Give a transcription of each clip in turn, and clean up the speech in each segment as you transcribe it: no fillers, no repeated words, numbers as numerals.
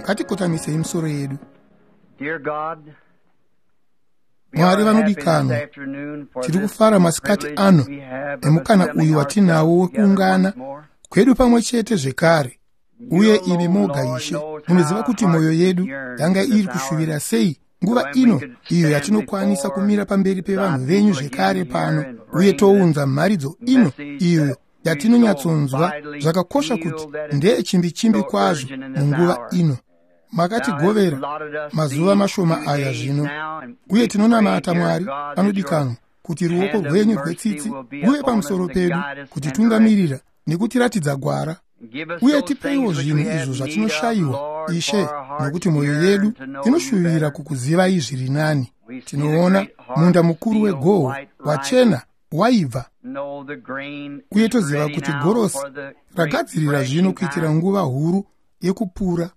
Ngatikotamisei misoro yedu. Dear God, we Mwari are happy this vanodikanwa, afternoon for tiri this kufara masikati privilege ano we have of nemukana assembling uyu watinawo ourselves together wekuungana once more. kwedu pamwe chete zvekare. You Uye imi alone, moga Lord, Ishe, knows how munoziva our kuti mwoyo hearts yedu yearn yanga for iri this hour kushuvira sei nguva when we ino could iyo stand yatinokwanisa before kumira pamberi thy pevanhu venyu people zvekare again here pano and uye bring this tounza mharidzo ino message iyo that we so yatinonyatsonzwa vitally zvakakosha feel kuti that it's ndeyechimbichimbi so kwazvo urgent in this munguva hour. ino. Thou hast Makatigovera allotted us mazuva these mashoma few aya days zvino, now, and uye we pray, tinonamata dear Mwari God, that your anodikanwa kuti ruoko hand of rwenyu mercy rwetsitsi will be rwuve upon us pamusoro to pedu guide us and direct us. kutitungamirira nekutiratidza gwara. And give us Uye those tipeiwo things which zvinhu we izvo have need of, zvatinoshayiwa, Lord, for Ishe, our hearts nokuti mwoyo yearn yedu to know you inoshuvira better. kukuzivai zviri nani. We see the Tinoona great munda harvest mukuru field wegohwo white ripe, wachena waibva, know the grain uye is toziva ready kuti now gorosi for the great ragadzirira zvino threshing kuitira time. nguva huru yekupura.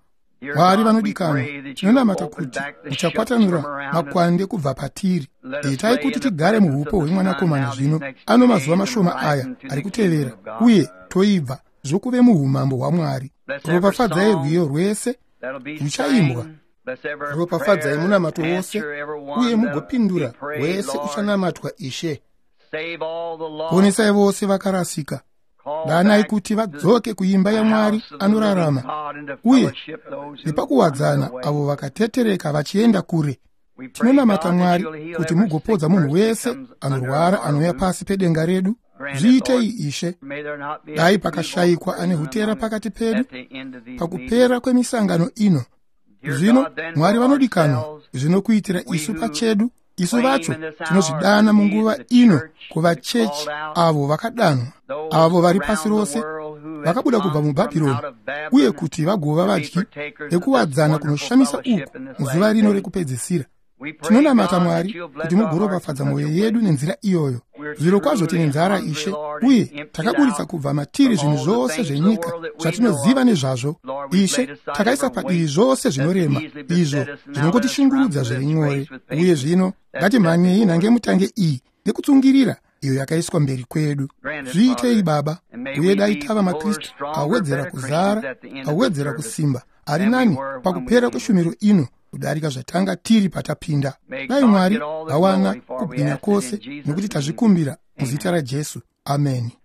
Dear Mwari God, we vanodikanwa, pray that you'll tinonamata open kuti back the shooks from muchakwatanura around us. makwande kubva patiri. Let us Itai lay kuti in the tigare presence of muupo the Son hwemwanakomana now these zvino next ano few mazuva days and mashoma rise aya into ari the kingdom kutevera of God. uye toibva zvokuve muumambo hwaMwari. Bless every Ropafadzai song rwiyo rwese that'll be ruchaimbwa. sang. Bless every Ropafadzai prayer. munamato wose Answer every uye one that'll be mugopindura prayed, wese Lord. uchanamatwa Ishe. Save all the lost. Ponesai vose vakarasika. Call Danai back kuti to vadzoke kuimba the yaMwari house of the living anorarama God and to uye fellowship those who wander nepakuwadzana away. avo vakatetereka vachienda kure. We pray, Tinonamata God, that Mwari you'll heal kuti every sick mugopodza munhu person that wese comes under anorwara our anouya roof. pasi pedenga redu. Grant it, Zviitei Lord. Ishe. May there not be Dai a feeble pakashayikwa ane person hutera among us pakati pedu at the end of these meetings. pakupera kwemisangano ino. Dear Zvino God, then Mwari for vanodikanwa, ourselves, zvino kuitira we isu who pachedu, isu claim vacho in this hour tinozvidana to be munguva the ino church, kuva the chechi called out, avo vakadanwa, those avo vari pasi around the rose world who have vakabuda kubva come from muBhabhironi out of uye Babylon kuti vagova to be vadyi partakers of this vekuwadzana wonderful kunoshamisa fellowship uku in this muzuva last rino day. rekupedzisira. We pray, Tinonamata God, that Mwari you'll kuti bless our hearts in mugoropafadza such a mwoyo way. yedu nenzira iyoyo. We're Zvirokwazvo tine truly nzara hungry, Ishe, Lord, and uye emptied takaburitsa out kubva matiri from zvinhu all the zvose things of the zvenyika world that we know zvatinoziva of. nezvazvo. Lord, we've Ishe, laid aside takaisa every padivi weight zvose that zvinorema easily beset izvo us, and now let us run zvinongotishungurudza through zviri this nyore. race with Uye patience zvino that's set ngatimhanyei before us. nhange mutange iyi nekutsungirira iyo yakaiswa mberi kwedu. Grant it, Zviitei Father, Baba, and may uye we dai be tava fuller, maKristu stronger, awedzera better Christians kuzara, at the end of this awedzera service kusimba, ari than we nani were when we pakupera came. kweshumiro ino kudarika zvatanga tiri patapinda. May Dai God Mwari get all the vawana glory, for we kubwinya ask it in kwose Jesus' nokuti name. tazvikumbira muzita Amen. raJesu. Ameni.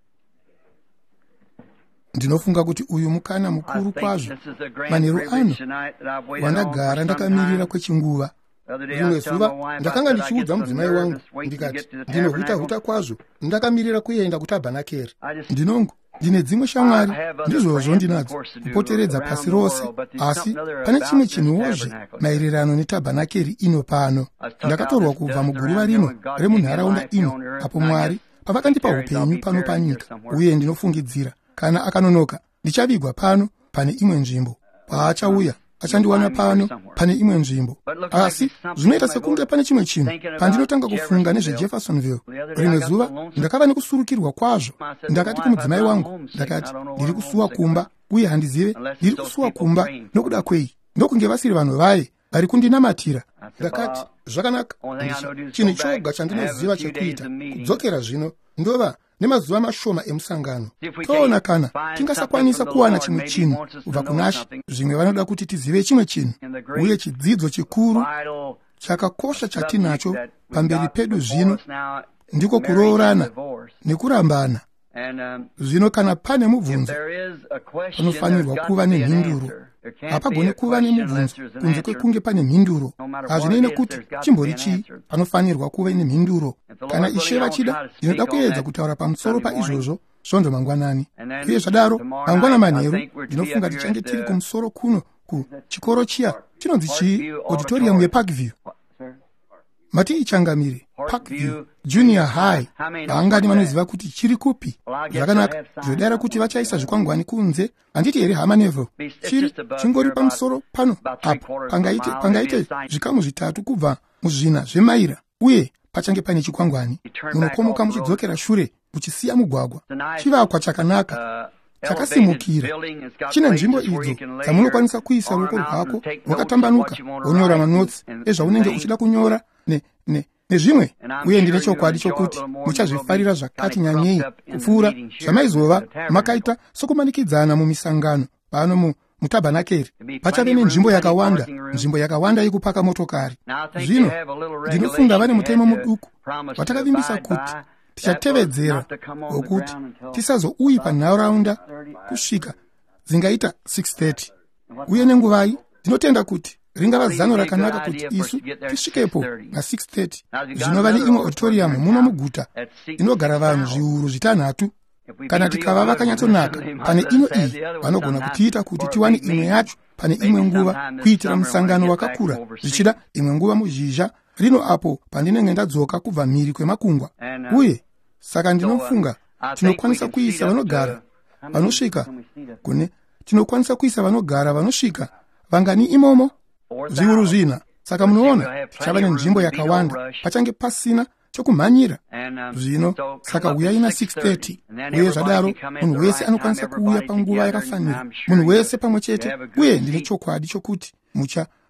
Ndinofunga kuti uyu mukana I mukuru think kwazvo this is a grand manheru privilege ano tonight that I've waited on for wandagara some ndakamirira time. kwechinguva. The other day I Rimwe was telling zuva my wife, I ndakanga said, I get ndichiudza so mudzimai wangu nervous waiting to ndikati get to the ndinohuta-huta tabernacle. kwazvo ndakamirira kuenda kutabhanakeri. I just Ndinongo ndine dzimwe I shamwari have other ndizvozvo friends, of ndinadzo course, to do kupoteredza around pasi the rose, world, but there's asi something other pane chimwe about this chinhuwozve tabernacle here. maererano netabhanakeri ino pano. I was took out Ndakatorwa this kubva dust muguruva around here rino when God gave me remunharaunda life here ino on earth, apo and I Mwari guess if he pavakandipa tarries, I'll upenyu be pano buried here panyika, somewhere. uye ndinofungidzira kana akanonoka ndichavigwa pano pane imwe nzvimbo. Paachauya You'll achandiwana find me here pano somewhere. pane imwe nzvimbo. But it looks like Asi there's something zvinoita when I go sekunge to pane chimwe chinhu thinking about pandinotanga kufunga Jeffersonville. nezveJeffersonville. The other day I Rimwe got so zuva lonesome. ndakava nekusurukirwa kwazvo. I said to my Ndakati wife, I said, kumudzimai I'm wangu, homesick and I ndakati don't know what ndiri I'm kusuwa homesick kumba about uye handizive unless ndiri it's those kusuwa people kumba praying for me. nokuda kwei ndokunge vasiri vanhu vaye vari kundinamatira. I said, Ndakati well, zvakanaka, only thing I know to do is chinhu go back choga and have a chandinoziva few days chekuita of meetings. kudzokera zvino ndova nemazuva mashoma emusangano. See if we Toona can't kana find something from tingasakwanisa the kuwana Lord. chimwe Maybe He chinhu wants us to kubva know kunaShe. something. Zvimwe vanoda kuti tizive chimwe chinhu, And the uye great chidzidzo chikuru vital chakakosha subject chatinacho that we've pamberi got pedu before zvino us now is ndiko marriage and kuroorana divorce. nekurambana. And Zvino kana pane if mubvunzo, there is a question, there's panofanirwa got kuva to be an nemhinduro. answer. There can't be Hapagoni a kuva question unless nemubvunzo there's an kunze answer. kwekunge pane mhinduro. No matter what Hazvinei it is, nekuti there's got to be chimbori an chii, answer. panofanirwa kuve nemhinduro. If the Kana Lord willing, Ishe I want to vachida, try to ndinoda speak on kuedza that kutaura pamusoro Sunday morning. paizvozvo svondo mangwanani. And Uye then zvadaro, tomorrow mangwana night, I manheru think we're to be up ndinofunga here tichange at tiri the kumusoro kuno kuchikoro chiya chinonzi chii, Parkview auditorium Auditorium. yeParkview. What, sir? Mati ichangamire, Parkview Parkview Junior Junior High. High. How many knows Vangani what's that? vanoziva kuti chiri kupi? Well, I guess they'll Zvakanaka, have signs ndinodara out kuti there. vachaisa zvikwangwani kunze. Handiti here hama Neville? It's Chiri just above chingori here, about pamusoro pano about three apo quarters of a pangaite mile. There'll be a pangaite sign. zvikamu zvitatu kubva muzvina zvemaira, uye pachange pane chikwangwani. You turn back off Munokomoka the road. muchidzokera shure muchisiya mugwagwa. It's a nice Chivakwa chakanaka elevated chakasimukira building. It's got chine nzvimbo places where you idzo can lay your dzamunokwanisa kuisa arm ruoko out and rwako take notes of what rwakatambanuka you want to wonyora write and, manotsi and, and ezvaunenge things. uchida kunyora nezvimwe. And I'm Uye ndine sure you'll chokwadi enjoy it a chokuti little more than you will be muchazvifarira kind zvakati of crumped nyanyei up in the kupfuura meetings here at zvamaizova the tabernacle. makaita sokumanikidzana mumisangano pano mutabhanakeri. Pachave nenzvimbo yakawanda, nzvimbo yakawanda yekupaka motokari. Zvino ndinofunga vane mutemo muduku watakavimbisa kuti tichatevedzera, wokuti tisazouyi panharaunda kusvika dzingaita 6:30. Uye nenguvai ndinotenda kuti ringava zano rakanaka kuti isu tisvikepo na6:30. Zvino vane imwe auditorium muno muguta inogara vanhu zviuru 6. Kana tikava vakanyatsonaka pane ino iyi, vanogona kutiita kuti tiwane imwe yacho pane imwe nguva kuitira musangano wakakura, zvichida imwe nguva muzhizha rino apo pandinenge ndadzoka kubva mhiri kwemakungwa. Uye saka ndinofunga tinokwanisa kuisa vanogara vanosvika kune tinokwanisa kuisa vanogara vanosvika vangani imomo? Zviuru 4. Saka munoona tichava nenzvimbo yakawanda, pachange pasina chokumhanyira. Zvino saka uyai na6:30, uye zvadaro munhu wese anokwanisa kuuya panguva yakafanira, munhu wese pamwe chete. Uye ndine chokwadi chokuti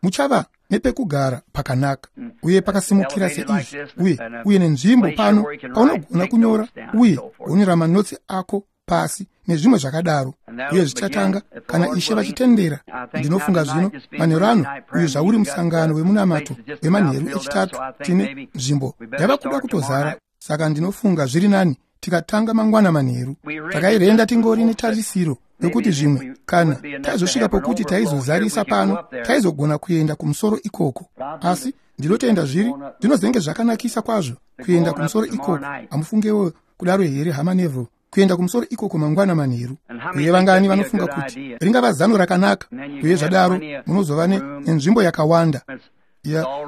muchava nepekugara pakanaka uye pakasimukira seizvi, uye nenzvimbo pano paunogona kunyora uye wonyora manotsi ako pasi nezvimwe zvakadaro. Uye zvichatanga kana Ishe vachitendera. Ndinofunga zvino manheru ano, uyu zvauri musangano wemunamato wemanheru echitatu, tine nzvimbo yava kuda kutozara. Saka ndinofunga zviri nani tikatanga mangwana manheru. Takairenda tingori netarisiro yokuti zvimwe kana taizosvika pokuti taizozarisa pano, taizogona kuenda kumusoro ikoko. Asi ndinotenda zvinozenge zvakanakisa kwazvo kuenda kumusoro ikoko. Hamufungewo kudaro here, hama Neville? Kuenda kumusoro ikoko mangwana manheru. Uye vangani vanofunga kuti ringava zano rakanaka? Uye zvadaro munozova nenzvimbo yakawanda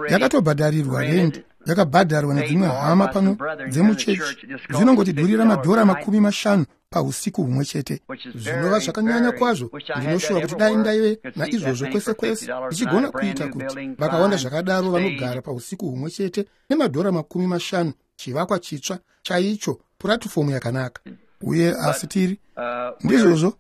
yakatobhadharirwa rendi, yakabhadharwa nedzimwe hama pano dzemuchechi. Zvinongotidhurira madhora 50 pausiku humwe chete, zvinova zvakanyanya kwazvo. Ndinoshuva kuti dai ndaive naizvozvo kwese kwese, ndichigona kuita kuti vakawanda zvakadaro vanogara pausiku humwe chete nemadhora 50, chivakwa chitsva chaicho, puratifomu yakanaka. Uye asi tiri ndizvozvo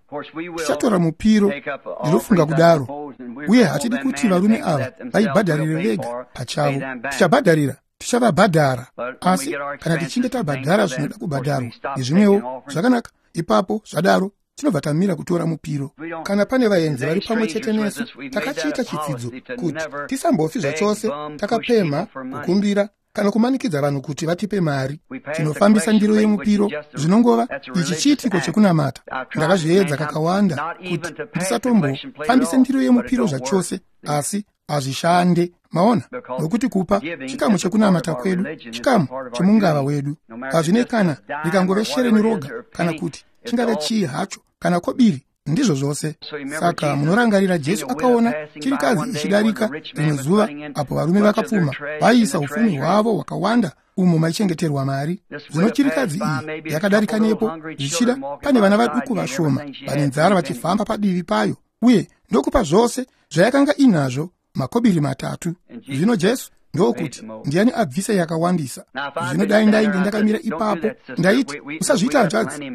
tichatora mupiro, ndinofunga kudaro. Uye hatidi kuti varume ava vaibhadharire vega pachavo. Tichabhadharira, tichavabhadhara. Asi kana tichinge tabhadhara zvinoda kubhadharwa nezvimwewo zvakanaka, ipapo zvadaro tinobva tamira kutora mupiro. Kana pane vaenzi vari pamwe chete nesu, takachiita chitsidzo kuti tisambofi zvachose takapemha, kukumbira kana kumanikidza vanhu kuti vatipe mari. Tinofambisa ndiro yemupiro, zvinongova ichi chiitiko chekunamata. Ndakazviedza kakawanda kuti ndisatombofambise ndiro yemupiro zvachose, asi hazvishande. Maona, nokuti kupa chikamu chekunamata kwedu, chikamu chemungava wedu. Hazvine kana rikangove shereni roga, kana kuti chingave chii hacho, kana kobiri, ndizvo zvose. Saka munorangarira Jesu akaona chirikadzi ichidarika rimwe zuva apo varume vakapfuma vaiisa upfumi hwavo hwakawanda umo maichengeterwa mari. Zvino chirikadzi iyi yakadarika nepo, zvichida pane vana vaduku vashoma vane nzara vachifamba padivi payo, uye ndokupa zvose zvayakanga inazvo, makobiri 3. Zvino Jesu ndokuti, ndiani abvisa yakawandisa? Zvino dai ndainge ndakamira ipapo, ndaiti, usazviita hanzvadzi,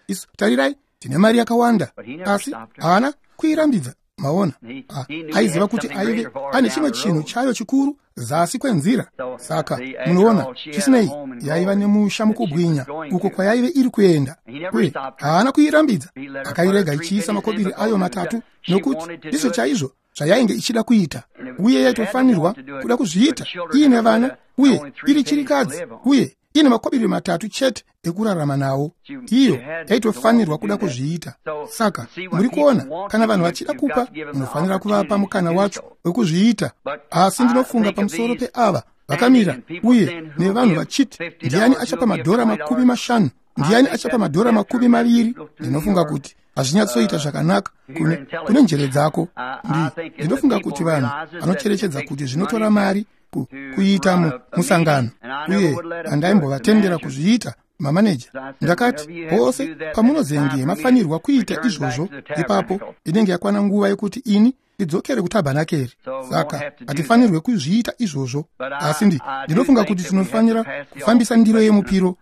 isu tarirai, tine mari yakawanda. Asi haana kuirambidza. Maona, aiziva kuti aive ane chimwe chinhu chayo chikuru zasi kwenzira. Saka munoona, chisinei yaiva nemusha mukubwinya uko kwayaive iri kuenda, uye haana kuirambidza. Akairega ichiisa makobiri ayo 3, nokuti ndizvo chaizvo zvayainge ichida kuita, uye yaitofanirwa kuda kuzviita iine vana, uye iri chirikadzi, uye ine makobiri 3 chete ekurarama nawo. Iyo yaitofanirwa kuda kuzviita. Saka muri kuona, kana vanhu vachida kupa, munofanira kuvapa mukana wacho wekuzviita. Asi ndinofunga pamusoro peava vakamira uye nevanhu vachiti, ndiani achapa madhora 50? Ndiani achapa madhora 20? Ndinofunga kuti hazvinyatsoita zvakanaka kune njere dzako. Ndinofunga kuti vanhu vanocherechedza kuti zvinotora mari kuita musangano, uye handaimbovatendera kuzviita. Mamaneja, ndakati, pose pamunozenge mafanirwa kuita izvozvo, ipapo inenge yakwana nguva yekuti ini ndidzokere kutabhanakeri. Saka hatifanirwe kuzviita izvozvo. Asi ndinofunga kuti tinofanira kufambisa ndiro yemupiro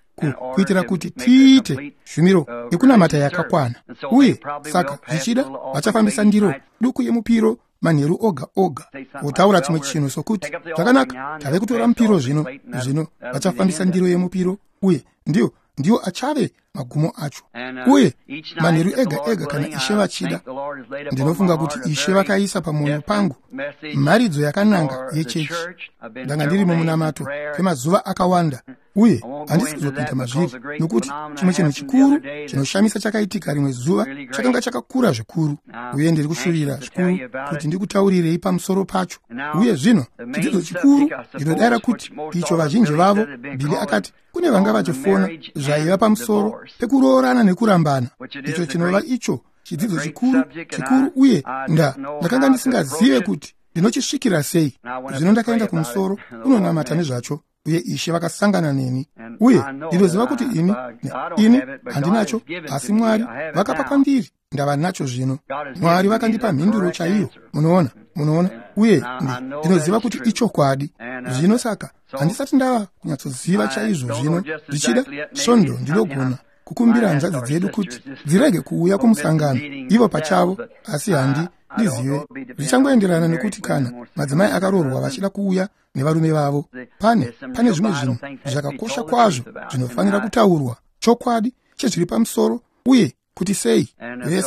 kuitira kuti tiite shumiro yekunamata yakakwana. Uye saka zvichida vachafambisa ndiro duku yemupiro manheru oga oga, votaura chimwe chinhu sokuti, zvakanaka, tave kutora mupiro zvino. Zvino vachafambisa ndiro yemupiro, uye ndiyo achave magumo acho. Uye manheru ega ega kana Ishe vachida, ndinofunga kuti Ishe vakaisa pamwoyo pangu mharidzo yakananga yechechi. Ndanga ndiri mumunamato kwemazuva akawanda, uye handisi kuzopinda mazviri, nokuti chimwe chinhu chikuru chinoshamisa chakaitika rimwe zuva chakanga chakakura zvikuru, uye ndiri kushuvira zvikuru kuti ndikutaurirei pamusoro pacho. Uye zvino chidzidzo chikuru ndinodayira kuti icho vazhinji vavo, Billy akati kune vanga vachifona zvaiva pamusoro pekuroorana nekurambana, icho chinova icho chidzidzo chikuru chikuru, uye ndakanga ndisingazive kuti ndinochisvikira sei. Zvino ndakaenda kumusoro kunonamata nezvacho, uye Ishe vakasangana neni. Uye ndinoziva kuti ini handinacho, asi Mwari vakapa kwandiri, ndava nacho zvino. Mwari vakandipa mhinduro chaiyo, munoona, uye ndinoziva kuti ichokwadi. Zvino saka handisati ndava kunyatsoziva chaizvo zvino. Zvichida svondo ndinogona kukumbira hanzvadzi dzedu kuti dzirege kuuya kumusangano ivo pachavo, asi handizive. Zvichangoenderana nekuti kana madzimai akaroorwa vachida kuuya nevarume vavo. Pane zvimwe zvinhu zvakakosha kwazvo zvinofanira kutaurwa, chokwadi chezviri pamusoro, uye kuti sei.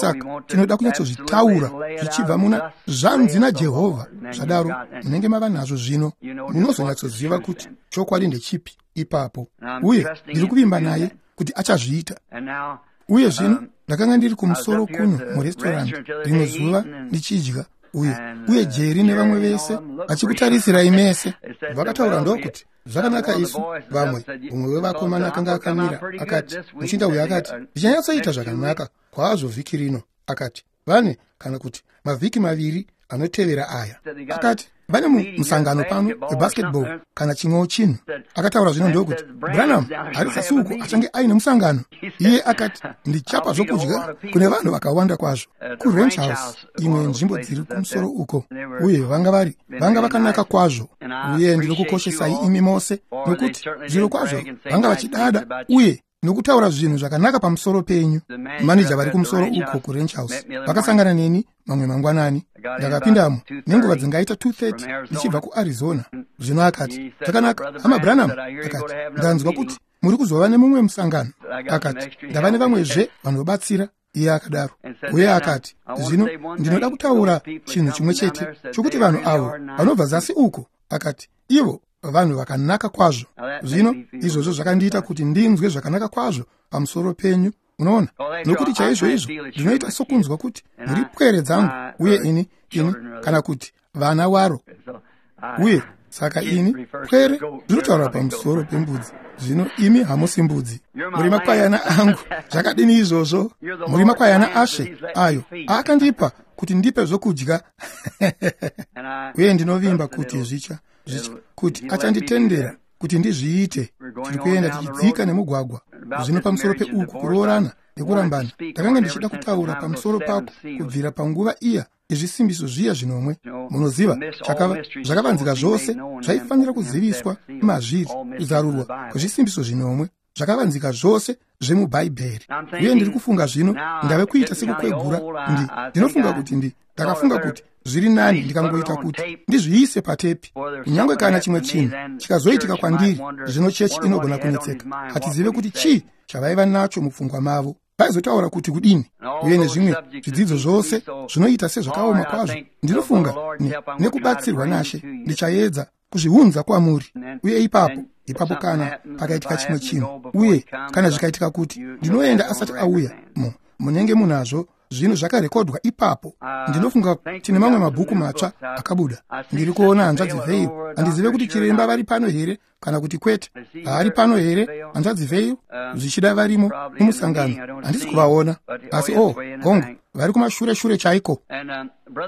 Saka tinoda kunyatsozvitaura zvichibva muna zvanzi naJehovha. Zvadaro munenge mava nazvo zvino, munozonyatsoziva kuti chokwadi ndechipi ipapo. Uye ndiri kuvimba naye kuti achazviita. Uye zvino ndakanga ndiri kumusoro kuno murestorandi rimwe zuva ndichidya, uye Jerry nevamwe vese vachikutarisirai mese. Vakataura ndokuti zvakanaka isu vamwe. Mumwe wevakomana akanga akamira akati, muchinda uyu akati, ndichanyatsoita zvakanaka kwazvo vhiki rino. Akati vane kana kuti mavhiki maviri anotevera aya. Akati vane musangano pano webasketball kana chimwewo chinhu. Akataura zvino ndokuti Branham ari sasuku achange aine musangano. Iye akati ndichapa zvokudya kune vanhu vakawanda kwazvo kuRanch House, imwe nzvimbo dziri kumusoro uko, uye vanga vakanaka kwazvo. Uye ndinokukoshesai imi mose, nokuti zviro kwazvo vanga vachidada uye nokutaura zvinhu zvakanaka pamusoro penyu. Manija vari kumusoro uko kuRanch House vakasangana neni mamwe mangwanani. Ndakapindamo nenguva dzingaita 2:30 ndichibva kuArizona. Zvino akati, zvakanaka hama Branham, akati ndanzwa kuti muri kuzova nemumwe musangano. Akati ndava nevamwezve vanobatsira. Iye akadaro. Uye akati zvino ndinoda kutaura chinhu chimwe chete chokuti vanhu avo vanobva zasi uko, akati ivo vanhu vakanaka kwazvo. Zvino izvozvo zvakandiita kuti ndinzwe zvakanaka kwazvo pamusoro penyu, unoona, nokuti chaizvo izvo ndinoita sokunzwa kuti muri pwere dzangu, uye ini kana kuti vana waro. Uye saka ini pwere ndinotaura pamusoro pembudzi. Zvino imi hamusi mbudzi, muri makwayana angu. Zvakadini izvozvo? Muri makwayana Ashe ayo aakandipa kuti ndipe zvokudya. Uye ndinovimba kuti zvicha kuti achanditendera kuti ndizviite. Tiri kuenda tichidzika nemugwagwa. Zvino pamusoro peuku kuroorana nekurambana, ndakanga ndichida kutaura pamusoro pako kubvira panguva iya yezvisimbiso zviya zvinomwe. Munoziva, zvakavanzika zvose zvaifanira kuziviswa mazviri, kuzarurwa kwezvisimbiso zvinomwe, zvakavanzika zvose zvemubhaibheri. Uye ndiri kufunga zvino ndave kuita sekukwegura. Ndinofunga kuti ndakafunga kuti zviri nani ndikangoita kuti ndizviise patepi, kunyange kana chimwe chinhu chikazoitika kwandiri. Zvino chechi inogona kunetseka. Hatizive kuti chii chavaiva nacho mupfungwa mavo, vaizotaura kuti kudini. Uye nezvimwe zvidzidzo zvose zvinoita sezvakaoma kwazvo. Ndinofunga nekubatsirwa naShe ndichaedza kuzviunza kwamuri. Uye ipapo kana pakaitika chimwe chinhu, uye kana zvikaitika kuti ndinoenda asati auya, munenge munazvo zvinhu zvakarekodwa ipapo. Ndinofunga tine mamwe mabhuku matsva akabuda. Ndiri kuona hanzvadzi Veil. Handizive kuti chiremba vari pano here kana kuti kwete. Haari pano here hanzvadzi Veil? Zvichida varimo mumusangano, handisi kuvaona. Asi hongu, vari kumashure shure chaiko.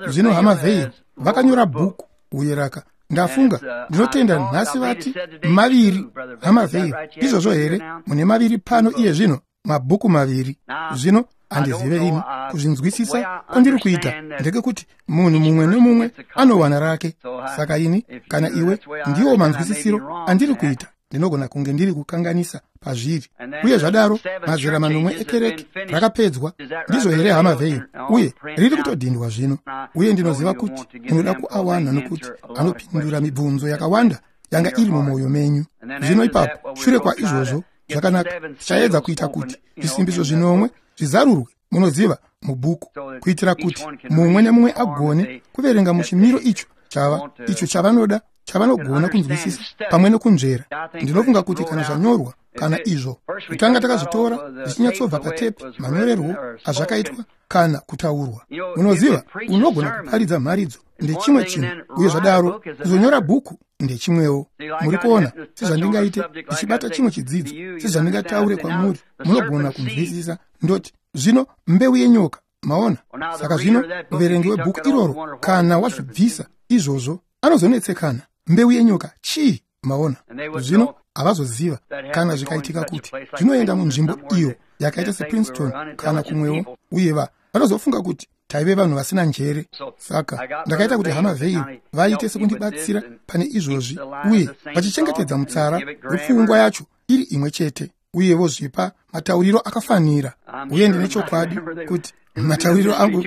Zvino hama Veil vakanyora bhuku, uye ndafunga ndinotenda nhasi vati maviri. Hama Veil, izvozvo here? Mune maviri pano iye zvino, mabhuku maviri. Zvino handizive ini kuzvinzwisisa kwandiri kuita ndekekuti munhu mumwe nemumwe anowana rake. Saka ini kana iwe ndiwo manzwisisiro andiri kuita, ndinogona kunge ndiri kukanganisa pazviri. Uye zvadaro mazera manomwe ekereke rakapedzwa. Ndizvo here hama Veil? Uye riri kutodhindwa zvino. Uye ndinoziva kuti munoda kuawana, nokuti anopindura mibvunzo yakawanda yanga iri mumwoyo menyu. Zvino ipapo shure kwaizvozvo Zvakanaka, tichaedza kuita kuti zvisimbiso zvinomwe zvizarurwe, munoziva, mubhuku, kuitira kuti mumwe nemumwe agone kuverenga muchimiro icho chava icho chavanoda, chavanogona kunzwisisa pamwe nokunzvera. Ndinofunga kuti kana zvanyorwa, kana izvo kutanga takazvitora zvichinyatsobva patepi, manyorerwo azvakaitwa kana kutaurwa. Munoziva, unogona kuparidza mharidzo ndechimwe chinhu, uye zvadaro kuzonyora bhuku ndechimwewo. Muri kuona, sezvandingaite ndichibata chimwe chidzidzo, sezvandingataure kwamuri, munogona kunzwisisa. Ndoti zvino mbeu yenyoka, maona. Saka zvino muverengi webhuku iroro, kana wazvibvisa izvozvo, anozonetsekana. Mbeu yenyoka chii? Maona. Zvino havazoziva kana zvikaitika kuti zvinoenda munzvimbo iyo yakaita sePrinceton kana kumwewo, uye vanozofunga kuti taive vanhu vasina njere. Saka ndakaita kuti hama Veil vaite sekundibatsira pane izvozvi, uye vachichengetedza mutsara wepfungwa yacho iri imwe chete, uye vozvipa matauriro akafanira. Uye ndine chokwadi kuti matauriro angu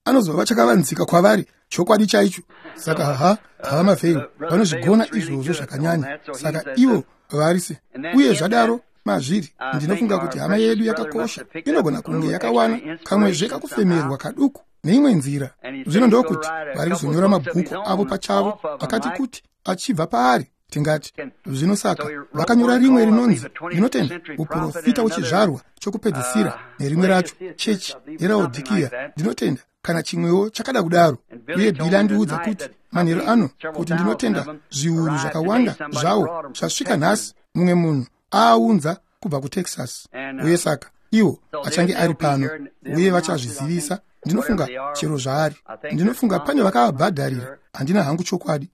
anozova chakavanzika kwavari, chokwadi chaicho. Saka hama Veil vanozvigona izvozvo zvakanyanya. Saka ivo varise. Uye zvadaro mazviri, ndinofunga kuti hama yedu yakakosha inogona kunge yakawana kamwezve kakufemerwa kaduku neimwe nzira. Zvino ndokuti vari kuzonyora mabhuku avo pachavo akati kuti achibva paari, tingati. Zvino saka vakanyora rimwe rinonzi, ndinotenda, uprofita wechizvarwa chokupedzisira, nerimwe racho chechi yeRaodhikiya, ndinotenda, kana chimwewo chakada kudaro. Uye Bhili andiudza kuti manheru ano kuti ndinotenda zviuru zvakawanda zvawo zvasvika nhasi, mumwe munhu aaunza kubva kuTexas. Uye saka iwo achange ari pano, uye vachazvizivisa, ndinofunga, chero zvaari. Ndinofunga pane vakavabhadharira, handina hangu chokwadi.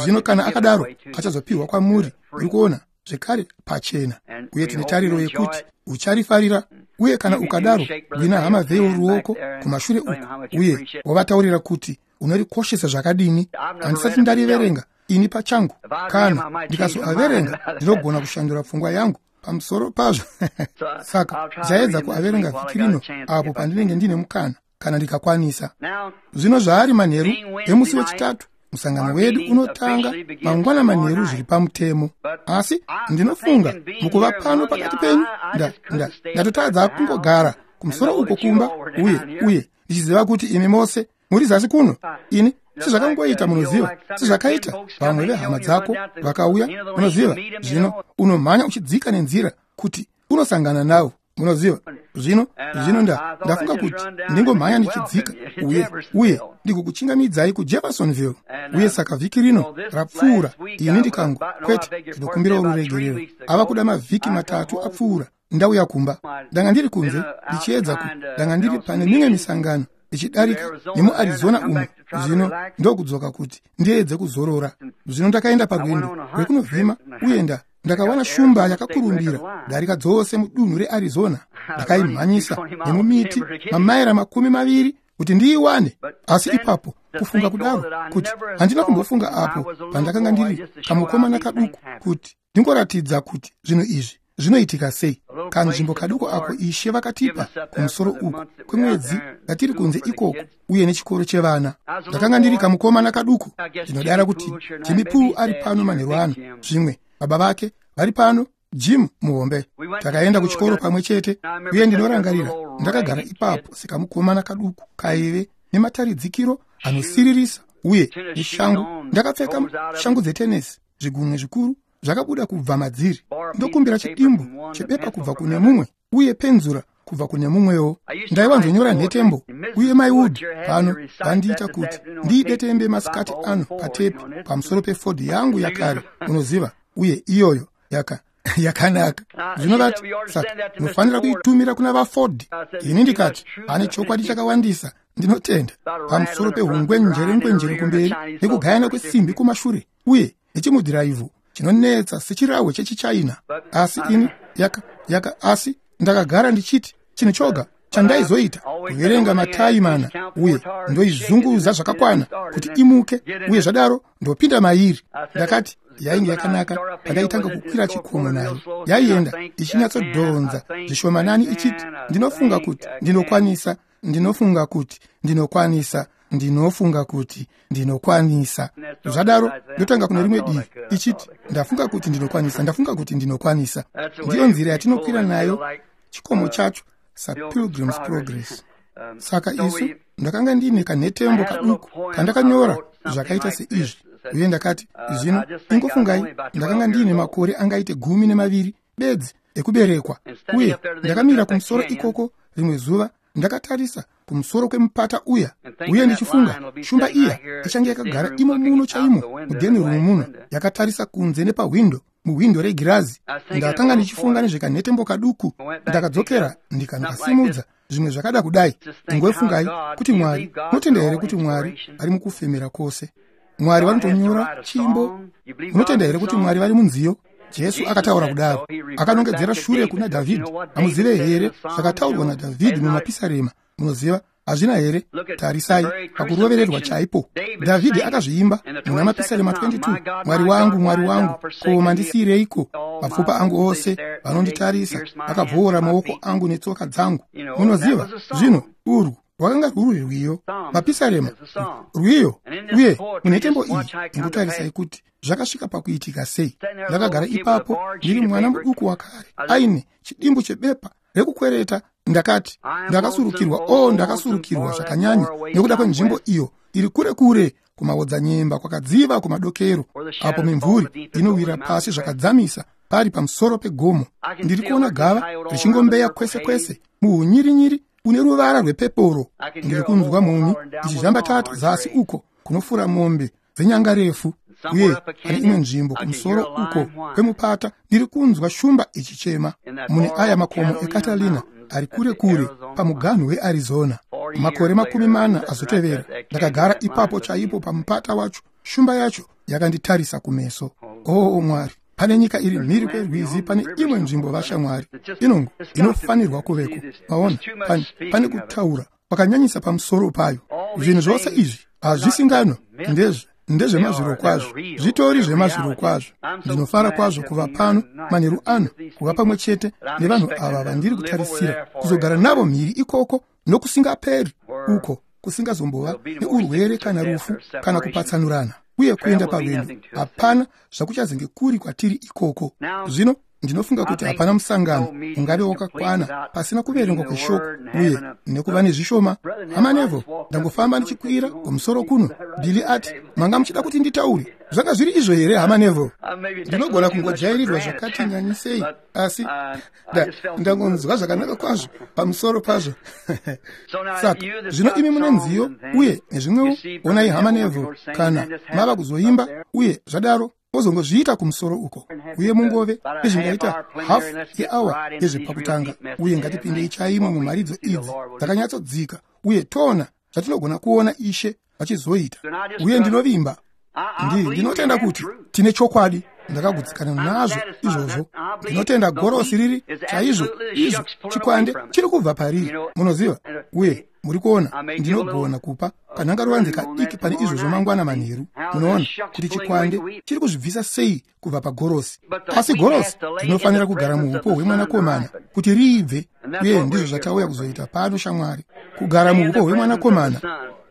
Zvino kana akadaro, achazopiwa kwamuri, uri kuona, zvekare pachena. Uye tine tariro yekuti ucharifarira. Uye kana ukadaro, gwina hama Veil ruoko kumashure uku, uye wavataurira kuti unorikoshesa zvakadini. Handisati ndariverenga ini pachangu. Kana ndikazoaverenga, ndinogona kushandura pfungwa yangu pamusoro pazvo. Saka ndichaedza kuaverenga vhiki rino apo pandinenge ndine mukana, kana ndikakwanisa. Zvino zvaari manheru emusi wechitatu, musangano wedu unotanga mangwana manheru zviri pamutemo. Asi ndinofunga mukuva pano pakati penyu, ndatotadza kungogara kumusoro uko kumba, uye ndichiziva kuti imi mose muri zasi kuno. Ini sezvakangoita, munoziva, sezvakaita vamwe vehama dzako vakauya, munoziva, zvino unomhanya uchidzika nenzira kuti unosangana navo, munoziva. Zvino ndafunga kuti ndingomhanya ndichidzika, uye ndikukuchingamidzai kuJeffersonville. Uye saka vhiki rino rapfuura, ini ndikango, kwete, ndinokumbira ruregerero, ava kuda mavhiki 3 apfuura, ndauya kumba. Ndanga ndiri kunze ndichiedza ndanga ndiri pane mimwe misangano ichidarika nemuArizona umu. Zvino ndokudzoka kuti ndiedze kuzorora. Zvino ndakaenda parwendo rwekunovhima, uye ndakawana shumba yakakurumbira darika dzose mudunhu reArizona. Ndakaimhanyisa nemumiti mamaira 20 kuti ndiiwane. Asi ipapo kufunga kudaro kuti handina kumbofunga apo pandakanga ndiri kamukomana kaduku kuti ndingoratidza kuti zvinhu izvi zvinoitika sei. Kanzvimbo kaduku ako Ishe vakatipa kumusoro uku kwemwedzi yatiri kunze ikoko, uye nechikoro chevana. Ndakanga ndiri kamukomana kaduku. Ndinodara kuti Jimmy Poole ari pano manheru ano, zvimwe baba vake vari pano, Jim muhombe. Takaenda kuchikoro pamwe chete, uye ndinorangarira ndakagara ipapo sekamukomana kaduku kaive nemataridzikiro anosiririsa, uye neshangu. Ndakapfeka shangu dzetenesi, zvigunwe zvikuru zvakabuda kubva madziri. Ndokumbira chidimbu chebepa kubva kune mumwe, uye penzura kubva kune mumwewo. Ndaiwanzonyora nhetembo, uye Mai Wood pano vandiita kuti ndiidetembe masikati ano patepi pamusoro peFord yangu yakare, unoziva, uye iyoyo yakanaka. Zvino vati, saka munofanira kuitumira kuna vaFord. Ini ndikati, ane chokwadi chakawandisa, ndinotenda, pamusoro pehungwenjere kumberi nekugayana kwesimbi kumashure, uye nechimudhiraivho chinonetsa sechirahwe chechichina. Asi ini asi ndakagara ndichiti chinhu choga chandaizoita kuverenga matai mana, uye ndoizunguza zvakakwana kuti imuke, uye zvadaro ndopinda mairi. Ndakati yainge yakanaka pandaitanga kukwira chikomo nayo. Yaienda ichinyatsodhonza zvishomanani ichiti, ndinofunga kuti ndinokwanisa, ndinofunga kuti ndinokwanisa, Ndinofunga kuti ndinokwanisa. Zvadaro ndotanga kune rimwe divi ichiti, ndafunga kuti ndinokwanisa, ndafunga kuti ndinokwanisa. Ndiyo nzira yatinokwira nayo chikomo chacho saPilgrim's Progress. Saka isu ndakanga ndine kanhetembo kaduku kandakanyora zvakaita seizvi, uye ndakati, zvino ingofungai, ndakanga ndiine makore angaite 12 bedzi ekuberekwa, uye ndakamira kumusoro ikoko rimwe zuva, ndakatarisa kumusoro kwemupata uya, uye ndichifunga shumba iya ichange yakagara imo muno chaimo mudheni rumu muno, yakatarisa kunze nepahwindo, muhwindo regirazi. Ndakanga ndichifunga nezvekanhetembo kaduku. Ndakadzokera ndikanokasimudza, zvimwe zvakada kudai. Ingofungai kuti Mwari, munotenda here kuti Mwari ari mukufemera kwose? Mwari vanotonyora chimbo. Munotenda here kuti Mwari vari munziyo? Jesu akataura kudaro, akanongedzera shure kuna Dhavhidhi. Hamuzive here zvakataurwa naDhavhidhi mumapisarema? Munoziva, hazvina here? Tarisai pakurovererwa chaipo. Dhavhidhi akazviimba muna mapisarema 22, Mwari wangu, Mwari wangu, ko mandisiyireiko? Mapfupa angu ose vanonditarisa, vakabvoora maoko angu netsoka dzangu. Munoziva, zvino urwu rwakanga rwuri rwiyo, mapisarema rwiyo. Uye munhetembo iyi, ingotarisai kuti zvakasvika pakuitika sei. Ndakagara ipapo ndiri mwana muduku wakare, aine chidimbu chebepa rekukwereta. Ndakati, ndakasurukirwa, o ndakasurukirwa zvakanyanya nekuda kwenzvimbo iyo iri kure kure kumaodzanyemba kwakadziva kumadokero, apo mimvuri inowira pasi zvakadzamisa pari pamusoro pegomo. Ndiri kuona gava richingombeya kwese kwese muhunyirinyiri une ruvara rwepeporo. Ndiri kunzwa mhumhi ichizhambatata zasi uko kunofura mombe dzenyanga refu, uye pane imwe nzvimbo kumusoro uko kwemupata ndiri kunzwa shumba ichichema mune aya makomo eCatalina ari kure kure pamuganhu weArizona. Makore 40 azotevera, ndakagara ipapo chaipo pamupata wacho, shumba yacho yakanditarisa kumeso. Oo Mwari, pane nyika iri mhiri kwerwizi, pane imwe nzvimbo vashamwari inongo inofanirwa kuveko. Maona, pane kutaura kwakanyanyisa pamusoro payo. Zvinhu zvose izvi hazvisingano, ndezvemazviro kwazvo, zvitori zvemazviro kwazvo. Ndinofara kwazvo kuva pano manheru ano, kuva pamwe chete nevanhu ava vandiri kutarisira kuzogara navo mhiri ikoko nokusingaperi, uko kusingazombova neurwere kana rufu kana kupatsanurana uye kuenda parwendo. Hapana zvakuchazenge kuri kwatiri ikoko. Zvino ndinofunga kuti hapana musangano ungave wakakwana pasina kuverengwa kweshoko uye nekuva nezvishoma. Hama Neville, ndangofamba ndichikwira kumusoro kuno. Billy ati, manga muchida kuti nditaure. Zvanga zviri izvo here, hama Neville? Ndinogona kungojairirwa zvakati nyanyisei, asi ndangonzwa zvakanaka kwazvo pamusoro pazvo. Saka zvino imi mune nziyo uye nezvimwewo, onai hama Neville kana mava kuzoimba, uye zvadaro ozongozviita kumusoro uko, uye mungove nezvingaita hafu yeawa yezvepakutanga, uye ngatipindei chaimo mumharidzo idzi dzakanyatsodzika, uye toona zvatinogona kuona Ishe vachizoita. Uye ndinovimba, ndinotenda kuti tine chokwadi. Ndakagutsikana nazvo izvozvo. Ndinotenda gorosi riri chaizvo izvo, chikwande chiri kubva pariri, munoziva. Uye muri kuona, ndinogona kupa kanhangaruvanze kadiki pane izvozvo mangwana manheru. Munoona kuti chikwande chiri kuzvibvisa sei kubva pagorosi. Asi gorosi rinofanira kugara muupo hwemwanakomana kuti riibve, uye ndizvo zvatauya kuzoita pano shamwari, kugara muupo hwemwanakomana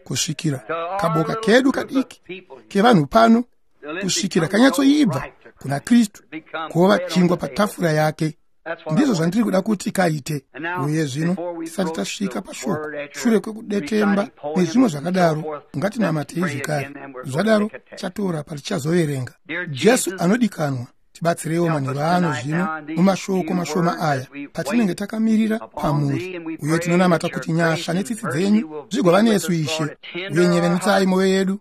kusvikira kaboka kedu kadiki kevanhu pano kusvikira kanyatsoibva kuna Kristu, kuva chingwa patafura yake. Ndizvo zvandiri kuda kuti kaite. Uye zvino tisati tasvika pashoko, shure kwekudetemba nezvimwe zvakadaro, ngatinamatei zvekare. Zvadaro chatora patichazoverenga. Jesu anodikanwa, tibatsireiwo manheru ano zvino mumashoko mashoma aya patinenge takamirira pamuri. Uye tinonamata kuti nyasha netsitsi dzenyu zvigova nesu, Ishe. Uye nyevenutsai mwoyo yedu,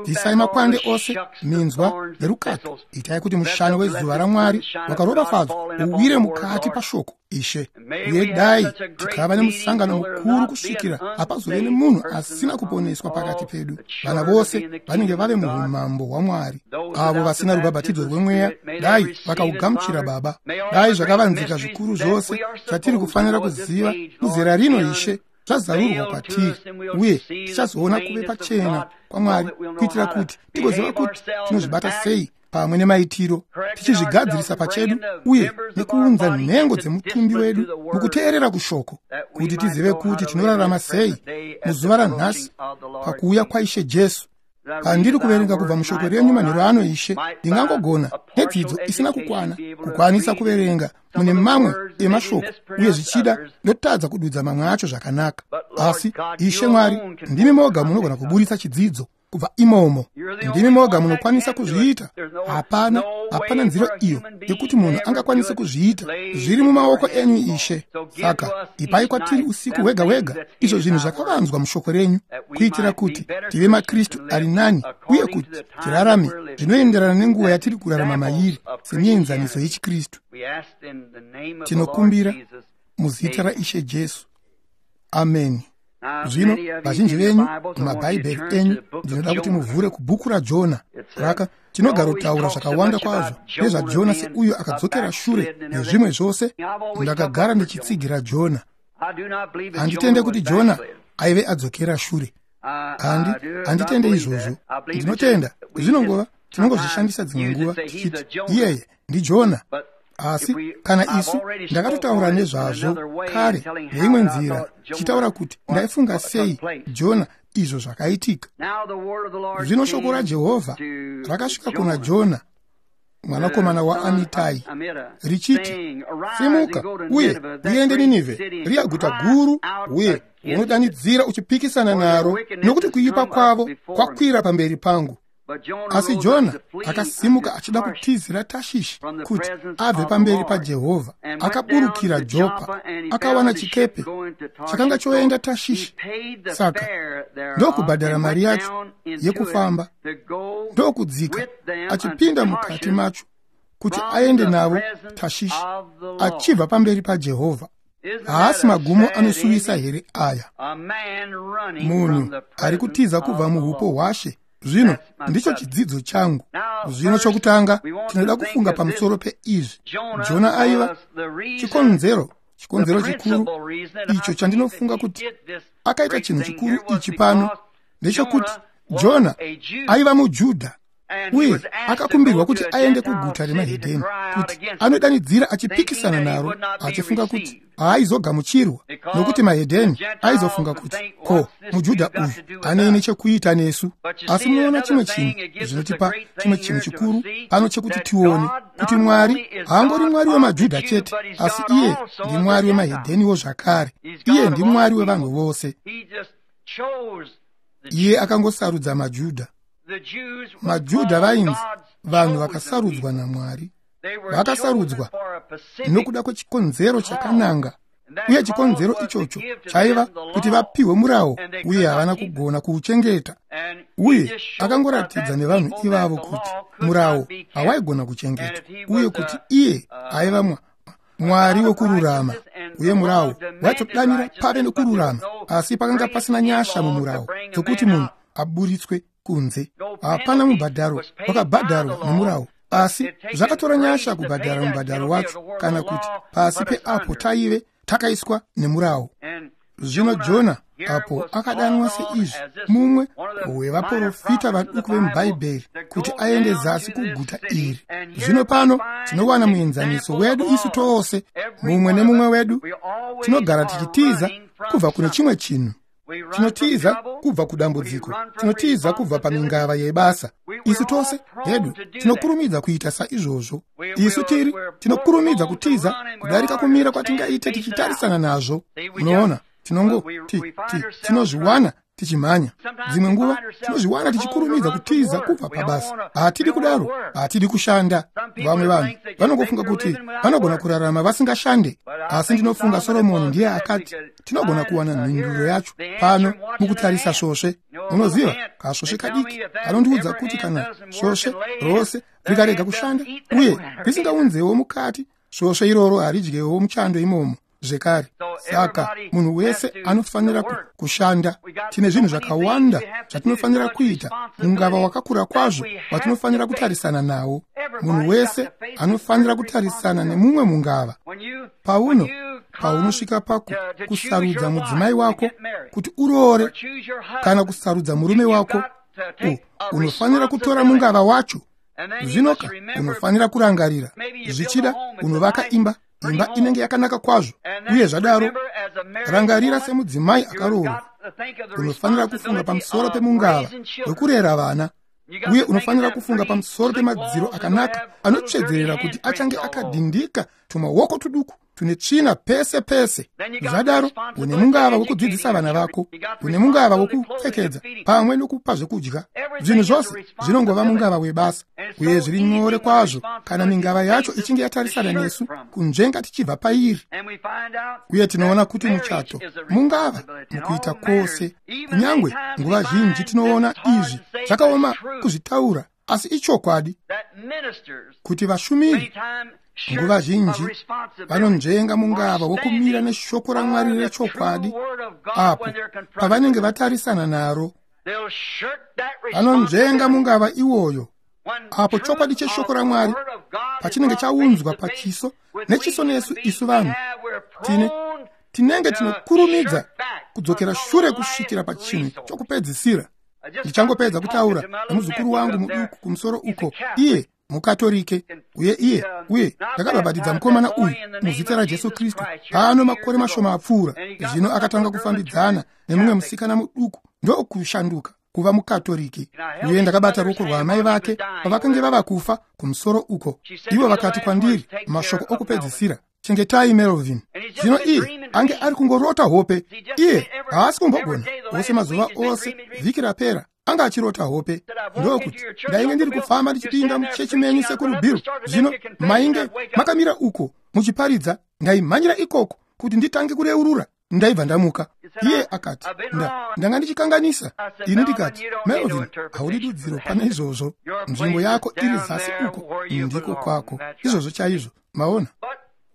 bvisai makwande ose, minzwa nerukato. Itai kuti mushano wezuva raMwari wakaropafadzwa uwire mukati pashoko, Ishe. Uye dai tikava nemusangano mukuru kusvikira hapazove nemunhu asina kuponeswa pakati pedu. Vana vose vanenge vave muumambo hwaMwari. Avo vasina rubhabhatidzo rwemweya, dai vakaugamuchira, Baba. Dai zvakavanzika zvikuru zvose zvatiri kufanira kuziva muzera rino, Ishe, zvazarurwa kwatiri, uye tichazoona kuve pachena kwaMwari, kuitira kuti tigoziva kuti tinozvibata sei pamwe nemaitiro, tichizvigadzirisa pachedu uye nekuunza nhengo dzemutumbi wedu mukuteerera kushoko, kuti tizive kuti tinorarama sei muzuva ranhasi pakuuya kwaIshe Jesu. Pandiri kuverenga kubva mushoko renyu manheru ano, Ishe, ndingangogona nedzidzo isina kukwana kukwanisa kuverenga mune mamwe emashoko, uye zvichida ndotadza kududza mamwe acho zvakanaka. Asi Ishe Mwari, ndimi moga munogona kuburitsa chidzidzo kubva imomo. Ndimi moga munokwanisa kuzviita. Hapana nzira iyo yekuti munhu angakwanise kuzviita. Zviri mumaoko enyu, Ishe. Saka ipai kwatiri usiku hwega hwega izvo zvinhu zvakavanzwa mushoko renyu, kuitira kuti tive maKristu ari nani uye kuti tirarame zvinoenderana nenguva yatiri kurarama mairi semienzaniso yechiKristu. Tinokumbira muzita raIshe Jesu. Ameni. Zvino vazhinji venyu mumabhaibheri enyu, ndinoda kuti muvhure kubhuku raJona. Raka tinogarotaura zvakawanda kwazvo nezvaJona seuyo akadzokera shure nezvimwe zvose. Ndakagara ndichitsigira Jona. Handitende kuti Jona aive adzokera shure. Handitende izvozvo. Ndinotenda zvinongova tinongozvishandisa dzimwe nguva tichiti iyeye ndiJona. Asi kana isu ndakatotaura nezvazvo kare neimwe nzira, tichitaura kuti ndaifunga sei Jona izvo zvakaitika. Zvino shoko raJehovha rakasvika kuna Jona mwanakomana waAmitai richiti, simuka uye uende Ninivhe, riya guta guru, uye unodanidzira uchipikisana naro, nokuti kuipa kwavo kwakwira pamberi pangu. Asi Jona akasimuka achida kutizira Tashishi kuti abve pamberi paJehovha. Akaburukira Jopa, akawana chikepe chakanga choenda Tashishi. Saka ndokubhadhara mari yacho yekufamba, ndokudzika achipinda mukati macho kuti aende navo Tashishi, achibva pamberi paJehovha. Haasi magumo anosuwisa here aya? Munhu ari kutiza kubva muupo hwaShe. Zvino ndicho chidzidzo changu. Zvino chokutanga tinoda kufunga pamusoro peizvi. Jona aiva chikonzero chikuru icho chandinofunga kuti akaita chinhu chikuru ichi pano ndechekuti Jona aiva muJudha, uye akakumbirwa kuti aende kuguta remahedheni kuti anodanidzira achipikisana naro, achifunga kuti haaizogamuchirwa, nokuti mahedheni aizofunga kuti ko muJudha uyu anei chekuita nesu. Asi munoona chimwe chinhu zvinotipa chimwe chinhu chikuru pano chekuti tione kuti Mwari haangori Mwari wemaJudha chete, asi iye ndiMwari wemahedheniwo zvakare. Iye ndiMwari wevanhu vose. Iye akangosarudza maJudha. MaJudha vainzi vanhu vakasarudzwa naMwari. Vakasarudzwa nokuda kwechikonzero chakananga, uye chikonzero ichocho chaiva kuti vapiwe murawo, uye havana kugona kuuchengeta. Uye akangoratidza nevanhu ivavo kuti murawo hawaigona kuchengetwa, uye kuti iye aiva Mwari wekururama, uye murawo waitodanira pave nekururama, asi pakanga pasina nyasha mumurawo dzokuti munhu aburitswe kunze. Hapana mubhadharo wakabhadharwa nemurawo, asi zvakatora nyasha kubhadhara mubhadharo wacho, kana kuti pasi peapo taive takaiswa nemurawo. Zvino Jona apo akadanwa seizvi, mumwe wevaprofita vaduku vemubhaibheri, kuti aende zasi kuguta iri. Zvino pano tinowana muenzaniso wedu isu tose, mumwe nemumwe wedu tinogara tichitiza kubva kune chimwe chinhu. Tinotiza kubva kudambudziko, tinotiza kubva pamingava yebasa. Isu tose hedu tinokurumidza kuita saizvozvo. Isu tinokurumidza kutiza kudarika kumira kwatingaite tichitarisana nazvo. Munoona, tinozviwana tichimhanya. Dzimwe nguva tinozviwana tichikurumidza kutiza kubva pabasa. Hatidi kudaro, hatidi kushanda. Vamwe vanhu vanongofunga kuti vanogona kurarama vasingashande, asi ndinofunga Soromoni ndiye akati tinogona kuwana mhinduro yacho pano mukutarisa svosve. Munoziva, kasvosve kadiki anondiudza kuti kana svosve rose rikarega kushanda uye risingaunzewo mukati, svosve iroro haridyewo muchando imomo zvekare. Saka munhu wese anofanira kushanda. Tine zvinhu zvakawanda zvatinofanira kuita, mungava wakakura kwazvo watinofanira kutarisana nawo. Munhu wese anofanira kutarisana nemumwe mungava. Paunosvika pako kusarudza mudzimai wako kuti uroore kana kusarudza murume wako, unofanira kutora mungava wacho. Zvinoka unofanira kurangarira, zvichida unovaka imba, imba inenge yakanaka kwazvo. Uye zvadaro, rangarira semudzimai akaroorwa, unofanira kufunga pamusoro pemungava wekurera vana, uye unofanira kufunga pamusoro pemadziro akanaka anotsvedzerera kuti achange akadhindika tumaoko tuduku tune tsvina pese pese. Zvadaro une mungava wekudzidzisa vana vako, une mungava wekupfekedza pamwe nokupa zvekudya. Zvinhu zvose zvinongova mungava webasa, uye zviri nyore kwazvo kana mingava yacho ichinge yatarisana nesu kunzvenga tichibva pairi. Uye tinoona kuti muchato mungava mukuita kwose. Kunyangwe nguva zhinji tinoona izvi zvakaoma kuzvitaura, asi ichokwadi kuti vashumiri nguva zhinji vanonzvenga mungava wokumira neshoko raMwari rechokwadi apo pavanenge vatarisana naro. Vanonzvenga mungava iwoyo apo chokwadi cheshoko raMwari pachinenge chaunzwa pachiso nechiso nesu isu vanhu tinenge tinokurumidza kudzokera shure kusvikira pachinhu chokupedzisira. Ndichangopedza kutaura nemuzukuru wangu muduku kumusoro uko, iye mukatorike, uye iye uye ndakabhabhatidza mukomana uyu muzita raJesu Kristu pano makore mashoma apfuura. Zvino akatanga kufambidzana nemumwe musikana muduku ndokushanduka kuva mukatorike, uye ndakabata ruoko rwaamai vake pavakange vava kufa kumusoro uko. Ivo vakati kwandiri mashoko okupedzisira, chengetai Melvin. Zvino iye ange ari kungorota hope, iye haasi kumbogona ose mazuva ose vhiki rapera anga achirota hope. Ndokuti ndainge ndiri kufamba ndichipinda muchechi menyu sekuru Bill, zvino mainge makamira uko muchiparidza, ndaimhanyira ikoko kuti nditange kureurura, ndaibva ndamuka. Iye akati, ndanga ndichikanganisa. Ini ndikati, Melvin, haudi dudziro pane izvozvo, nzvimbo yako iri zasi uko, ndiko kwako. Izvozvo chaizvo, maona.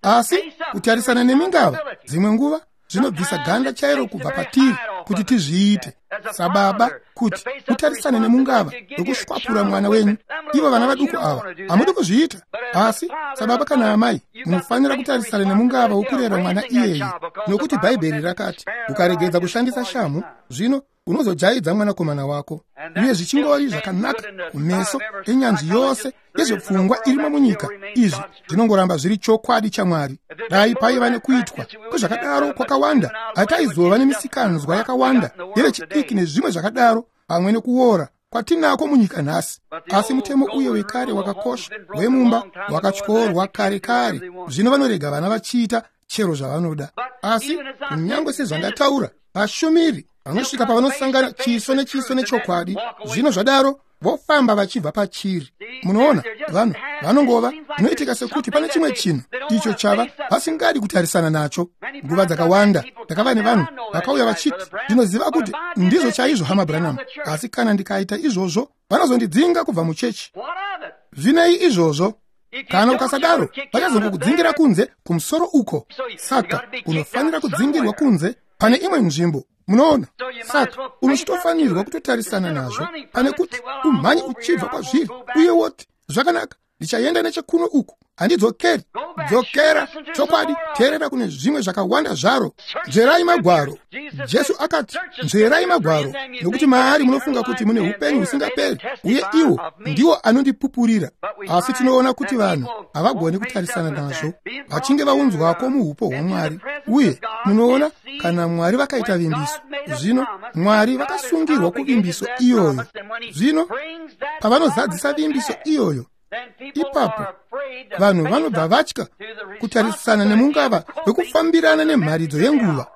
Asi kutarisana nemingava dzimwe nguva zvinobvisa ganda chairo kubva patiri kuti tizviite sababa, kuti mutarisane nemungava wekushwapura mwana wenyu. Ivo vana vaduku ava hamudi kuzviita, asi sababa kana amai munofanira kutarisana nemungava wokurera mwana iyeye, nokuti Bhaibheri rakati ukaregedza kushandisa shamhu, zvino unozojaidza mwanakomana wako. Uye zvichingori zvakanaka kumeso enyanzvi yose yezvepfungwa irimo munyika, izvi zvinongoramba zviri chokwadi chaMwari. Dai paiva nekuitwa kwezvakadaro kwakawanda, hataizova nemisikanzwa yakawanda yevechidiki nezvimwe zvakadaro pamwe nekuora kwatinako munyika nhasi. Asi mutemo uye wekare wakakosha wemumba wakatyorwa kare kare. Zvino vanorega vana vachiita chero zvavanoda. Asi kunyange sezvandataura, vashumiri vanosvika pavanosangana chiso nechiso nechokwadi, zvino zvadaro vofamba vachibva pachiri. Munoona, vanhu vanongova zvinoitika sekuti pane chimwe chinhu icho chava vasingadi kutarisana nacho. Nguva dzakawanda ndakava nevanhu vakauya vachiti, ndinoziva kuti ndizvo chaizvo hama Branham, asi kana ndikaita izvozvo vanozondidzinga kubva muchechi. Zvinei izvozvo? Kana ukasadaro vachazongokudzingira kunze kumusoro uko. Saka unofanira kudzingirwa kunze pane imwe nzvimbo, munoona. Saka unochitofanirwa kutotarisana nazvo pane kuti umhanye uchibva kwazviri uye woti, zvakanaka, ndichaenda nechekuno uku, handidzokeri. Dzokera chokwadi, teerera kune zvimwe zvakawanda zvaro. Nzverai magwaro. Jesu akati, nzverai magwaro, nokuti maari munofunga kuti mune upenyu husingaperi, uye iwo ndiwo anondipupurira. Asi tinoona kuti vanhu havagoni kutarisana nazvo vachinge vaunzwako muupo hwaMwari. Uye munoona, kana Mwari vakaita vimbiso, zvino Mwari vakasungirwa kuvimbiso iyoyo. Zvino pavanozadzisa vimbiso iyoyo, ipapo vanhu vanobva vatya kutarisana nemungava wekufambirana nemharidzo yenguva.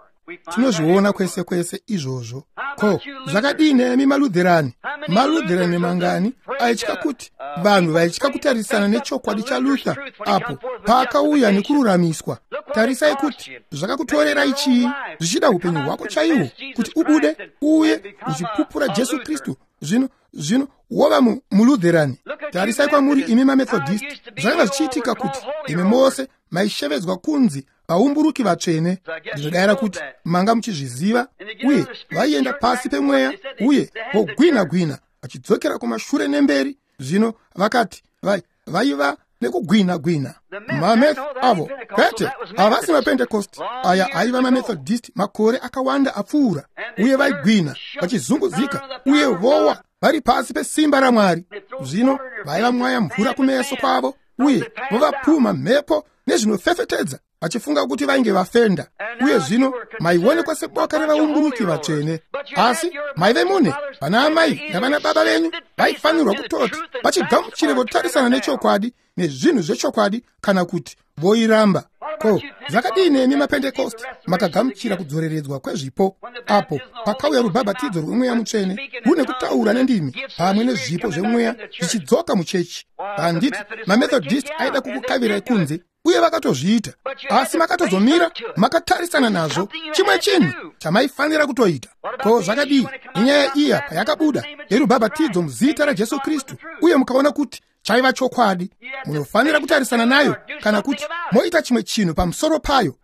Tinozviona kwese kwese izvozvo. Ko zvakadii nemi maLutherani? MaLutherani mangani aitya kuti vanhu vaitya kutarisana nechokwadi chaLuther apo paakauya nekururamiswa? Tarisai kuti zvakakutorerai chii, zvichida upenyu hwako chaihwo, kuti ubude uye uchipupura Jesu Kristu, zvino wova muLutherani. Tarisai kwamuri imi maMethodist, zvakanga zvichiitika kuti imi mose maishevedzwa kunzi vaumburuki vatsvene. Ndinodayira kuti manga muchizviziva. Uye vaienda pasi pemweya uye vogwina-gwina vachidzokera kumashure nemberi. Zvino vakati vaiva nekugwina-gwina. Mameth avo kwete, havasi maPentecost aya, aiva maMethodist makore akawanda apfuura. Uye vaigwina vachizunguzika uye vowa. vari pasi pesimba raMwari. Zvino vaivamwaya mvura kumeso kwavo uye vovapumha mhepo nezvinofefetedza, vachifunga kuti vainge vafenda. Uye zvino maionekwa seboka revaumburuki vatsvene, asi maive mune vana amai navana baba venyu vaifanirwa kutoti vachigamuchire votarisana nechokwadi nezvinhu zvechokwadi, kana kuti voiramba. Ko zvakadii nemi maPentekosti makagamuchira kudzoreredzwa kwezvipo apo pakauya rubhabhatidzo rwemweya mutsvene rune kutaura nendimi pamwe nezvipo zvemweya zvichidzoka muchechi? Handiti maMethodist aida kukukavirai kunze, uye vakatozviita, asi makatozomira makatarisana nazvo, chimwe chinhu chamaifanira kutoita. Ko zvakadii nenyaya iya payakabuda yerubhabhatidzo muzita raJesu Kristu, uye mukaona kuti chaiva chokwadi? Munofanira kutarisana nayo, kana kuti moita chimwe chinhu pamusoro payo.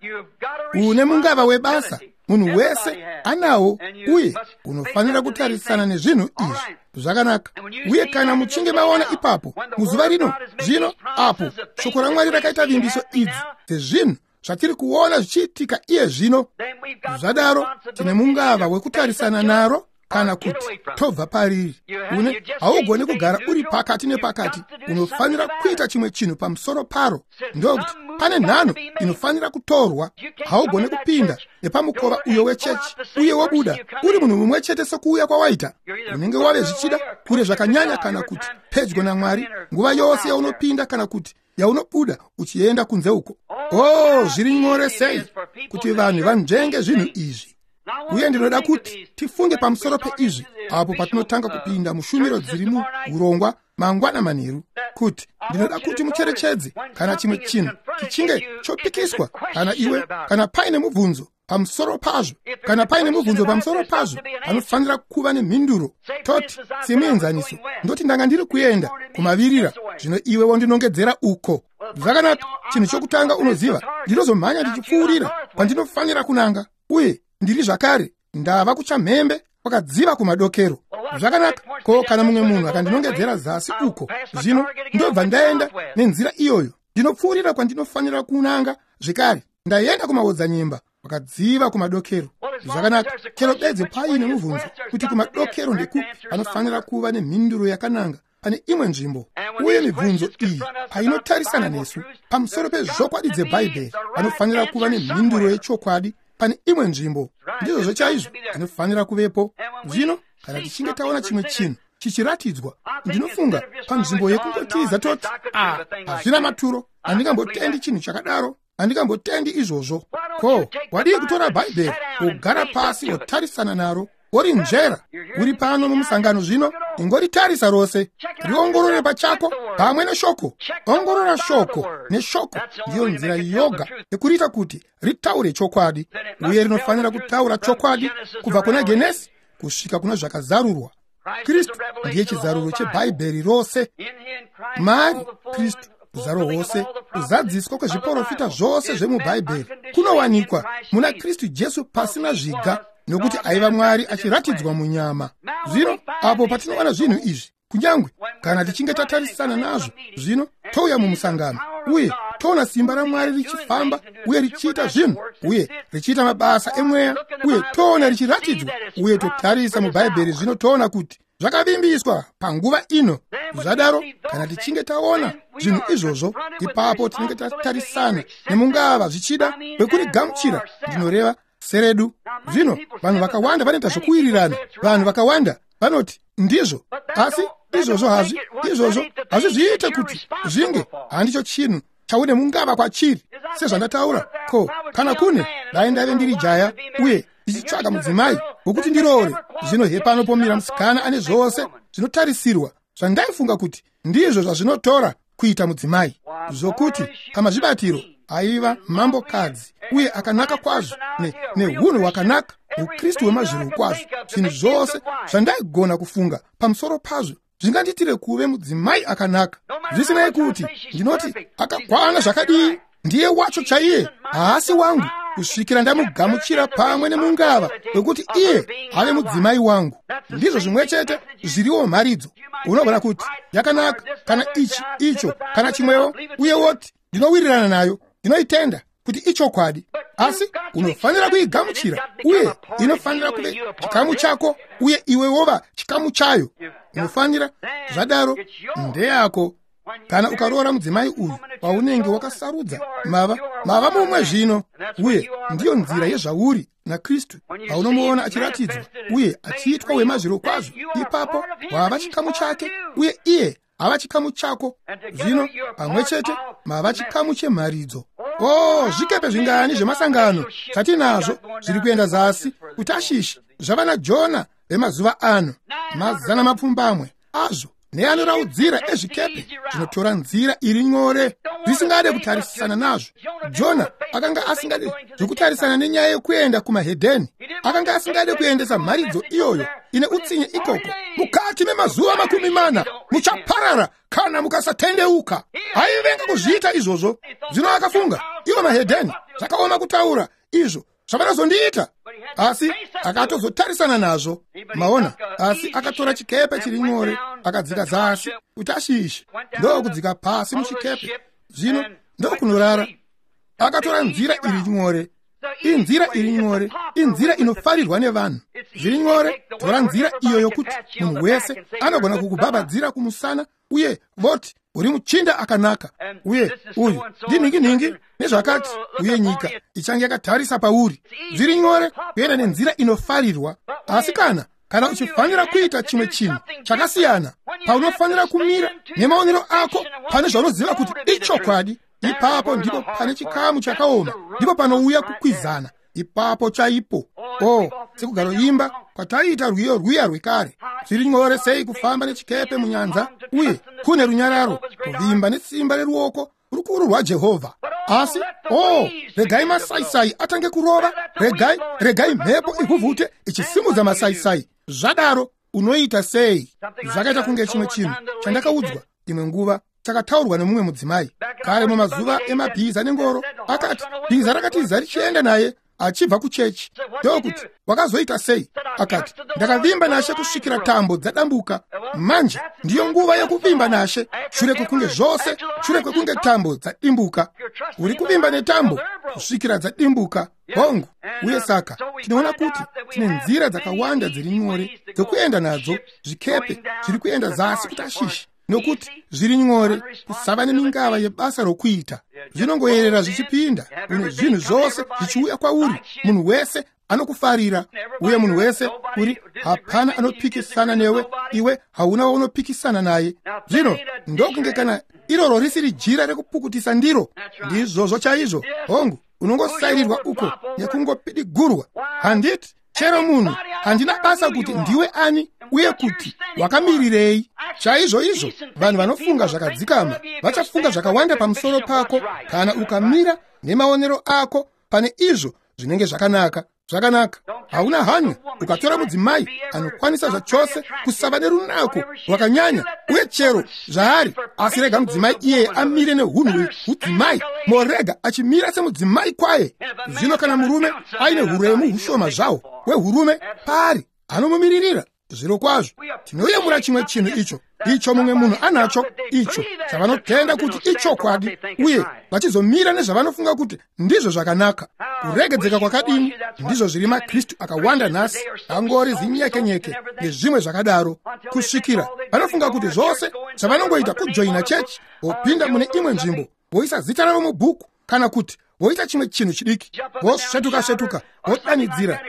Une mungava webasa, munhu wese anawo, uye unofanira kutarisana nezvinhu izvi. Zvakanaka. Uye kana muchinge maona ipapo muzuva rino zvino, apo shoko raMwari rakaita vimbiso idzi dzezvinhu zvatiri kuona zvichiitika iye zvino, zvadaro tine mungava wekutarisana naro, kana kuti tobva pariri. Une haugoni kugara uri pakati nepakati, unofanira kuita chimwe chinhu pamusoro paro. Ndokuti pane nhano inofanira kutorwa. Haugoni kupinda nepamukova uyo wechechi uye wobuda uri munhu mumwe chete sekuuya kwawaita. Unenge wave zvichida kure zvakanyanya, kana kuti pedyo naMwari, nguva yose yaunopinda kana kuti yaunobuda uchienda kunze uko. Oh, zviri nyore sei kuti vanhu vanzvenge zvinhu izvi. Uye ndinoda kuti tifunge pamusoro peizvi apo patinotanga kupinda mushumiro dziri muurongwa mangwana manheru, kuti ndinoda kuti mucherechedze kana chimwe chinhu chichinge chopikiswa, kana iwe, kana paine mubvunzo pamusoro pazvo, kana paine mubvunzo pamusoro pazvo, panofanira kuva nemhinduro. Toti semuenzaniso, ndoti ndanga ndiri kuenda kumavirira, zvino iwe wondinongedzera uko. Zvakanaka, chinhu chokutanga unoziva, ndinozomhanya ndichipfuurira kwandinofanira kunanga, uye ndiri zvakare ndava kuchamhembe kwakadziva kumadokero. Zvakanaka, ko kana mumwe munhu akandinongedzera zasi uko, zvino ndobva ndaenda nenzira iyoyo, ndinopfuurira kwandinofanira kunanga zvekare, ndaenda kumaodzanyemba kwakadziva kumadokero. Zvakanaka, chero bedzi paine mubvunzo kuti kumadokero ndekupi, panofanira kuva nemhinduro yakananga pane imwe nzvimbo. Uye mibvunzo iyi painotarisana nesu pamusoro pezvokwadi dzebhaibheri, panofanira kuva nemhinduro yechokwadi pane imwe nzvimbo. Ndizvozvo chaizvo, zvinofanira kuvepo. Zvino kana tichinge taona chimwe chinhu chichiratidzwa, ndinofunga panzvimbo yekungotiza toti, a hazvina maturo, handingambotendi chinhu chakadaro, handingambotendi izvozvo. Ko wadii kutora bhaibheri, wogara pasi, wotarisana naro, worinzvera? Uri pano mumusangano zvino, ingoritarisa rose, riongorore pachako pamwe neshoko. Ongorora shoko neshoko, ndiyo nzira yoga yekuriita kuti ritaure chokwadi. Uye rinofanira kutaura chokwadi kubva kuna Genesi kusvika kuna Zvakazarurwa. Kristu ndiye chizaruro chebhaibheri rose. Mari Kristu uzaro hwose, kuzadziswa kwezviprofita zvose zvemubhaibheri kunowanikwa muna Kristu Jesu pasina zviga, nokuti aiva Mwari achiratidzwa munyama. Zvino apo patinowana zvinhu izvi, kunyange kana tichinge tatarisana nazvo, zvino touya mumusangano uye toona simba raMwari richifamba uye richiita zvinhu uye richiita mabasa emweya, uye toona richiratidzwa, uye totarisa mubhaibheri, zvino toona kuti zvakavimbiswa panguva ino. Zvadaro kana tichinge taona zvinhu izvozvo, ipapo tinenge tatarisana nemungava zvichida wekurigamuchira, ndinoreva seredu. Zvino vanhu vakawanda vanoita zvokuwirirana, vanhu vakawanda vanoti ndizvo, asi izvozvo hazvi, izvozvo hazvizviite kuti zvinge handicho chinhu chaune mungava kwachiri. Sezvandataura, ko kana kune dai ndaive ndiri jaya uye ndichitsvaga mudzimai wokuti ndiroore, zvino hepano pomira musikana ane zvose zvinotarisirwa zvandaifunga kuti ndizvo zvazvinotora kuita mudzimai, zvokuti pamazvibatiro aiva mambokadzi uye akanaka kwazvo nehunhu hwakanaka, ukristu hwemazviro kwazvo, zvinhu zvose zvandaigona kufunga pamusoro pazvo zvingandiitire kuve mudzimai akanaka. Zvisinei kuti ndinoti akakwana zvakadii, ndiye wacho chaiye haasi wangu kusvikira ndamugamuchira pamwe nemungava wekuti iye ave mudzimai wangu. Ndizvo zvimwe chete zviriwo mharidzo. Unogona kuti yakanaka, kana ichi, icho, kana chimwewo, uye woti ndinowirirana nayo, ndinoitenda, kuti ichokwadi, asi unofanira kuigamuchira, uye inofanira kuve chikamu chako, uye iwe wova chikamu chayo. Unofanira zvadaro, ndeyako. Kana ukaroora mudzimai uyu waunenge wakasarudza, mava mumwe zvino, uye ndiyo nzira yezvauri naKristu. Paunomuona achiratidzwa uye achiitwa wemazvirokwazvo, ipapo wava chikamu chake, uye iye hava chikamu chako. Zvino pamwe chete mava chikamu chemharidzo. O, zvikepe zvingani zvemasangano zvatinazvo zviri kuenda zasi kuTashishi zvava naJona vemazuva ano, 700 azvo neanoraudzira ezvikepe zvinotora nzira iri nyore, zvisingade kutarisana nazvo. Jona akanga asingade zvokutarisana nenyaya yekuenda kumahedheni. Akanga asingade kuendesa mharidzo iyoyo ine utsinye ikoko. Mukati memazuva 40 muchaparara kana mukasatendeuka. Aivenga kuzviita izvozvo. Zvino akafunga, ivo mahedheni zvakaoma kutaura izvo zvavanozondiita, asi akatozotarisana nazvo. Maona, asi akatora chikepe chiri nyore, akadzika zasi kuTashishi, ndokudzika pasi muchikepe, zvino ndokunorara. Akatora nzira iri nyore. Inzira iri nyore, inzira inofarirwa nevanhu. Zviri nyore, tora nzira iyo yokuti munhu wese anogona kukubhabhadzira kumusana uye voti uri muchinda akanaka, uye uyu ndinhingi-nhingi nezvakati, uye nyika ichange yakatarisa pauri. Zviri nyore kuenda nenzira inofarirwa. Asi kana uchifanira kuita chimwe chinhu chakasiyana, paunofanira kumira nemaonero ako pane zvaunoziva kuti ichokwadi, ipapo ndipo pane chikamu chakaoma, ndipo panouya kukwizana, ipapo chaipo. O, sekugaroimba kwataiita rwiyo rwiya rwekare, zviri nyore sei kufamba nechikepe munyanza, uye kune runyararo, kuvimba nesimba reruoko rukuru rwaJehovha. Asi o, regai masaisai atange kurova, regai mhepo ivhuvhute ichisimudza masaisai. Zvadaro unoita sei? Zvakaita kunge chimwe chinhu chandakaudzwa imwe nguva, chakataurwa nemumwe mudzimai kare mumazuva emabhiza nengoro. Akati bhiza rakatiza richienda naye achibva kuchechi. Ndokuti, wakazoita sei? Akati, ndakavimba nashe kusvikira tambo dzadambuka. Manje ndiyo nguva yekuvimba nashe, shure kwekunge zvose, shure kwekunge tambo dzadimbuka. Uri kuvimba netambo kusvikira dzadimbuka. Hongu. Uye saka tinoona kuti tine nzira dzakawanda dziri nyore dzekuenda nadzo. Zvikepe zviri kuenda zasi kuTashishi nokuti zviri nyore, kusava nemingava yebasa rokuita. Zvinongoyerera zvichipinda, une zvinhu zvose zvichiuya kwauri. Munhu wese anokufarira, uye munhu wese uri, hapana anopikisana newe, iwe hauna waunopikisana naye. Zvino ndokunge kana iroro risiri jira rekupukutisa ndiro, ndizvozvo chaizvo. Hongu, unongosairirwa uko nekungopidigurwa. Handiti chero munhu, handina basa kuti ndiwe ani uye kuti wakamirirei. Chaizvo izvo vanhu vanofunga zvakadzikama vachafunga zvakawanda pamusoro pako kana ukamira nemaonero ako pane izvo zvinenge zvakanaka. Zvakanaka, hauna hanya ukatora mudzimai anokwanisa zvachose kusava nerunako rwakanyanya uye chero zvaari, asi rega mudzimai iyeye amire nehunhu hwehudzimai, morega achimira semudzimai kwaye. Zvino kana murume aine huremu hushoma zvawo hwehurume paari, anomumiririra. Zvirokwazvo tinoyemura chimwe chinhu icho icho mumwe munhu anacho, icho chavanotenda kuti ichokwadi, uye vachizomira nezvavanofunga kuti ndizvo zvakanaka. Kuregedzeka kwakadini! Ndizvo zviri maKristu akawanda nhasi, angori zinyekenyeke nezvimwe zvakadaro, kusvikira vanofunga kuti zvose zvavanongoita kujoina chechi, vopinda mune imwe nzvimbo, voisa zita ravo mubhuku, kana kuti voita chimwe chinhu chidiki, vosvetuka-svetuka, vodanidzira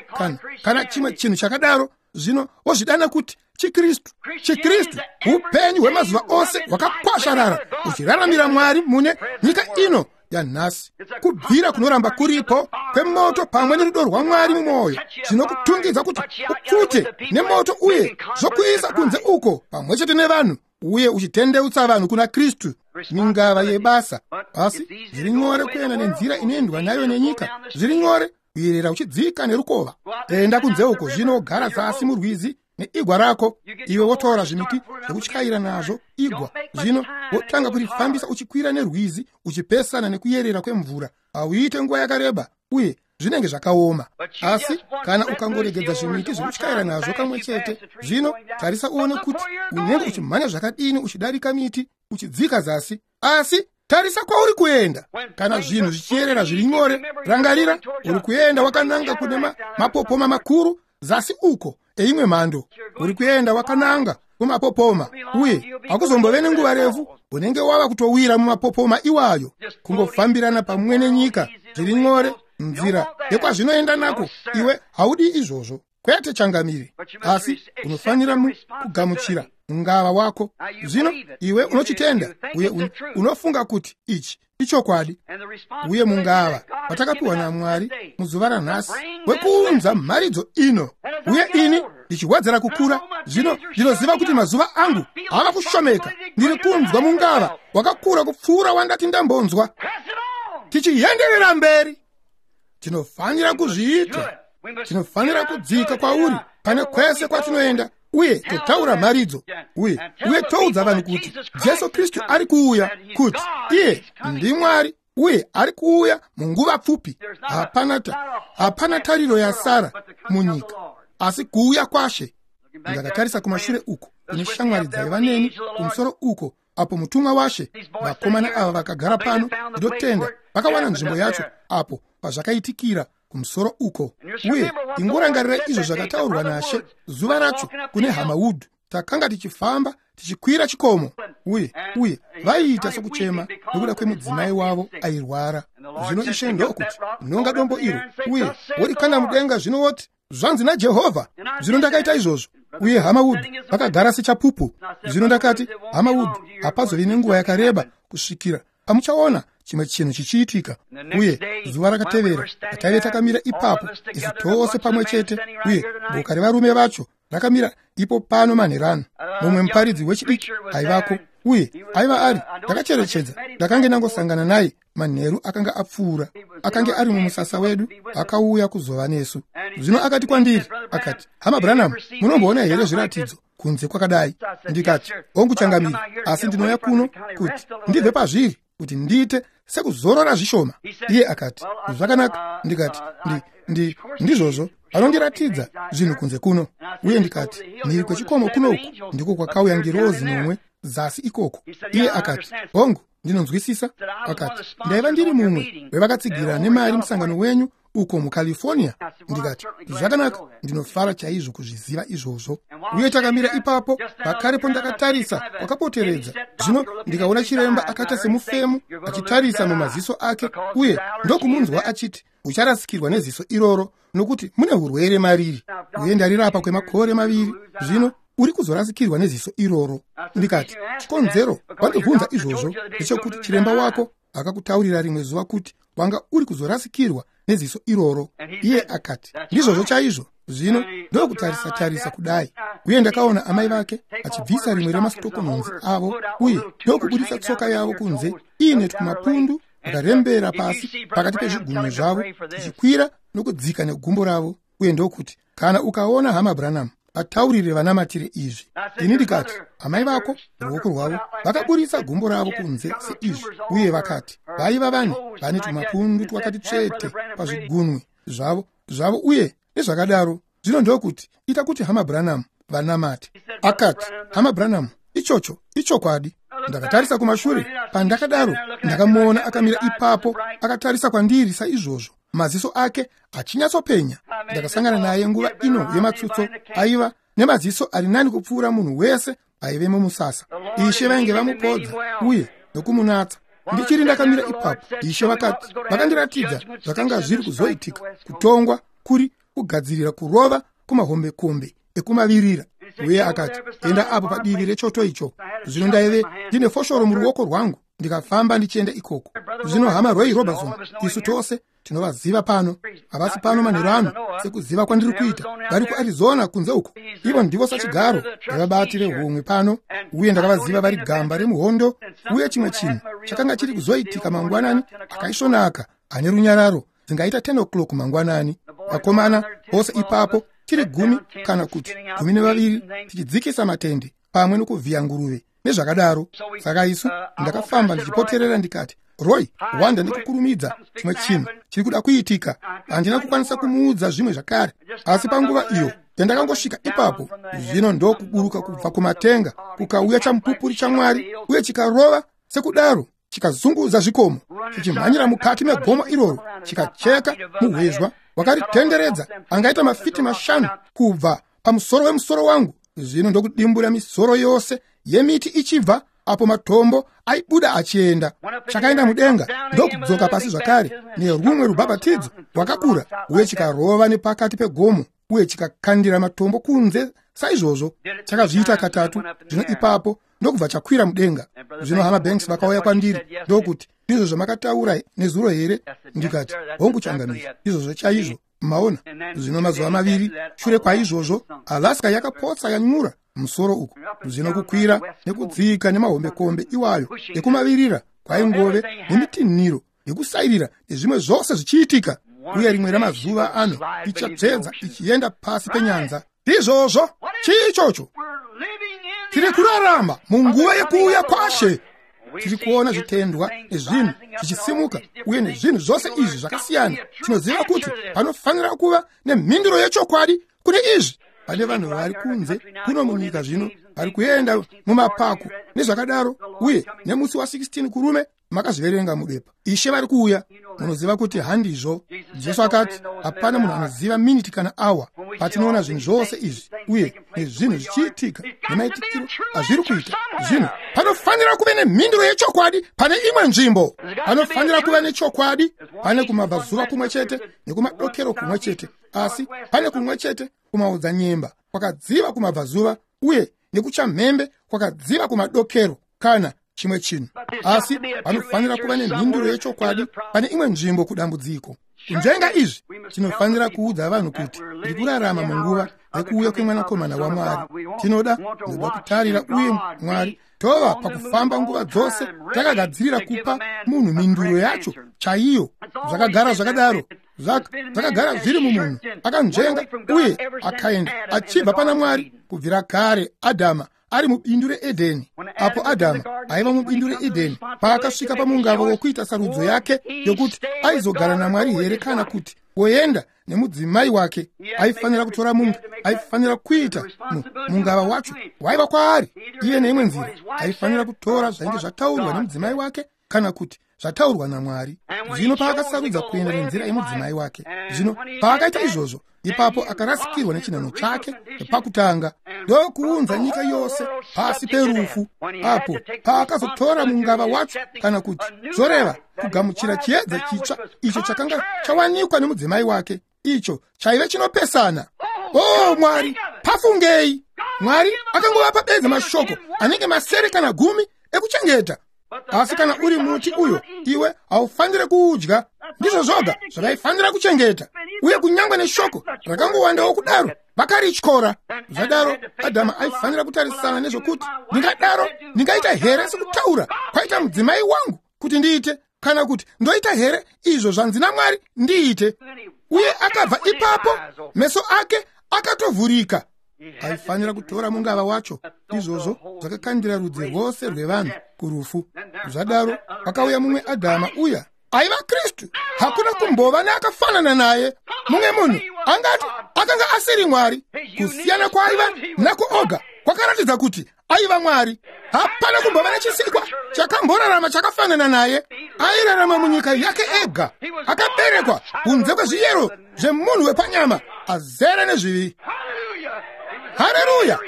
kana chimwe chinhu chakadaro. Zvino vozvidana kuti chiKristu. ChiKristu upenyu hwemazuva ose hwakakwasharara, uchiraramira Mwari mune nyika ino yanhasi. Kubvira kunoramba kuripo kwemoto pamwe nerudo rwaMwari mumwoyo, zvinokutungidza kuti upfute nemoto uye zvokuisa kunze uko pamwe chete nevanhu, uye uchitendeutsa vanhu kuna Kristu. Mingava yebasa. Asi zviri nyore kuenda nenzira inoendwa nayo nenyika. Zviri nyore kuyerera uchidzika nerukova. Enda kunze uko zvino, gara zasi murwizi neigwa rako. Iwe wotora zvimiti zvekutyaira nazvo igwa, zvino wotanga kurifambisa uchikwira nerwizi, uchipesana nekuyerera kwemvura. Hauite nguva yakareba uye zvinenge zvakaoma. Asi kana ukangoregedza zvimiti zvekutyaira nazvo kamwe chete, zvino tarisa uone kuti unenge uchimhanya zvakadini uchidarika miti uchidzika zasi. Asi Tarisa kwauri kuenda. Kana zvinhu zvichiyerera zviri nyore, rangarira, uri kuenda wakananga kune mapopoma makuru zasi uko eimwe mhando. Uri kuenda wakananga kumapopoma, uye hakuzombove nenguva refu unenge wava kutowira mumapopoma iwayo. Kungofambirana pamwe nenyika zviri nyore, nzira yekwazvinoenda nako, iwe haudi izvozvo. Kwete changamire, asi unofanira kugamuchira mungava wako. Zvino iwe unochitenda uye unofunga kuti ichi ichokwadi. Uye mungava watakapiwa naMwari muzuva ranhasi wekuunza mharidzo ino, uye ini ndichiwedzera kukura. Zvino ndinoziva kuti mazuva angu ava kushomeka. Ndiri kunzwa mungava wakakura kupfuura wandati ndambonzwa. Tichienderera mberi, tinofanira kuzviita. Tinofanira kudzika kwauri pane kwese kwatinoenda, uye totaura mharidzo, uye toudza vanhu kuti Jesu Kristu ari kuuya, kuti iye ndiMwari uye ari kuuya munguva pfupi. Hapana tariro yasara munyika asi kuuya kwaShe. Ndakatarisa kumashure uko kune shamwari dzaiva neni kumusoro uko apo mutumwa waShe. Vakomana ava vakagara pano, ndinotenda vakawana nzvimbo yacho apo pazvakaitikira kumusoro uko. Uye ingorangarira izvo zvakataurwa naShe zuva racho kune hama Wood. Takanga tichifamba tichikwira chikomo, uye vaiita sokuchema nokuda kwemudzimai wavo airwara. Zvino Ishe ndokuti, nonga dombo iro uye worikanda mudenga, zvino woti, zvanzi naJehovha. Zvino ndakaita izvozvo, uye hama Wood vakagara sechapupu. Zvino ndakati, hama Wood, hapazovi nenguva yakareba kusvikira pamuchaona chimwe chinhu chichiitika. Uye zuva rakatevera taive takamira ipapo isu tose pamwe chete, uye boka revarume vacho rakamira ipo pano manherano. Mumwe muparidzi wechidiki aivako, uye aiva ari, ndakacherechedza, ndakange ndangosangana naye manheru akanga apfuura. Akange ari mumusasa wedu, akauya kuzova nesu. Zvino akati kwandiri, akati, hama Branham, munomboona here zviratidzo kunze kwakadai? Ndikati, hongu changamire, asi ndinouya kuno kuti ndibve pazviri, kuti ndiite sekuzorora zvishoma. Iye akati, zvakanaka. Ndikati, ndizvozvo, vanondiratidza zvinhu kunze kuno. Uye ndikati, mhiri kwechikomo kunoku ndiko kwakauya ngirozi nomwe zasi ikoko. Iye akati, hongu, ndinonzwisisa. Akati, ndaiva ndiri mumwe wevakatsigira nemari musangano wenyu uko muCalifornia. Ndikati, zvakanaka, ndinofara chaizvo kuzviziva izvozvo. Uye takamira ipapo pakarepo, ndakatarisa kwakapoteredza. Zvino ndikaona chiremba akaita semufemu achitarisa mumaziso ake, uye ndokumunzwa achiti, ucharasikirwa neziso iroro nokuti mune urwere mariri, uye ndarirapa kwemakore 2. Zvino uri kuzorasikirwa neziso iroro. Ndikati, chikonzero wandibvunza izvozvo ndechekuti chiremba wako akakutaurira rimwe zuva kuti wanga uri kuzorasikirwa neziso iroro. Iye akati, ndizvozvo chaizvo. Zvino ndokutarisa tarisa kudai, uye ndakaona amai vake achibvisa rimwe remasitokononzi avo, uye ndokubudisa tsoka yavo kunze iine tumapundu akarembera pasi pakati pezvigunwe zvavo, tichikwira nokudzika negumbo ravo. Uye ndokuti, kana ukaona hama Branham, vataurire vanamatire izvi. Ini ndikati, amai vako ruoko rwavo vakaburitsa gumbo ravo kunze seizvi, uye vakati vaiva vane tumapundu twakati tsvete pazvigunwe zvavo uye nezvakadaro. Zvino ndokuti, ita kuti hama Branham vanamate. Akati, hama Branham, ichocho ichokwadi. Ndakatarisa kumashure. Pandakadaro ndakamuona akamira ipapo akatarisa kwandiri saizvozvo, maziso ake achinyatsopenya. Ndakasangana naye nguva ino yematsutso, aiva nemaziso ari nani kupfuura munhu wese aive mumusasa. Ishe vainge vamupodza uye nokumunatsa. Ndichiri ndakamira ipapo, Ishe vakati, vakandiratidza zvakanga zviri kuzoitika, kutongwa kuri kugadzirira kurova kumahombekombe ekumavirira. Uye akati, enda apo padivi rechoto icho. Zvino ndaive ndine foshoro muruoko rwangu, ndikafamba ndichienda ikoko. Zvino hama Roy Robertson, isu tose tinovaziva pano, havasi pano manheru ano sekuziva kwandiri kuita, vari kuArizona kunze uko. Ivo ndivo sachigaro vevabati vehomwe pano, uye ndakavaziva vari gamba remuhondo. Uye chimwe chinhu chakanga chiri kuzoitika mangwanani akaisvonaka ane runyararo, dzingaita 10 o'clock mangwanani. Vakomana vose ipapo tiri 10 kana kuti 12 tichidzikisa matende pamwe nokuvhiya nguruve nezvakadaro. Saka isu ndakafamba ndichipoterera, ndikati, Roy, wanda ndikukurumidza, chimwe chinhu chiri kuda kuitika. Handina kukwanisa kumuudza zvimwe zvakare, asi panguva iyo yandakangosvika ipapo, zvino ndokuburuka kubva kumatenga kukauya chamupupuri chaMwari, uye chikarova sekudaro chikazunguza zvikomo, chichimhanyira mukati megomo iroro, chikacheka muhwezwa wakaritenderedza angaita mafiti 5 kubva pamusoro wemusoro wangu. Zvino ndokudimbura misoro yose yemiti ichibva apo matombo aibuda achienda. Chakaenda mudenga ndokudzoka pasi zvakare nerumwe rubhabhatidzo rwakakura, uye chikarova nepakati pegomo uye chikakandira matombo kunze saizvozvo. Chakazviita katatu. Zvino ipapo ndokubva chakwira mudenga. Zvino hama Banks vakauya kwandiri ndokuti, ndizvo zvamakataura nezuro here? Ndikati, hongu changamire, izvozvo chaizvo. Maona? Zvino mazuva maviri shure kwaizvozvo, Alaska yakapotsa yanyura musoro uku. Zvino kukwira nekudzika nemahombekombe iwayo ekumavirira kwaingove nemitinhiro yekusairira nezvimwe zvose zvichiitika. Uye rimwe ramazuva ano ichatsvedza ichienda pasi penyanza. Ndizvozvo. Chii ichocho? Tiri kurarama munguva yekuuya kwaShe. Tiri kuona zvitendwa nezvinhu zvichisimuka uye nezvinhu zvose izvi zvakasiyana. Tinoziva kuti panofanira kuva nemhinduro yechokwadi kune izvi. Pane vanhu vari kunze kuno munyika zvino vari kuenda mumapako nezvakadaro, uye nemusi wa16 kurume makazviverenga mubepa. Ishe vari kuuya. Munoziva kuti handizvo. Jesu akati hapana munhu anoziva miniti kana awa. Patinoona zvinhu zvose izvi uye nezvinhu zvichiitika nemaitikiro azviri kuita zvino, panofanira kuve nemhinduro yechokwadi pane imwe nzvimbo. Panofanira kuva nechokwadi. Pane kumabvazuva kumwe chete nekumadokero kumwe chete, asi pane kumwe chete kumaodzanyemba kwakadziva kumabvazuva uye nekuchamhembe kwakadziva kumadokero kana chimwe chinhu. Asi panofanira kuva nemhinduro yechokwadi pane imwe nzvimbo kudambudziko. Kunzvenga izvi, tinofanira kuudza vanhu kuti tiri kurarama munguva yekuuya kwemwanakomana waMwari. Tinoda kutarira uye Mwari tova pakufamba nguva dzose takagadzirira kupa munhu mhinduro yacho chaiyo. Zvakagara zvakadaro, zvakagara zviri mumunhu akanzvenga uye akaenda achibva pana Mwari kubvira kare. Adhama ari mubindu reEdheni. Apo Adhama aiva mubindu reEdheni, paakasvika pamungava wokuita sarudzo yake yokuti aizogara naMwari here kana kuti woenda nemudzimai wake, aifanira kutora munga, aifanira kuita mungava wacho waiva kwaari. Iye neimwe nzira aifanira kutora zvainge zvataurwa nemudzimai wake kana kuti zvataurwa naMwari. Zvino paakasarudza kuenda nenzira yemudzimai wake, zvino paakaita izvozvo, ipapo akarasikirwa nechinhano chake pakutanga ndokuunza nyika yose pasi perufu. Apo paakazotora mungava wacho, kana kuti zvoreva kugamuchira chiedza chitsva icho chakanga chawanikwa nemudzimai wake, icho chaive chinopesana. O Mwari, pafungei! Mwari akangovapa bedzi mashoko anenge 7 kana 10 ekuchengeta. Asi kana uri muti uyo, iwe haufaniri kuudya. Ndizvo zvoga zvavaifanira kuchengeta. Uye kunyangwe neshoko rakangowandawo kudaro, vakarityora. Zvadaro Adhama aifanira kutarisana nezvokuti, ndingadaro ndingaita here sekutaura kwaita mudzimai wangu kuti ndiite, kana kuti ndoita here izvo zvanzi naMwari ndiite? Uye akabva ipapo, meso ake akatovhurika. Aifanira kutora mungava wacho. Izvozvo zvakakandira rudzi rwose rwevanhu kurufu. Zvadaro akauya mumwe Adhama uya aiva Kristu. Hakuna kumbova neakafanana naye. Mumwe munhu angati akanga asiri Mwari. Kusiyana kwaaiva nako oga kwakaratidza kuti aiva Mwari. Hapana kumbova nechisikwa chakamborarama chakafanana naye. Airarama munyika yake ega, akaberekwa kunze kwezviyero zvemunhu wepanyama, azere nezvivi. Haleluya!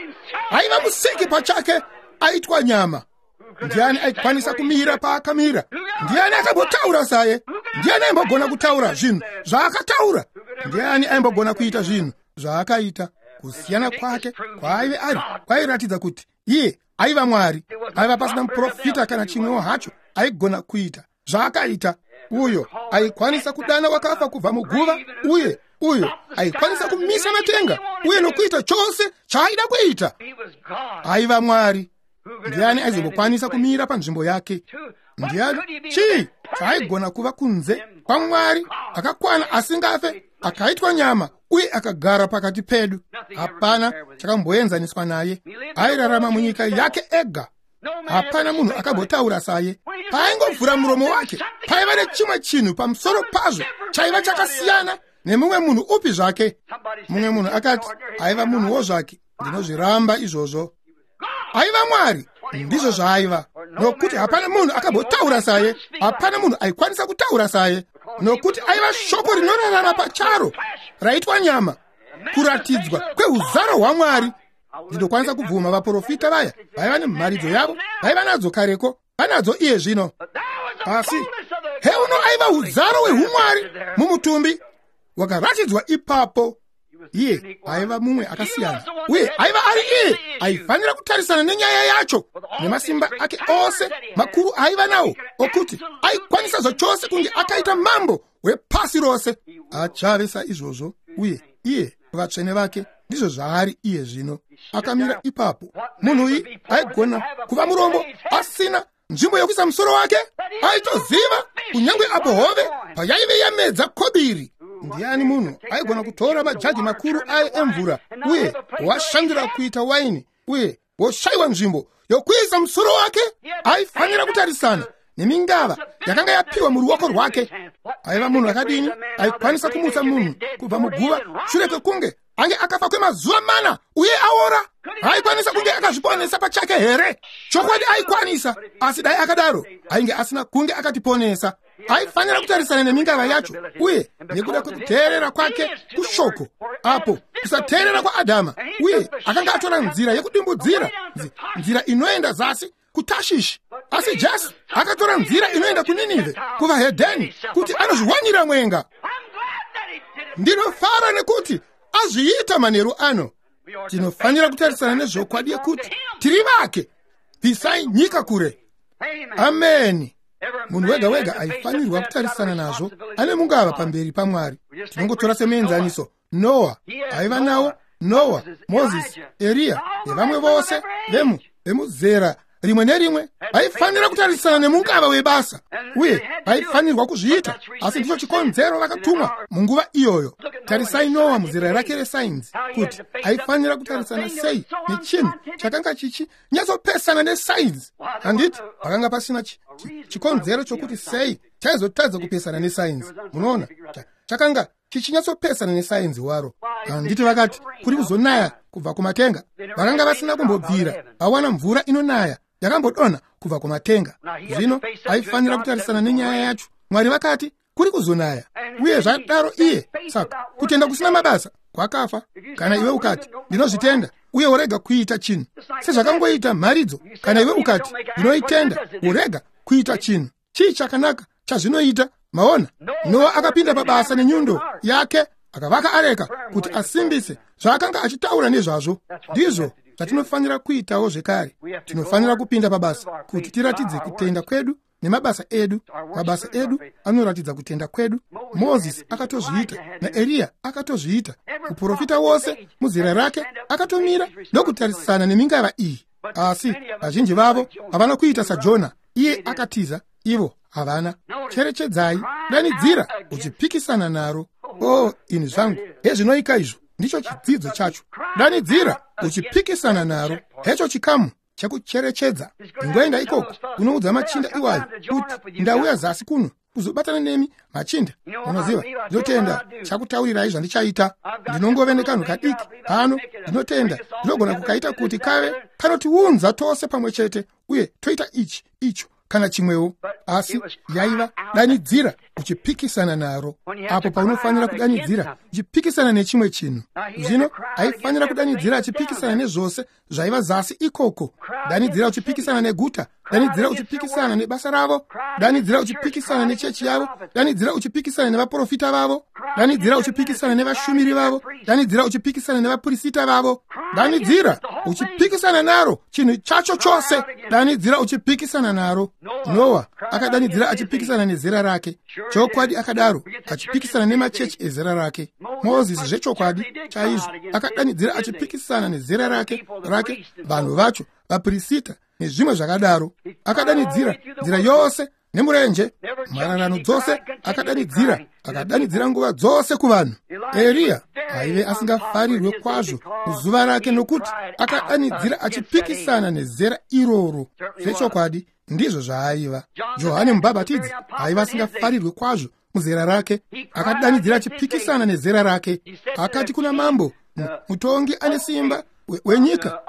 Aiva musiki pachake aitwa nyama. Ndiani aikwanisa kumira paakamira? Ndiani akambotaura saye? Ndiani aimbogona kutaura zvinhu zvaakataura? Ndiani aimbogona kuita zvinhu zvaakaita? Kusiyana kwake kwaaive ari kwairatidza kuti iye aiva Mwari. Aiva pasina muprofita kana chimwewo hacho aigona kuita zvaakaita. Uyo aikwanisa kudana wakafa kubva muguva, uye uyo aikwanisa kumisa matenga uye nokuita chose chaaida kuita. Aiva Mwari. Ndiani aizombokwanisa kumira panzvimbo yake? Ndiani chii chaaigona kuva kunze kwaMwari akakwana asingafe, akaitwa nyama uye akagara pakati pedu? Hapana chakamboenzaniswa naye. Airarama munyika yake ega. Hapana munhu akambotaura saye. Paaingovhura muromo wake, paiva nechimwe chinhu pamusoro pazvo chaiva chakasiyana nemumwe munhu upi zvake. Mumwe munhu akati aiva munhuwo zvake. Ndinozviramba izvozvo. Aiva Mwari, ndizvo zvaaiva, nokuti hapana munhu akambotaura saye, hapana munhu aikwanisa kutaura saye, nokuti aiva shoko rinorarama pacharo raitwa nyama, kuratidzwa kweuzaro hwaMwari. Ndinokwanisa kubvuma vaprofita vaya vaiva nemharidzo yavo, vaiva nadzo kareko, vanadzo iye zvino, asi heuno aiva uzaro hwehumwari mumutumbi wakaratidzwa ipapo. Iye aiva mumwe akasiyana, uye aiva ari iye aifanira kutarisana nenyaya yacho nemasimba ake ose makuru aiva nawo, okuti aikwanisa zvachose kunge akaita mambo wepasi rose. Achave saizvozvo, uye iye vatsvene vake ndizvo zvaari iye zvino. Akamira ipapo. Munhu uyu aigona kuva murombo asina nzvimbo yokuisa musoro wake. Aitoziva kunyange apo hove payaive yamedza kobiri. Ndiani munhu aigona kutora majagi makuru aye emvura uye washandura kuita waini uye woshayiwa nzvimbo yokuisa musoro wake? Aifanira kutarisana nemingava yakanga yapiwa muruoko rwake. Aiva munhu akadini aikwanisa kumutsa munhu kubva muguva shure kwekunge ange akafa kwemazuva mana uye aora? Aikwanisa kunge akazviponesa pachake here? Chokwadi aikwanisa, asi dai akadaro ainge asina kunge akatiponesa. Aifanira kutarisana nemingava yacho, uye nekuda kwekuteerera kwake kushoko, apo kusateerera kwaAdhama, uye akanga atora nzira yekudimbudzira, nzira inoenda zasi kuTashishi, asi Jesu akatora nzira inoenda kuNinivhe, kuvahedheni, kuti anozviwanira mwenga. Ndinofara nekuti azviita manheru ano. Tinofanira kutarisana nezvokwadi yekuti tiri vake. Bvisai nyika kure. Ameni. Munhu wega wega aifanirwa kutarisana nazvo ane mungava pamberi paMwari. Tinongotora semuenzaniso Noa. Aiva nawo Noa, Mozisi, Eriya nevamwe vose vemuzera rimwe nerimwe vaifanira kutarisana nemungava webasa, uye vaifanirwa kuzviita, asi ndicho chikonzero vakatumwa munguva iyoyo. Tarisai Noa muzera rake resainzi, kuti aifanira kutarisana sei nechinhu chakanga chichinyatsopesana nesainzi. Handiti pakanga pasina chikonzero chokuti sei chaizotadza kupesana nesainzi. Munoona, chakanga chichinyatsopesana nesainzi waro. Handiti vakati kuri kuzonaya kubva kumatenga? Vakanga vasina kumbobvira vawana mvura inonaya yakambodonha kubva kumatenga. Zvino aifanira kutarisana nenyaya yacho. Mwari vakati kuri kuzonaya, uye zvadaro iye. Saka kutenda kusina mabasa kwakafa. Kana iwe ukati ndinozvitenda uye worega kuita chinhu, sezvakangoita mharidzo, kana iwe ukati ndinoitenda worega kuita chinhu, chii chakanaka chazvinoita? Maona, Noa akapinda pabasa nenyundo yake, akavaka areka kuti asimbise zvaakanga achitaura nezvazvo. Ndizvo zvatinofanira kuitawo zvekare. Tinofanira kupinda pabasa kuti tiratidze kutenda kwedu nemabasa edu. Mabasa edu anoratidza kutenda kwedu. Mozisi akatozviita, naEriya akatozviita. Muprofita wose muzera rake akatomira ndokutarisana nemingava iyi, asi vazhinji vavo havana kuita saJona. Iye akatiza, ivo havana. Cherechedzai, danidzira uchipikisana naro. O, ini zvangu, hezvinoika izvo. Ndicho chidzidzo chacho. Danidzira uchipikisana naro. Hecho chikamu chekucherechedza. Ingoenda ikoko unoudza machinda iwayo kuti ndauya zasi kuno kuzobatana nemi machinda. Munoziva, ndinotenda chakutaurirai zvandichaita. Ndinongove nekanhu kadiki pano, ndinotenda ndinogona kukaita kuti kave kanotiunza tose pamwe chete, uye toita ichi, icho kana chimwewo. Asi yaiva danidzira uchipikisana naro. Apo paunofanira kudanidzira uchipikisana nechimwe chinhu. Zvino aifanira kudanidzira achipikisana nezvose zvaiva zasi ikoko. Danidzira uchipikisana neguta, danidzira uchipikisana nebasa ravo, danidzira uchipikisana nechechi yavo, danidzira uchipikisana nevaprofita vavo, danidzira uchipikisana nevashumiri vavo, danidzira uchipikisana nevapurisita vavo, danidzira uchipikisana naro chinhu chacho chose, danidzira uchipikisana naro. Noa akadanidzira achipikisana nezera rake. Chokwadi akadaro, achipikisana nemachechi ezera rake. Mozisi zvechokwadi chaizvo akadanidzira achipikisana nezera rake, vanhu vacho, vapurisita nezvimwe zvakadaro. Akadanidzira nzira yose nemurenje, mhararano dzose akadanidzira, akadanidzira nguva dzose kuvanhu. Eriya aive asingafarirwe kwazvo muzuva rake, nokuti akadanidzira achipikisana nezera iroro. Zvechokwadi ndizvo zvaaiva. Johane Mubhabhatidzi aiva asingafarirwe kwazvo muzera rake, akadanidzira achipikisana nezera rake. Akati kuna mambo, mutongi ane simba wenyika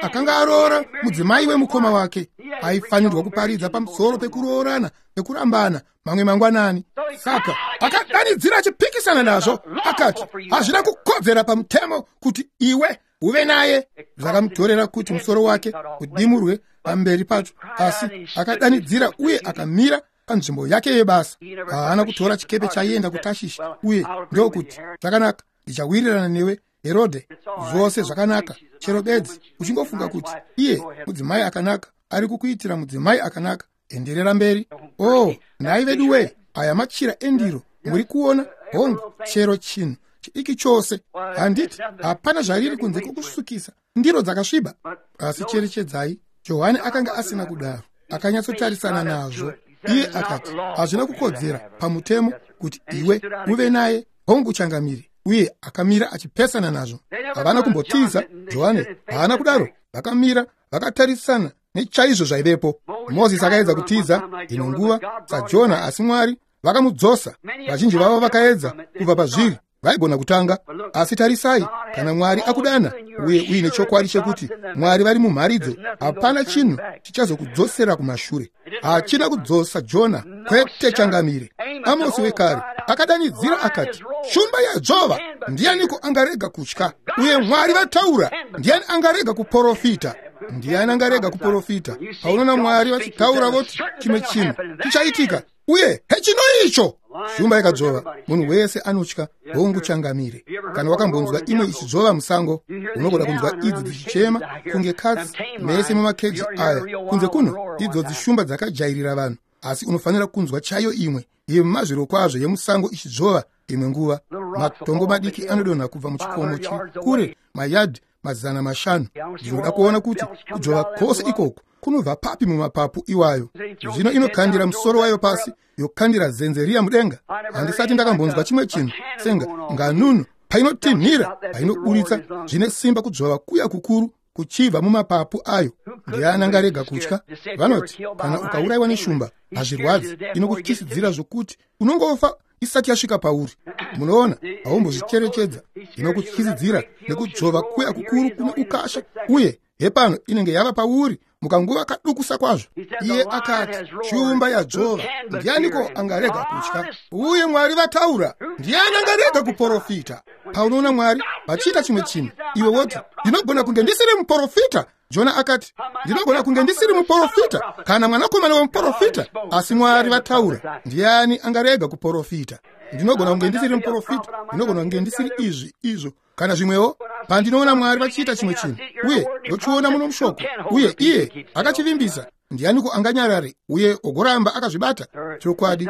akanga aroora mudzimai wemukoma wake. Aifanirwa kuparidza pamusoro pekuroorana nekurambana mamwe mangwanani. Saka akadanidzira achipikisana nazvo, akati hazvina kukodzera pamutemo kuti iwe uve naye. Zvakamutorera kuti musoro wake udimurwe pamberi pacho, asi akadanidzira uye akamira panzvimbo yake yebasa. Haana kutora chikepe chaienda kuTashishi uye ndokuti, zvakanaka, ndichawirirana newe Herodhe, zvose zvakanaka, chero bedzi uchingofunga kuti iye mudzimai akanaka ari kukuitira mudzimai akanaka, enderera mberi. Oh, nhai vedu wee, aya machira endiro muri kuona? Hongu, chero chinhu chidiki chose, handiti hapana zvariri kunze kwokusukisa ndiro dzakasviba. Asi cherechedzai, Johani akanga asina kudaro, akanyatsotarisana nazvo. Iye akati hazvina kukodzera pamutemo kuti iwe uve naye. Hongu changamire. Uye akamira achipesana nazvo. Havana kumbotiza Johani, haana kudaro. Vakamira vakatarisana nechaizvo zvaivepo. Mozisi akaedza kutiza ino nguva saJona, asi Mwari vakamudzosa. Vazhinji vavo vakaedza kubva pazviri, vaigona kutanga. Asi tarisai, kana Mwari akudana uye uine chokwadi chekuti Mwari vari mumharidzo, hapana chinhu chichazokudzosera kumashure. Hachina kudzosa Jona, kwete changamire. Amosi wekare akadanidzira akati, shumba yadzvova, ndianiko angarega kutya? Uye Mwari vataura, ndiani angarega kuporofita? Ndiani angarega kuporofita? Paunoona Mwari vachitaura voti chimwe chinhu chichaitika, uye hechino icho shumba ikadzvova, munhu wese anotya. Hongu changamire. Kana wakambonzwa imwe ichidzvova musango, unogona kunzwa idzi dzichichema kunge katsi mese mumakeji aya kunze kuno. Idzodzi shumba dzakajairira vanhu, asi unofanira kunzwa chaiyo imwe yemazviro kwazvo yemusango ichidzvova imwe nguva. Matombo madiki anodonha kubva muchikomo chiri kure mayadhi 500. Ndinoda kuona kuti kudzvova kwose ikoko kunobva papi mumapapu iwayo. Zvino inokandira musoro wayo pasi, yokandira zenze riya mudenga. Handisati ndakambonzwa chimwe chinhu senga nganunu painotinhira, painoburitsa zvine simba kudzvova kuya kukuru kuchibva mumapapu ayo. Ndiani angarega kutya? Vanoti kana ukaurayiwa neshumba hazvirwadzi, inokutyisidzira zvokuti unongofa isati yasvika pauri. Munoona, haumbozvicherechedza. Inokutyisidzira nekudzvova kuya kukuru kune ukasha, uye hepano inenge yava pauri mukanguva kadukusa kwazvo. Iye akati, shumba yadzvova, ndianiko angarega kutya? Uye Mwari vataura, ndiani angarega kuporofita? Paunoona Mwari vachiita chimwe chinhu, iwe woti, ndinogona kunge ndisiri muporofita. Jona akati, ndinogona kunge ndisiri muporofita kana mwanakomana wemuporofita, asi Mwari vataura, ndiani angarega kuporofita? Ndinogona kunge ndisiri muporofita, ndinogona kunge ndisiri izvi izvo kana zvimwewo. Pandinoona Mwari vachiita chimwe chinhu uye ndochiona muno mushoko, uye iye akachivimbisa, ndianiko anganyarare uye ogoramba akazvibata? Chokwadi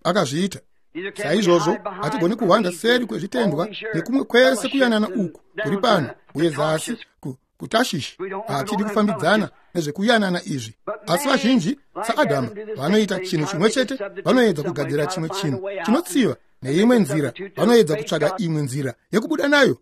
akazviita. Saizvozvo hatigoni kuhwanda seri kwezvitendwa nekumwe kwese kuyanana uku kuri pano uye zasi kuTashishi. Hatidi kufambidzana nezvekuyanana izvi. Asi vazhinji saAdhamu vanoita chinhu chimwe chete, vanoedza kugadzira chimwe chinhu chinotsiva neimwe nzira, vanoedza kutsvaga imwe nzira yekubuda nayo,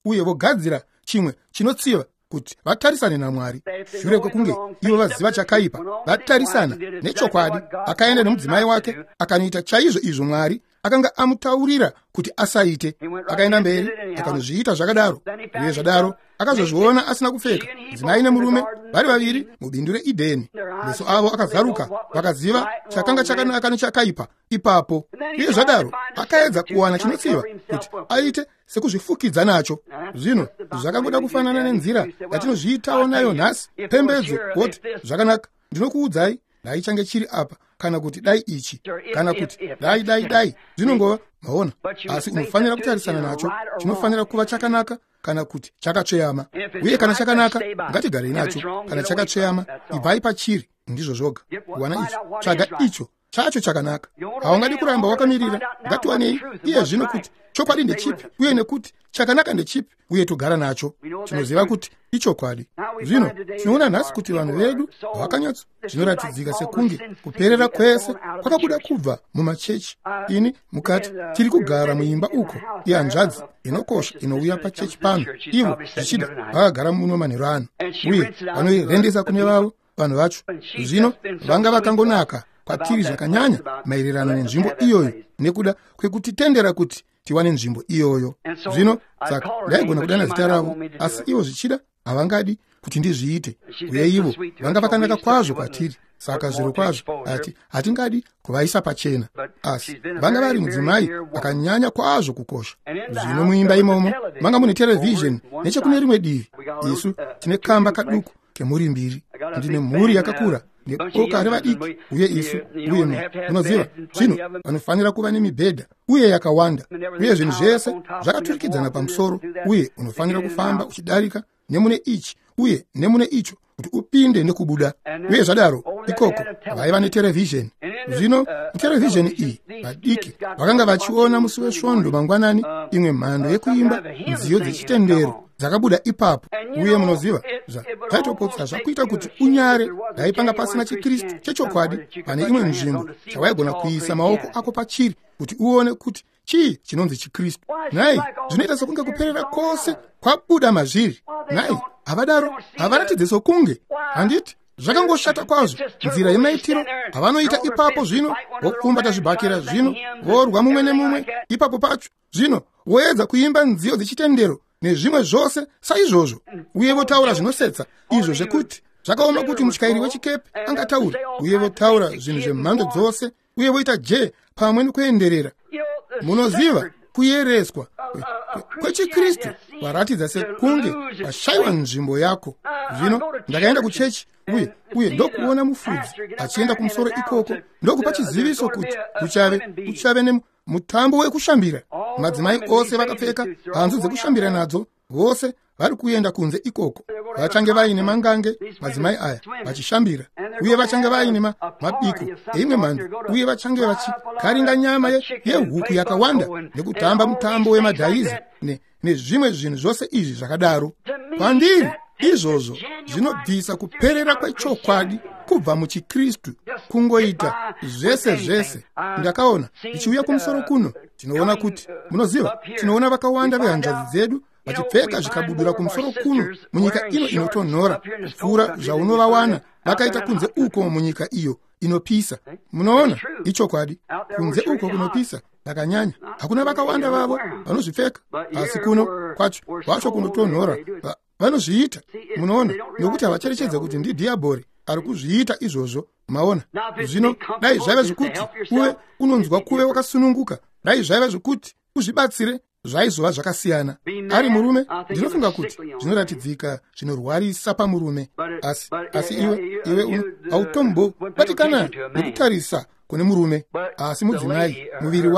uye vogadzira chimwe chinotsiva kuti vatarisane naMwari. Shure kwekunge ivo vaziva chakaipa, vatarisana nechokwadi, akaenda nemudzimai wake akanoita chaizvo izvo Mwari akanga amutaurira kuti asaite. Akaenda mberi akanozviita zvakadaro, uye zvadaro akazozviona asina kupfeka, mudzimai nemurume vari vaviri mubindu reEdheni. Meso avo akazaruka, vakaziva chakanga chakanaka nechakaipa ipapo. Uye zvadaro akaedza kuwana chinotsiva kuti aite sekuzvifukidza nacho. Zvino zvakangoda kufanana nenzira yatinozviitawo nayo nhasi. Pembedzo woti, zvakanaka, ndinokuudzai, dai change chiri apa, kana kuti dai ichi, kana kuti dai dai dai. Zvinongova, maona. Asi unofanira kutarisana nacho. Chinofanira kuva chakanaka kana kuti chakatsveyama. Uye kana chakanaka, ngatigarei nacho. Kana chakatsveyama, ibvai pachiri. Ndizvo zvoga. Wana icho, tsvaga icho chacho chakanaka. Haungadi kuramba wakamirira. Ngatiwanei iye zvino kuti chokwadi ndechipi uye nekuti chakanaka ndechipi, uye togara nacho. Tinoziva kuti ichokwadi. Zvino tinoona nhasi kuti vanhu vedu vakanyatso zvinoratidzika sekunge kuperera kwese kwakabuda kubva mumachechi. Ini mukati tiri kugara muimba uko ihanzvadzi inokosha inouya pachechi pano, ivo zvichida vakagara muno manheru ano, uye vanoirendesa kune vavo vanhu vacho. Zvino vanga vakangonaka kwatiri zvakanyanya maererano nenzvimbo iyoyo nekuda kwekutitendera kuti tiwane nzvimbo iyoyo. Zvino saka ndaigona kudana zita ravo, asi ivo zvichida havangadi kuti ndizviite. Uye ivo vanga vakanaka kwazvo kwatiri, saka zviro kwazvo hatingadi kuvaisa pachena, asi vanga vari mudzimai akanyanya kwazvo kukosha. Zvino muimba imomo manga mune terevhizheni nechekune rimwe divi. Isu tine kamba kaduku kemhuri mbiri. Ndine mhuri yakakura neboka revadiki, uye isu uye munoziva, zvino vanofanira kuva nemibhedha uye yakawanda, uye zvinhu zvese zvakaturikidzana pamusoro, uye unofanira kufamba uchidarika nemune ichi uye nemune icho kuti upinde nekubuda. Uye zvadaro ikoko vaiva neterevhizheni. Zvino muterevhizheni iyi vadiki vakanga vachiona musi wesvondo mangwanani imwe mhando yekuimba nziyo dzechitendero dzakabuda ipapo. Uye munoziva, zvaitopotsa zvakuita kuti unyare. Ndaipanga pasina chiKristu chechokwadi pane imwe nzvimbo chawaigona kuisa maoko ako pachiri kuti uone kuti chii chinonzi chiKristu. Nhai, zvinoita sokunge kuperera kwose kwabuda mazviri. Nhai, havadaro, havaratidze sokunge, handiti? Zvakangoshata kwazvo nzira yemaitiro havanoita ipapo. Zvino vopfumbata zvibhakera, zvino vorwa mumwe nemumwe ipapo pacho, zvino voedza kuimba nziyo dzechitendero nezvimwe zvose saizvozvo, uye votaura zvinosetsa izvo zvekuti zvakaoma kuti mutyairi wechikepe angataura, uye votaura zvinhu zvemhando dzose, uye voita jee pamwe nekuenderera. Munoziva, kuyereswa kwechiKristu kwaratidza sekunge washayiwa nzvimbo yako. Zvino ndakaenda kuchechi uye ndokuona mufudzi achienda kumusoro ikoko ndokupa chiziviso kuti kuchave nemutambo wekushambira. Madzimai ose vakapfeka hanzu dzekushambira nadzo, vose vari kuenda kunze ikoko. Vachange vaine mangange madzimai aya vachishambira, uye vachange vaine mabiko eimwe mhando, uye vachange vachikaringa nyama yehuku yakawanda nekutamba mutambo wemadhaizi nezvimwe zvinhu zvose izvi zvakadaro. Kwandiri izvozvo zvinobvisa kuperera kwechokwadi kubva muchiKristu, kungoita zvese zvese. Ndakaona ndichiuya kumusoro kuno, tinoona kuti, munoziva, tinoona vakawanda vehanzvadzi dzedu vachipfeka zvikabudura kumusoro kuno munyika ino inotonhora kupfuura zvaunovawana vakaita kunze uko munyika iyo inopisa. Munoona, ichokwadi, kunze uko kunopisa vakanyanya, hakuna vakawanda vavo vanozvipfeka, asi kuno kwacho kunotonhora vanozviita. Munoona, nokuti havacherechedza kuti ndidhiabhori ari kuzviita izvozvo. Maona? Zvino dai zvaiva zvekuti uve unonzwa kuve wakasununguka, dai zvaiva zvekuti uzvibatsire, zvaizova zvakasiyana. Ari murume, ndinofunga kuti zvinoratidzika zvinorwarisa pamurume, asi iwe hautombobatikana nekutarisa kune murume. Asi mudzimai, muviri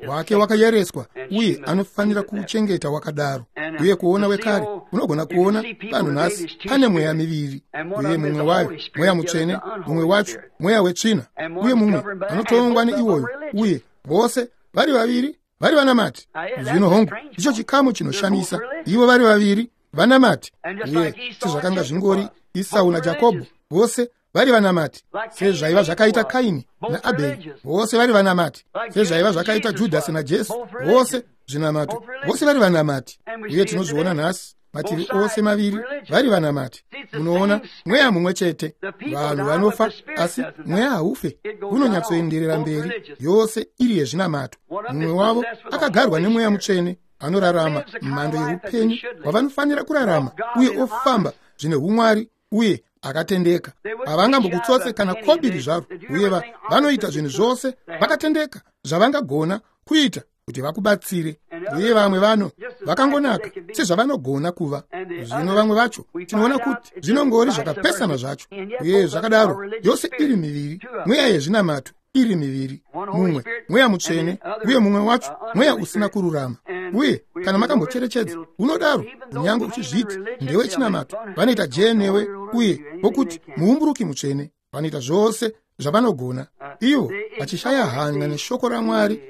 wake wakayereswa, uye anofanira kuchengeta wakadaro. Uye kuona wekare, unogona kuona vanhu nhasi pane mweya miviri, uye mumwe wayo mweya mutsvene, mumwe wacho mweya wetsvina, uye mumwe anotongwa neiwoyo, uye vose vari vaviri vari vanamati. Zvino hongu, ndicho chikamu chinoshamisa. Ivo vari vaviri vanamati, uye sezvakanga zvingori Isau naJakobho, vose vari vanamati, sezvaiva zvakaita Kaini naAbheri, vose vari vanamati, sezvaiva zvakaita Judhasi naJesu, vose zvinamato, vose vari vanamati. Uye tinozviona nhasi, mativi ose maviri vari vanamati. Munoona, mweya mumwe chete. Vanhu vanofa, asi mweya haufe, unonyatsoenderera mberi, yose iri yezvinamato. Mumwe wavo akagarwa nemweya mutsvene, anorarama mhando yeupenyu hwavanofanira kurarama, uye ofamba zvine umwari uye akatendeka. Havangambokutsotse kana kobiri zvaro, uye vanoita zvinhu zvose vakatendeka zvavangagona kuita kuti vakubatsire. Uye vamwe vano vakangonaka sezvavanogona kuva. Zvino vamwe vacho tinoona kuti zvinongori zvakapesana zvacho. Uye zvakadaro, yose iri miviri, mweya yezvinamato iri miviri, mumwe mweya mutsvene, uye mumwe wacho mweya usina kururama. Uye kana makambocherechedza, unodaro kunyange uchizviti ndewechinamato, vanoita jee newe, uye vokuti muumburuki mutsvene, vanoita zvose zvavanogona, ivo vachishaya hanya neshoko raMwari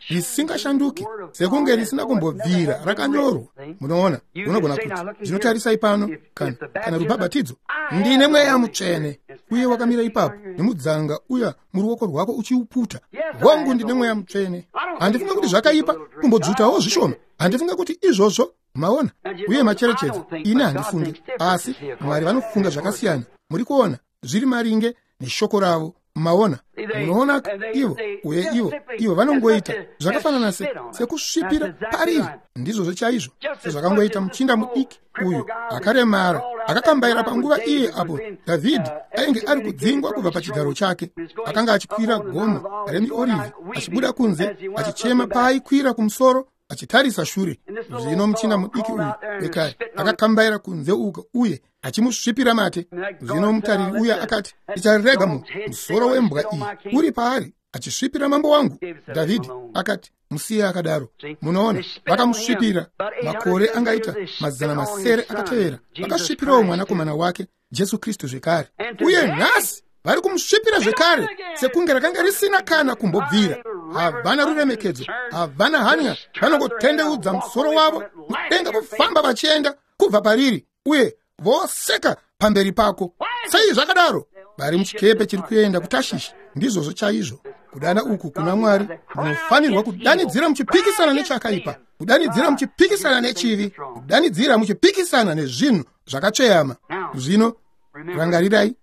risingashanduki, sekunge risina kumbobvira rakanyorwa. Munoona, unogona kuti zvinotarisai pano kana rubhabhatidzo, ndine mweya mutsvene, uye wakamira ipapo nemudzanga uya muruoko rwako uchiuputa. Hongu, ndine mweya mutsvene. Handifunga kuti zvakaipa kumbodzvutawo zvishoma, handifunga kuti izvozvo. Maona? Uye macherechedza, ini handifungi, asi Mwari vanofunga zvakasiyana. Muri kuona, zviri maringe neshoko ravo. Maona, munoona ivo uye ivo vanongoita zvakafanana sekusvipira pariri. Ndizvozvo chaizvo sezvakangoita muchinda mudiki uyu akaremara akakambaira panguva iye apo Dhavhidhi ainge ari kudzingwa kubva pachigaro chake. Akanga achikwira gomo remiorivhi achibuda kunze achichema paaikwira kumusoro achitarisa shure. Zvino muchinda mudiki uyu wekare akakambaira kunze uko uye achimusvipira mate. Zvino mutariri uya akati, ndicharega musoro wembwa iyi uri paari achisvipira mambo wangu. Dhavhidhi akati, musiye akadaro. Munoona, vakamusvipira. Makore angaita 600 akatevera vakasvipirawo mwanakomana wake Jesu Kristu zvekare. Uye nhasi vari kumusvipira zvekare sekunge rakanga risina kana kumbobvira. Havana ruremekedzo, havana hanya, vanongotendeudza musoro wavo mudenga kufamba vachienda kubva pariri uye voseka pamberi pako. Sei zvakadaro? Vari muchikepe chiri kuenda kuTashishi. Ndizvozvo chaizvo. Kudana uku kuna Mwari, munofanirwa kudanidzira muchipikisana nechakaipa, kudanidzira muchipikisana nechivi, kudanidzira muchipikisana nezvinhu zvakatsveyama. Zvino rangarirai,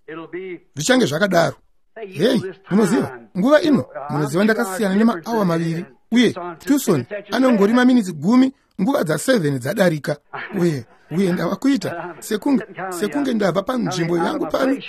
zvichange zvakadaro. Hei, munoziva, nguva ino munoziva ndakasiyana nemaawa 2 uye Tucson anongori maminitsi 10 nguva dza7 dzadarika. Uye ndava kuita sekunge ndabva panzvimbo yangu pano.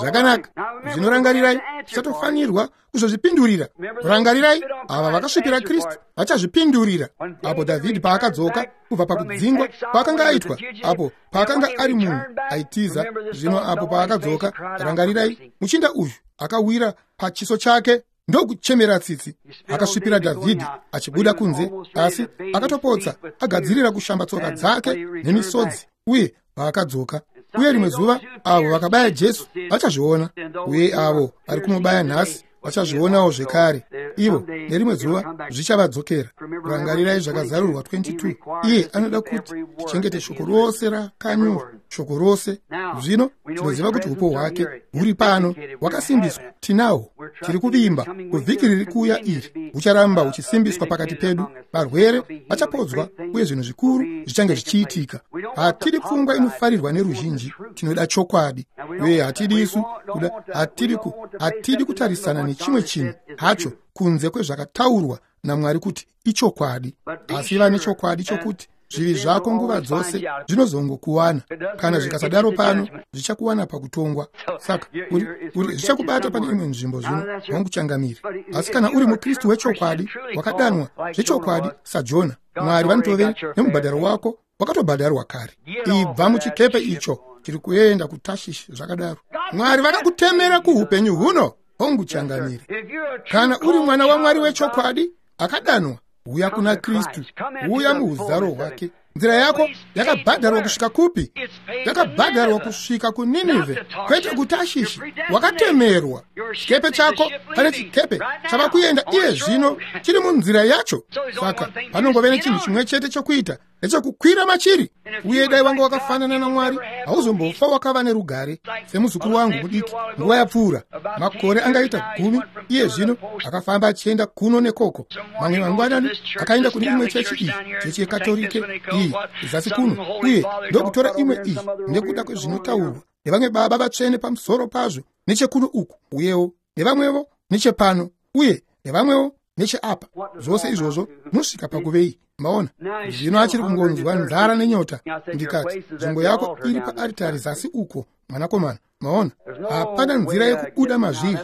Zvakanaka. Zvino rangarirai, tichatofanirwa kuzozvipindurira. Rangarirai, ava vakasvipira Kristu vachazvipindurira. Apo Dhavhidhi paakadzoka kubva pakudzingwa paakanga aitwa, apo paakanga ari munhu aitiza, zvino apo paakadzoka, rangarirai, muchinda uyu akawira pachiso chake ndokuchemera tsitsi. Akasvipira Dhavhidhi achibuda kunze, asi akatopotsa agadzirira kushamba tsoka dzake nemisodzi. Uye paakadzoka, uye rimwe zuva avo vakabaya Jesu vachazviona, uye avo vari kumubaya nhasi vachazvionawo zvekare. Ivo nerimwe zuva zvichavadzokera. Rangarirai zvakazarurwa 22. Iye anoda kuti tichengete shoko rose rakanyorwa, shoko rose. Zvino tinoziva kuti upo hwake huri pano, hwakasimbiswa, tinahwo. Tiri kuvimba kuvhiki riri kuuya iri hucharamba huchisimbiswa pakati pedu. Varwere vachapodzwa uye zvinhu zvikuru zvichange zvichiitika. Hatidi pfungwa inofarirwa neruzhinji, tinoda chokwadi. Uye hatidi isu kuda, hatidi kutarisana nechimwe chinhu hacho kunze kwezvakataurwa naMwari kuti ichokwadi. Asi vane chokwadi chokuti zvivi zvako nguva dzose zvinozongokuwana. Kana zvikasadaro pano, zvichakuwana pakutongwa. Saka uri zvichakubata pane imwe nzvimbo zvino, wanguchangamiri. Asi kana uri muKristu wechokwadi, wakadanwa zvechokwadi saJona, Mwari vanotove nemubhadharo wako wakatobhadharwa kare. Ibva muchikepe icho chiri kuenda kuTashishi. Zvakadaro, Mwari vakakutemera kuhupenyu huno. Honguchangamiri. Kana uri mwana waMwari wechokwadi akadanwa, uya kuna Kristu, uya muuzaro hwake. Nzira yako yakabhadharwa kusvika kupi? Yakabhadharwa kusvika kuNinivhe, kwete kuTashishi. Wakatemerwa. Chikepe chako, pane chikepe chava kuenda iye zvino, chiri munzira yacho. Saka panongove nechinhu chimwe chete chokuita, nechekukwira machiri. Uye dai wanga wakafanana naMwari, hauzombofa wakava nerugare. Semuzukuru wangu mudiki, nguva yapfuura makore angaita 10 iye zvino, akafamba achienda kuno nekoko. Mamwe mangwanani akaenda kune imwe chechi iyi, chechi yeKatorike iyi zasi kuno, uye ndokutora imwe iyi nekuda kwezvinotaurwa nevamwe baba vatsvene pamusoro pazvo nechekuno uku, uyewo nevamwevo nechepano, uye nevamwewo necheapa. Zvose izvozvo nosvika pakuvei. Maona, zvino achiri kungonzwa nzara nenyota. Ndikati, nzvimbo yako iri paaritari zasi uko, mwanakomana. Maona, hapana nzira yekubuda mazviri.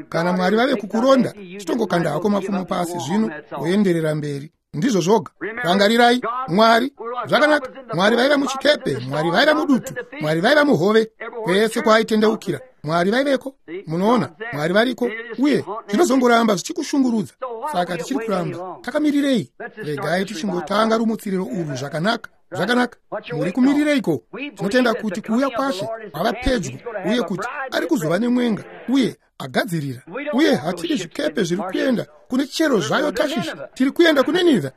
Kana Mwari vave kukuronda, chitongokanda hako mapfumo pasi zvino woenderera mberi. Ndizvo zvoga. Rangarirai, Mwari zvakanaka. Mwari vaiva muchikepe, Mwari vaiva mudutu, Mwari vaiva muhove. Kwese kwaaitendeukira, Mwari vaiveko. Munoona, Mwari variko, uye zvinozongoramba zvichikushungurudza. Saka tichiri kuramba takamirirei? Regai tichingotanga rumutsiriro urwu zvakanaka. Zvakanaka. Muri kumirireiko? Tinotenda kuti kuuya kwaShe kwava pedyo, uye kuti ari kuzova nemwenga uye agadzirira. Uye hatidi zvikepe zviri kuenda kune chero zvayo Tashishi. Tiri kuenda kuNinivhe.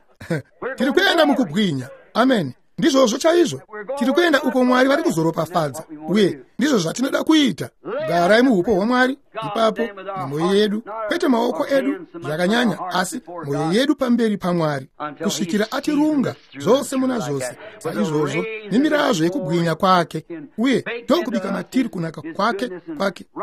Tiri kuenda mukubwinya. Amen. Ndizvozvo chaizvo. Tiri kuenda uko Mwari vari kuzoropafadza, uye ndizvo zvatinoda kuita. Garai muupo hwaMwari ipapo nemwoyo yedu, kwete maoko edu zvakanyanya, asi mwoyo yedu pamberi paMwari, kusvikira atirunga zvose muna zvose saizvozvo nemirazvo yekubwinya kwake, uye ndokubika matiri kunaka kwake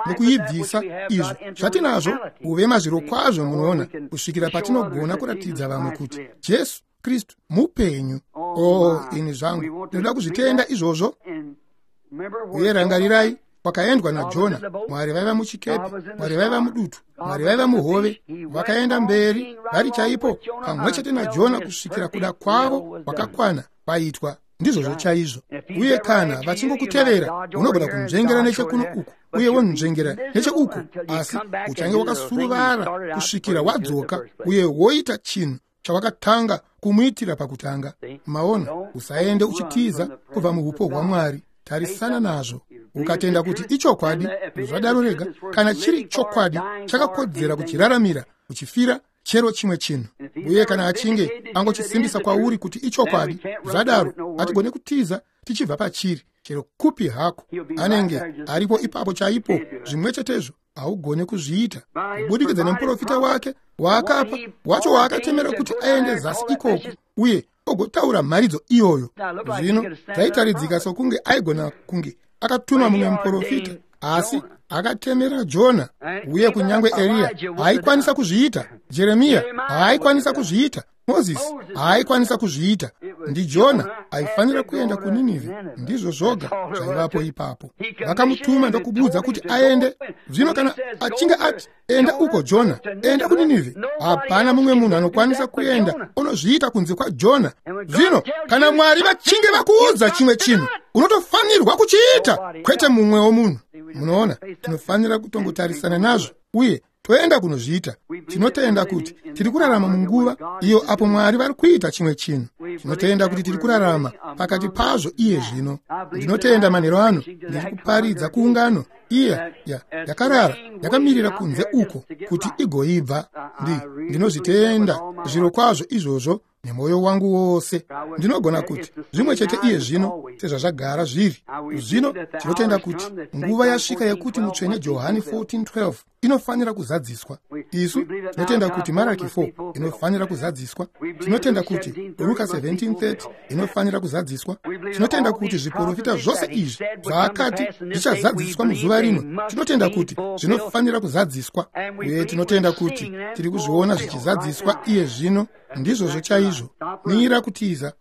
nekuibvisa izvo zvatinazvo uve mazvirokwazvo, munoona, kusvikira patinogona kuratidza vamwe kuti Jesu Kristu mupenyu. Oh, ini zvangu ndinoda kuzvitenda izvozvo. Uye rangarirai kwakaendwa naJona. Mwari vaiva muchikepe, Mwari vaiva mudutu, Mwari vaiva muhove. Vakaenda mberi vari chaipo pamwe chete naJona kusvikira kuda kwavo kwakakwana kwaitwa. Ndizvozvo chaizvo. Uye kana vachingokutevera, unogona kunzvengera nechekuno uku uye wonzvengera necheuku, asi uchange wakasuruvara kusvikira wadzoka uye woita chinhu chawakatanga kumuitira pakutanga. Maona, usaende uchitiza kubva muupo hwaMwari. Tarisana nazvo. Ukatenda kuti ichokwadi, zvadaro rega. Kana chiri chokwadi, chakakodzera kuchiraramira, uchifira chero chimwe chinhu. Uye kana achinge angochisimbisa kwauri kuti ichokwadi, zvadaro hatigone kutiza tichibva pachiri, chero kupi hako. Anenge aripo ipapo chaipo, zvimwe chetezvo. Haugone kuzviita kubudikidza nemuprofita wake waakapa, wacho waakatemera kuti aende zasi ikoko uye ogotaura mharidzo iyoyo. Zvino zvaitaridzika sokunge aigona kunge akatuma mumwe muprofita, asi akatemera Jona. Uye kunyange Eriya haaikwanisa kuzviita, Jeremiya haaikwanisa kuzviita, Mozisi haaikwanisa kuzviita. NdiJona aifanira kuenda kuNinivhe. Ndizvo zvoga zvaivapo ipapo. Vakamutuma ndokubudza kuti aende. Zvino kana achinge ati enda uko Jona, enda kuNinivhe, hapana mumwe munhu anokwanisa kuenda unozviita kunze kwaJona. Zvino kana Mwari vachinge vakuudza chimwe chinhu, unotofanirwa kuchiita, kwete mumwewo munhu. Munoona, tinofanira kutongotarisana nazvo uye toenda kunozviita. Tinotenda kuti tiri kurarama munguva iyo apo Mwari vari kuita chimwe chinhu. Tinotenda kuti tiri kurarama pakati pazvo iye zvino. Ndinotenda manheru ano ndiri kuparidza kuungano iya yakarara yakamirira kunze uko kuti igoibva. Ndinozvitenda zviro kwazvo izvozvo nemwoyo wangu wose. Ndinogona kuti zvimwe chete iye zvino sezvazvagara zviri. Zvino tinotenda kuti nguva yasvika yekuti mutsvene Johani 14:12 inofanira kuzadziswa. Isu tinotenda kuti Maraki 4 inofanira kuzadziswa. Tinotenda kuti Ruka 17:30 inofanira kuzadziswa. Tinotenda kuti zviprofita zvose izvi zvaakati zvichazadziswa muzuva rino, tinotenda kuti zvinofanira kuzadziswa. Uye tinotenda kuti tiri kuzviona zvichizadziswa iye zvino. Ndizvozvo chaizvo. Mira kutiza.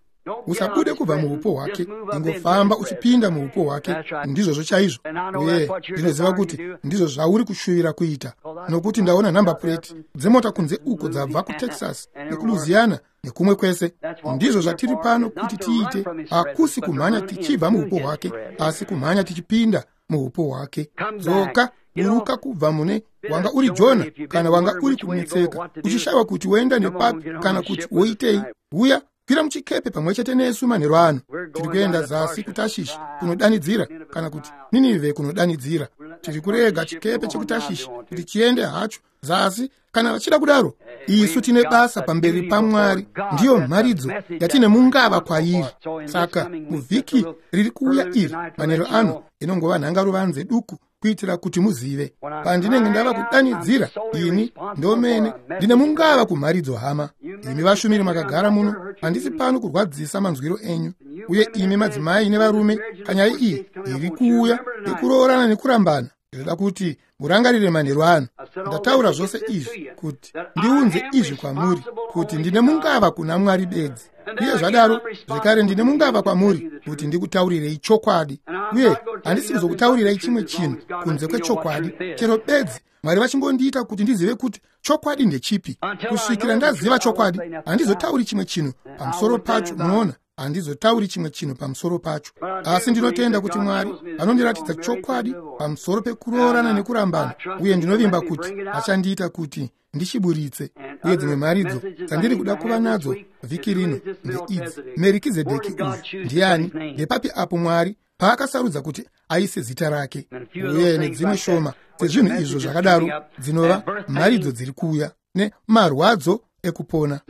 Usabude kubva muupo hwake, ingofamba uchipinda muupo hwake. Ndizvozvo chaizvo. Uye ndinoziva kuti ndizvo zvauri kushuvira kuita, nokuti ndaona nhamba pureti dzemota kunze uko dzabva kuTexas nekuLouisiana nekumwe kwese. Ndizvo zvatiri pano kuti tiite. Hakusi kumhanya tichibva muupo hwake, asi kumhanya tichipinda muupo hwake. Dzoka, buruka kubva mune wanga uri Jona, kana wanga uri kunetseka uchishayiwa kuti woenda nepapi kana kuti woitei. Uya, kwira muchikepe pamwe chete nesu manheru ano. Tiri kuenda zasi kuTashishi kunodanidzira, kana kuti Ninivhe kunodanidzira. Tiri kurega chikepe chekuTashishi kuti chiende hacho zasi kana vachida kudaro. Isu tine basa pamberi paMwari. Ndiyo mharidzo yatine mungava kwairi. Saka muvhiki riri kuuya iri manheru ano inongova nhangaruvanze duku, kuitira kuti muzive pandinenge ndava kudanidzira. Ini ndomene ndine mungava kumharidzo hama. Imi vashumiri makagara muno, handisi pano kurwadzisa manzwiro enyu. Uye imi madzimai nevarume, panyaya iyi iri kuuya yekuroorana nekurambana, ndinoda kuti murangarire manheru ano. Ndataura zvose izvi kuti ndiunze izvi kwamuri, kuti ndine mungava kuna Mwari bedzi. Uye zvadaro zvekare ndine mungava kwamuri kuti ndikutaurirei chokwadi. Uye handisi kuzokutaurirai chimwe chinhu kunze kwechokwadi, chero bedzi Mwari vachingondiita kuti ndizive kuti chokwadi ndechipi. Kusvikira ndaziva chokwadi, handizotauri chimwe chinhu pamusoro pacho. Munoona, handizotauri chimwe chinhu pamusoro pacho. Asi ndinotenda kuti Mwari vanondiratidza chokwadi pamusoro pekuroorana nekurambana, uye ndinovimba kuti achandiita kuti ndichiburitse. Uye dzimwe mharidzo dzandiri kuda kuva nadzo vhiki rino ndeidzi: Merikizedheki uyu ndiani? Ndepapi apo Mwari paakasarudza kuti aise zita rake? Uye nedzimwe shoma dzezvinhu izvo zvakadaro dzinova mharidzo dziri kuuya, nemarwadzo ekupona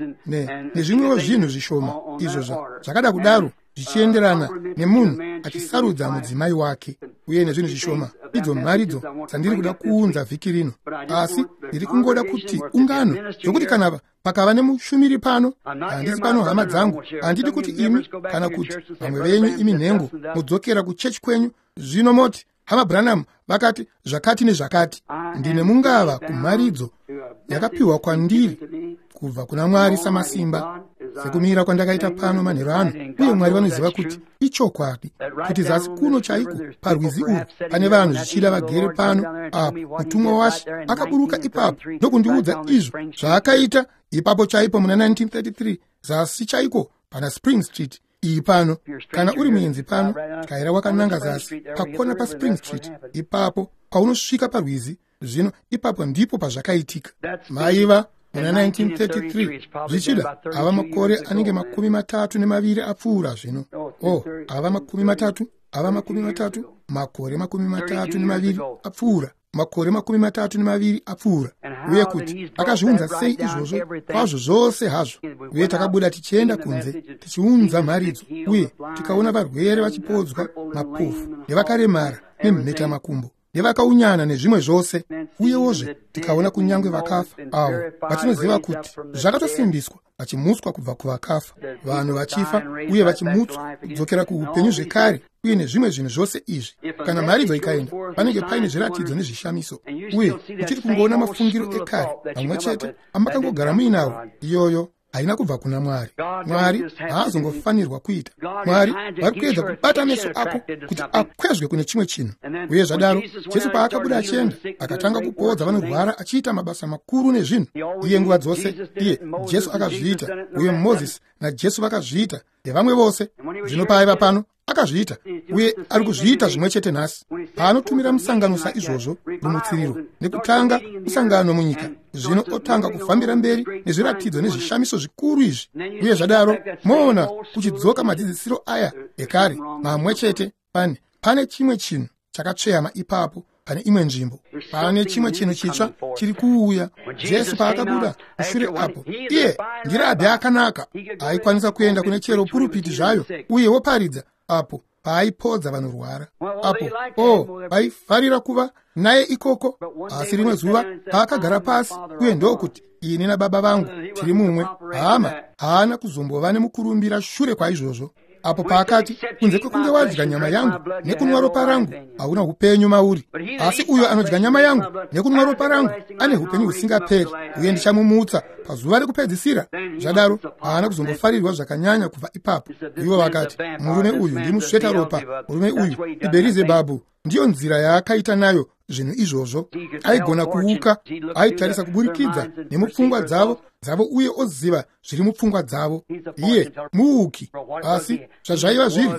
nezvimwewo zvinhu zvishoma izvo zvakada kudaro zvichienderana nemunhu achisarudza mudzimai wake uye nezvinhu zvishoma. Idzo mharidzo dzandiri kuda kuunza vhiki rino, asi ndiri kungoda kuti ungano, zvokuti kana pakava nemushumiri pano, handisi pano hama dzangu, handidi kuti imi kana kuti vamwe venyu imi nhengo mudzokera kuchechi kwenyu zvino moti hama Branham vakati zvakati nezvakati. Ndine mungava kumharidzo yakapiwa kwandiri kubva kuna Mwari samasimba, sekumira kwandakaita pano manheru ano, uye Mwari vanoziva kuti ichokwadi, kuti zasi kuno chaiko parwizi urwu pane vanhu zvichida vagere pano apo mutumwa waShe akaburuka ipapo ndokundiudza izvo zvaakaita ipapo chaipo muna 1933 zasi chaiko pana Spring Street iyi pano. Kana uri muenzi pano, tyaira wakananga zasi pakona paSpring Street ipapo paunosvika parwizi zvino ipapo ndipo pazvakaitika. Maiva muna 1933, zvichida ava makore anenge 32 apfuura zvino. Ava 30, ava 30, makore 32 apfuura, makore 32 apfuura. Uye kuti akazviunza sei izvozvo kwazvo zvose hazvo. Uye takabuda tichienda kunze tichiunza mharidzo, uye tikaona varwere vachipodzwa, mapofu nevakaremara nemhetamakumbo nevakaunyana nezvimwe zvose. Uyewozve tikaona kunyange vakafa avo vatinoziva kuti zvakatosimbiswa vachimutswa kubva kuvakafa, vanhu vachifa uye vachimutswa kudzokera kuupenyu zvekare, uye nezvimwe zvinhu zvose izvi. Kana mharidzo ikaenda, panenge paine zviratidzo nezvishamiso, uye uchiri kungoona mafungiro ekare mamwe chete amakangogara muinawo. Iyoyo haina kubva kuna Mwari. Mwari haazongofanirwa kuita. Mwari vari kuedza kubata meso ako kuti akwezve kune chimwe chinhu. Uye zvadaro Jesu paakabuda achienda, akatanga kupodza vanorwara achiita mabasa makuru nezvinhu. Iye nguva dzose, iye Jesu akazviita, uye Mozisi naJesu vakazviita, nevamwe vose. Zvino paaiva pano akazviita, uye ari kuzviita zvimwe chete nhasi. Paanotumira musangano saizvozvo, rumutsiriro nekutanga musangano munyika, zvino otanga kufambira mberi nezviratidzo nezvishamiso zvikuru izvi. Uye zvadaro moona kuchidzoka madzidzisiro aya ekare mamwe chete. Pane chimwe chinhu chakatsveyama ipapo pane imwe nzvimbo, pane chimwe chinhu chitsva chiri kuuya. Jesu paakabuda mushure apo, iye ndirabhi akanaka, aikwanisa kuenda kune chero purupiti zvayo uye woparidza apo paaipodza vanorwara. Apo vaifarira kuva naye ikoko. Asi rimwe zuva paakagara pasi uye ndokuti, ini nababa vangu tiri mumwe, hama haana kuzombova nemukurumbira shure kwaizvozvo. Apo paakati, kunze kwekunge wadya nyama yangu nekunwa ropa rangu, hauna upenyu mauri. Asi uyo anodya nyama yangu nekunwa ropa rangu ane upenyu husingaperi, uye ndichamumutsa pazuva rekupedzisira. Zvadaro haana kuzombofarirwa zvakanyanya kubva ipapo. Ivo vakati, murume uyu ndimusveta ropa, murume uyu iBherizebhabhu. Ndiyo nzira yaakaita nayo zvinhu izvozvo. Aigona kuuka, aitarisa kuburikidza nemupfungwa dzavo uye oziva zviri mupfungwa dzavo. Iye muuki, asi zvazvaiva zviri,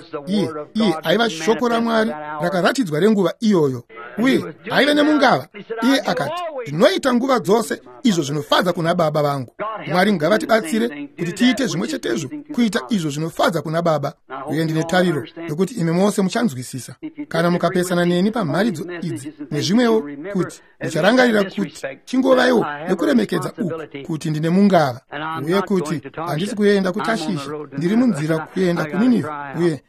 iye aiva shoko raMwari rakaratidzwa renguva iyoyo, uye aiva nemungava. Iye akati, ndinoita nguva dzose izvo zvinofadza kuna baba vangu. Mwari ngavatibatsire kuti tiite zvimwe chetezvo, kuita izvo zvinofadza kuna baba. Uye ndine tariro yokuti imi mose muchanzwisisa. Kana mukapesana neni pamharidzo idzi nezvimwewo, kuti mucharangarira kuti chingovaiwo nekuremekedza uku, kuti ndine mungava, uye kuti handisi kuenda kuTashishi, ndiri munzira kuenda kuNinivhi, uye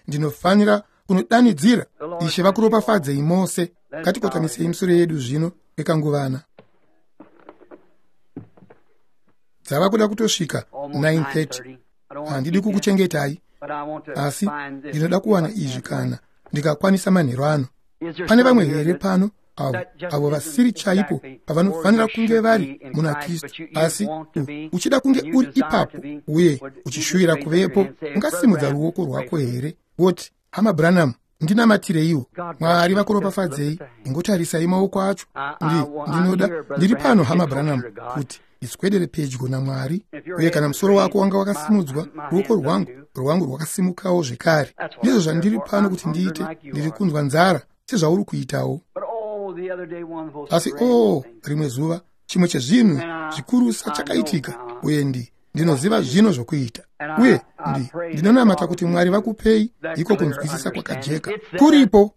ndinofanira kunodanidzira. Ishe vakuropafadzei mose. Ngatikotamisei misoro yedu zvino kwekanguvana. Dzava kuda kutosvika 9:30. Handidi kukuchengetai, asi ndinoda kuwana izvi kana ndikakwanisa manheru ano. Pane vamwe here pano avo vasiri chaipo pavanofanira kunge vari muna Kristu, asi uchida kunge uri ipapo uye uchishuvira kuvepo? Ungasimudza ruoko rwako here woti, hama Branham, ndinamatireiwo. Mwari vakuropafadzei. Ingotarisai maoko acho. Ndinoda, ndiri pano hama Branham, kuti ndiswedere pedyo naMwari. Uye kana musoro wako wanga wakasimudzwa, ruoko rwangu rwakasimukawo zvekare. Ndizvo zvandiri pano kuti ndiite. Ndiri kunzwa nzara sezvauri kuitawo. Asi rimwe zuva chimwe chezvinhu zvikurusa chakaitika, uye ndinoziva zvino zvokuita. Uye ndinonamata kuti Mwari vakupei iko kunzwisisa kwakajeka kuripo.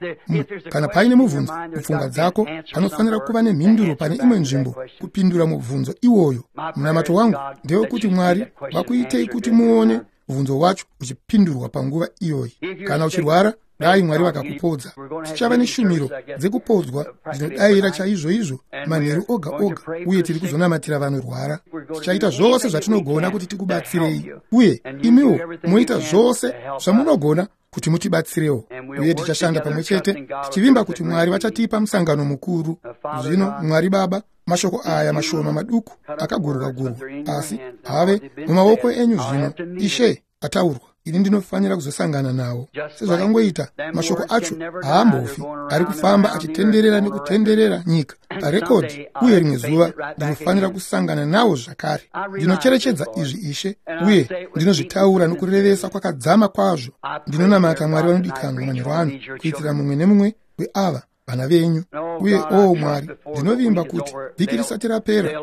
Kana paine mubvunzo mupfungwa dzako, panofanira kuva nemhinduro pane imwe nzvimbo kupindura mubvunzo iwoyo. Munamato wangu ndewekuti Mwari vakuitei kuti muone mubvunzo wacho uchipindurwa panguva iyoyi. Kana uchirwara, dai Mwari vakakupodza. Tichava neshumiro dzekupodzwa dzinodayira chaizvoizvo manheru oga oga, uye tiri kuzonamatira vanorwara. Tichaita zvose zvatinogona kuti tikubatsirei, uye imiwo moita zvose zvamunogona kuti mutibatsirewo, uye tichashanda pamwe chete tichivimba kuti Mwari vachatipa musangano mukuru. Zvino Mwari Baba, mashoko aya mashoma maduku akagurwa-gurwa, asi have mumaoko enyu zvino, Ishe, ataurwa. Ini ndinofanira kuzosangana nawo. Sezvakangoita mashoko acho haambofi, ari kufamba achitenderera nekutenderera nyika parekodhi, uye rimwe zuva ndinofanira kusangana nawo zvakare. Ndinocherechedza izvi, Ishe, uye ndinozvitaura nokurevesa kwakadzama kwazvo. Ndinonamata, Mwari vanodikanwa, manheru ano, kuitira mumwe nemumwe weava vana venyu. Uye o Mwari, ndinovimba kuti vhiki risati rapera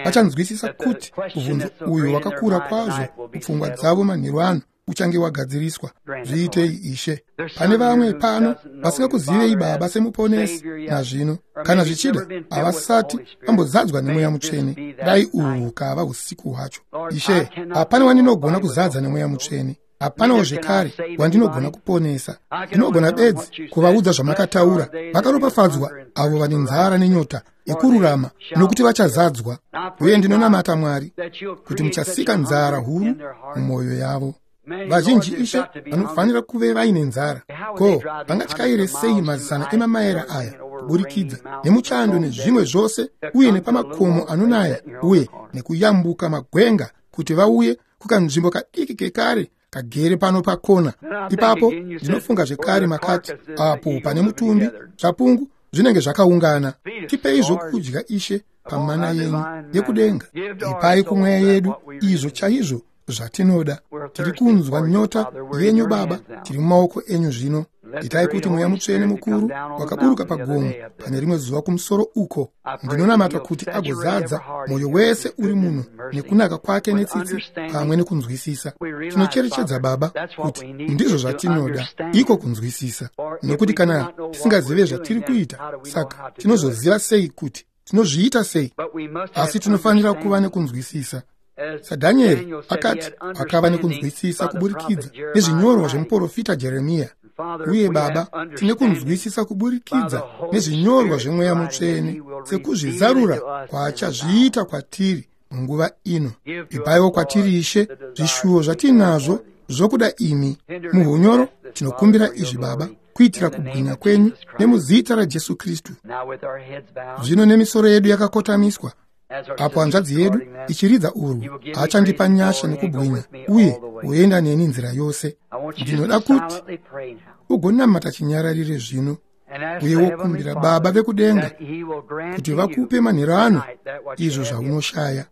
vachanzwisisa kuti mubvunzo uyu wakakura kwazvo mupfungwa dzavo manheru ano uchange wagadziriswa. Zviitei, Ishe. Pane vamwe pano vasingakuzivei Baba semuponesi nazvino, kana zvichida havasati vambozadzwa neMweya Mutsvene. Dai uhu hukava usiku hwacho, Ishe. Hapana wandinogona kuzadza neMweya Mutsvene, hapanawo zvekare wandinogona kuponesa. Ndinogona bedzi kuvaudza zvamakataura: vakaropafadzwa avo vane nzara nenyota yekururama, nokuti vachazadzwa. Uye ndinonamata, Mwari, kuti muchasika nzara huru mumwoyo yavo. Vazhinji, Ishe, vanofanira kuve vaine nzara. Ko vangatyaire sei mazana emamaera aya kuburikidza nemuchando nezvimwe zvose, uye nepamakomo anonaya, uye nekuyambuka magwenga, kuti vauye kukanzvimbo kadiki kekare kagere pano pakona ipapo? Ndinofunga zvekare, makati apo pane mutumbi, zvapungu zvinenge zvakaungana. Tipei zvokudya, Ishe, pamana yenyu yekudenga. Ipai kumweya yedu izvo chaizvo zvatinoda. Tiri kunzwa nyota yenyu, Baba. Tiri mumaoko enyu zvino. Itai kuti Mweya Mutsvene mukuru wakaburuka pagomo pane rimwe zuva kumusoro uko, ndinonamata kuti agozadza mwoyo wese uri muno nekunaka kwake netsitsi pamwe nekunzwisisa. Tinocherechedza, Baba, kuti ndizvo zvatinoda, iko kunzwisisa, nokuti kana tisingazive zvatiri kuita, saka tinozoziva sei kuti tinozviita sei? Asi tinofanira kuva nekunzwisisa, saDhanieri akati akava nekunzwisisa kuburikidza nezvinyorwa zvemuprofita Jeremiya. Uye Baba, tine kunzwisisa kuburikidza nezvinyorwa zveMweya Mutsvene, sekuzvizarura kwaachazviita kwatiri munguva ino. Ipaiwo kwatiri, Ishe, zvishuwo zvatinazvo zvokuda imi. Muhunyoro tinokumbira izvi, Baba, kuitira kubwinya kwenyu, nemuzita raJesu Kristu. Zvino nemisoro yedu yakakotamiswa, apo hanzvadzi yedu ichiridza urwu, achandipa nyasha nekubwinya uye uenda neni nzira yose. Ndinoda kuti ugonamata chinyararire zvino, uye wokumbira Baba vekudenga kuti vakupe manheru ano izvo zvaunoshaya.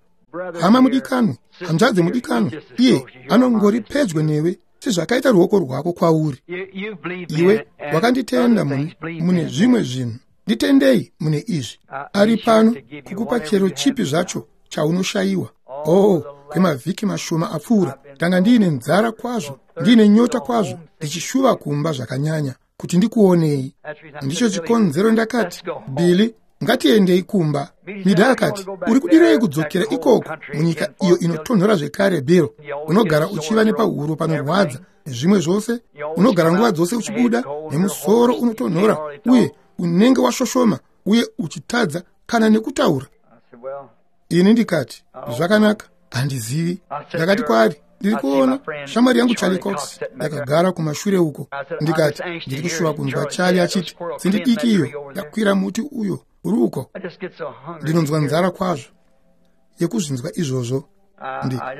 Hama mudikanwa, hanzvadzi mudikanwa, iye anongori pedyo newe sezvakaita ruoko rwako kwauri. Iwe wakanditenda mune zvimwe zvinhu, nditendei mune izvi. Ari pano kukupa chero chipi zvacho chaunoshayiwa. Oh, kwemavhiki mashoma apfuura ndanga ndiine nzara kwazvo, ndiine nyota kwazvo, ndichishuva kumba zvakanyanya kuti ndikuonei. Ndicho chikonzero ndakati, "Billy, ngatiendei kumba." Mida akati, "Uri kudirei kudzokera ikoko munyika iyo inotonhora zvekare, Bill? Unogara uchiva nepahuro panorwadza nezvimwe zvose. Unogara nguva dzose uchibuda nemusoro unotonhora, uye unenge washoshoma uye uchitadza kana nekutaura." Ini ndikati, "Zvakanaka, handizivi." Ndakati kwaari, "Ndiri kuona shamwari yangu Charlie Cox yakagara kumashure uko." Ndikati, "Ndiri kushuva kunzwa Charlie achiti, 'Tsindi diki iyo yakwira muti uyo uri uko.' Ndinonzwa nzara kwazvo yekuzvinzwa izvozvo.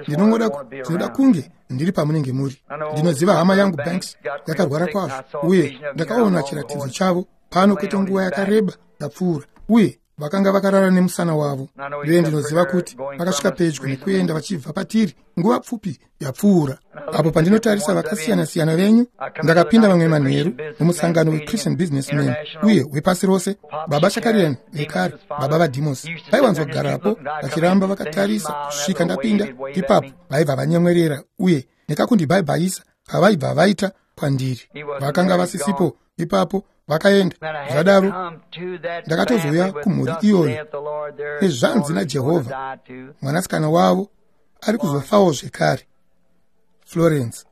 Ndinongoda, ndinoda kunge ndiri pamunenge muri. Ndinoziva hama yangu Banks yakarwara kwazvo, uye ndakaona chiratidzo chavo pano kwete nguva yakareba yapfuura, uye vakanga vakarara nemusana wavo. Uye ndinoziva kuti vakasvika pedyo nekuenda vachibva patiri nguva pfupi yapfuura. Apo pandinotarisa vakasiyana-siyana venyu, ndakapinda mamwe manheru mumusangano weChristian Businessman uye wepasi rose. Baba Shakarian vekare, baba vaDemos, vaiwanzogarapo vachiramba vakatarisa kusvika ndapinda. Ipapo vaibva vanyemwerera uye nekakundibhaibhaisa kavaibva vaita kwandiri. Vakanga vasisipo ipapo, vakaenda. Zvadaro ndakatozouya kumhuri iyoyo nezvanzi naJehovha, mwanasikana wavo ari kuzofawo zvekare. Florence.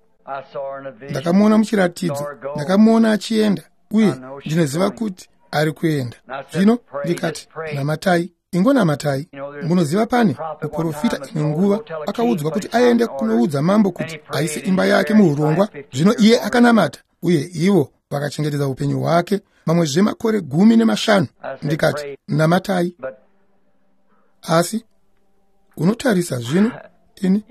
Ndakamuona muchiratidzo, ndakamuona achienda, uye ndinoziva kuti ari kuenda. Zvino ndikati, namatai, ingonamatai. Munoziva, pane muprofita imwe nguva akaudzwa kuti aende kunoudza mambo kuti aise imba yake muurongwa. Zvino iye akanamata, uye ivo vakachengetedza upenyu hwake mamwe zvemakore 15. Ndikati, namatai. Asi unotarisa zvino, ini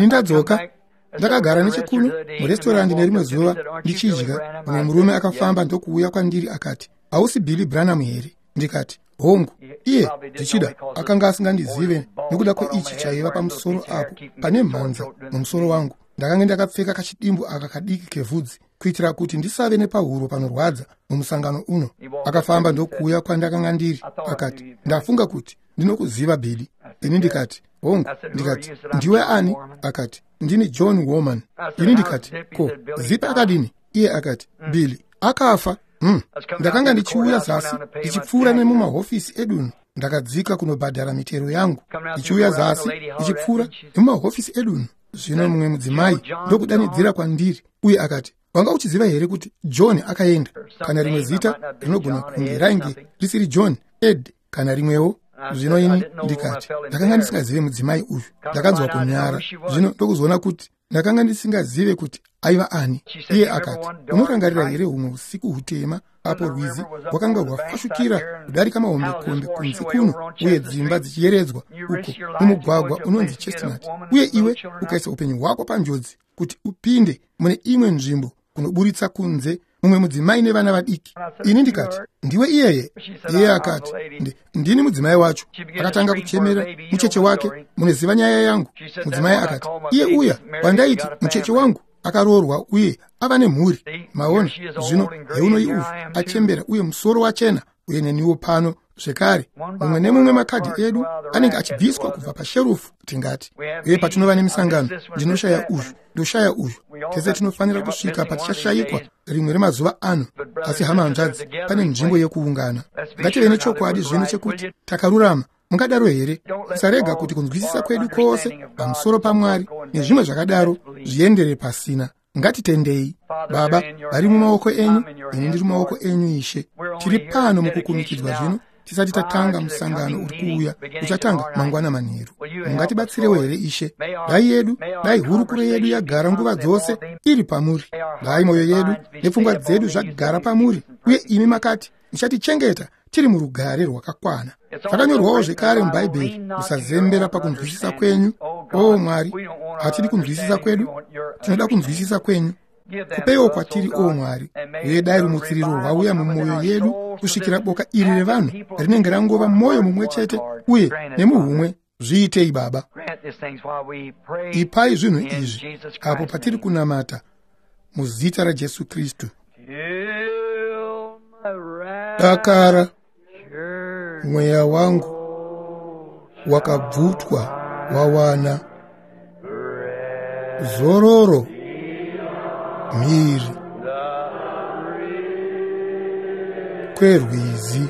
ndadzoka. Ndakagara nechekuno murestorandi nerimwe zuva ndichidya. Mumwe murume akafamba ndokuuya kwandiri akati, hausi Billy Branham here? Ndikati, hongu. Iye zvichida akanga asingandizive nokuda kweichi chaiva pamusoro apo pane mhanza mumusoro wangu. Ndakanga ndakapfeka kachidimbu aka kadiki kevhudzi kuitira kuti ndisave nepahuro panorwadza mumusangano uno. Akafamba ndokuuya kwandakanga ndiri akati, ndafunga kuti ndinokuziva Billy. Ini ndikati, hongu. Ndikati, ndiwe ani? Akati, ndini John Woman. Ini ndikati, ko Zipa akadini? Iye akati, Billy akafa. Ndakanga ndichiuya zasi ndichipfuura nemumahofisi edunhu. Ndakadzika kunobhadhara mitero yangu, ndichiuya zasi ndichipfuura nemumahofisi edunhu. Zvino mumwe mudzimai ndokudanidzira kwandiri uye akati, wanga uchiziva here kuti John akaenda? Kana rimwe zita rinogona kunge rainge risiri John, Ed, kana rimwewo. Zvino ini ndikati, ndakanga ndisingazive mudzimai uyu. Ndakanzwa kunyara. Zvino ndokuzoona kuti ndakanga ndisingazive kuti aiva ani. Iye akati, unorangarira here humwe usiku hutema apo rwizi rwakanga rwafashukira kudarika mahombekombe kunze kuno, uye dzimba dzichiyeredzwa uko mumugwagwa unonzi Chestnut, uye iwe ukaisa upenyu hwako panjodzi kuti upinde mune imwe nzvimbo kunoburitsa kunze mumwe mudzimai nevana vadiki? Ini ndikati, ndiwe iyeye? Iye akati, ndini mudzimai wacho. Akatanga kuchemera mucheche wake. Munoziva nyaya yangu. Mudzimai akati, iye uya wandaiti mucheche wangu akaroorwa uye ava nemhuri. Maona, zvino heunoi uyu achembera uye musoro wachena, uye neniwo pano zvekare. Mumwe nemumwe makadhi edu anenge achibviswa kubva pasherufu, tingati. Uye patinova nemisangano, ndinoshaya uyu, ndoshaya uyu. Tese tinofanira kusvika patichashayikwa rimwe remazuva ano. Asi hama hanzvadzi, pane nzvimbo yekuungana. Ngative nechokwadi zvino chekuti takarurama. Mungadaro here? Musarega kuti kunzwisisa kwedu kwose pamusoro paMwari nezvimwe zvakadaro zviendere pasina. Ngatitendei. Baba, vari mumaoko enyu, ini ndiri mumaoko enyu, Ishe. Tiri pano mukukumikidzwa zvino, tisati tatanga musangano uri kuuya uchatanga mangwana manheru. Mungatibatsirewo here, Ishe? Dai yedu, dai hurukuro yedu yagara nguva dzose iri pamuri. Dai mwoyo yedu nepfungwa dzedu zvagara pamuri, uye imi makati muchatichengeta tiri murugare rwakakwana. Zvakanyorwawo zvekare muBhaibheri, musazembera pakunzwisisa kwenyu. O Mwari, hatidi kunzwisisa kwedu, tinoda kunzwisisa kwenyu. Kupeiwo kwatiri, o Mwari, uye dai rumutsiriro rwauya mumwoyo yedu kusvikira boka iri revanhu rinenge rangova mwoyo mumwe chete uye nemuhumwe. Zviitei, Baba. Ipai zvinhu izvi apo patiri kunamata muzita raJesu Kristu. Dakara mweya wangu wakabvutwa wawana zororo mhiri kwerwizi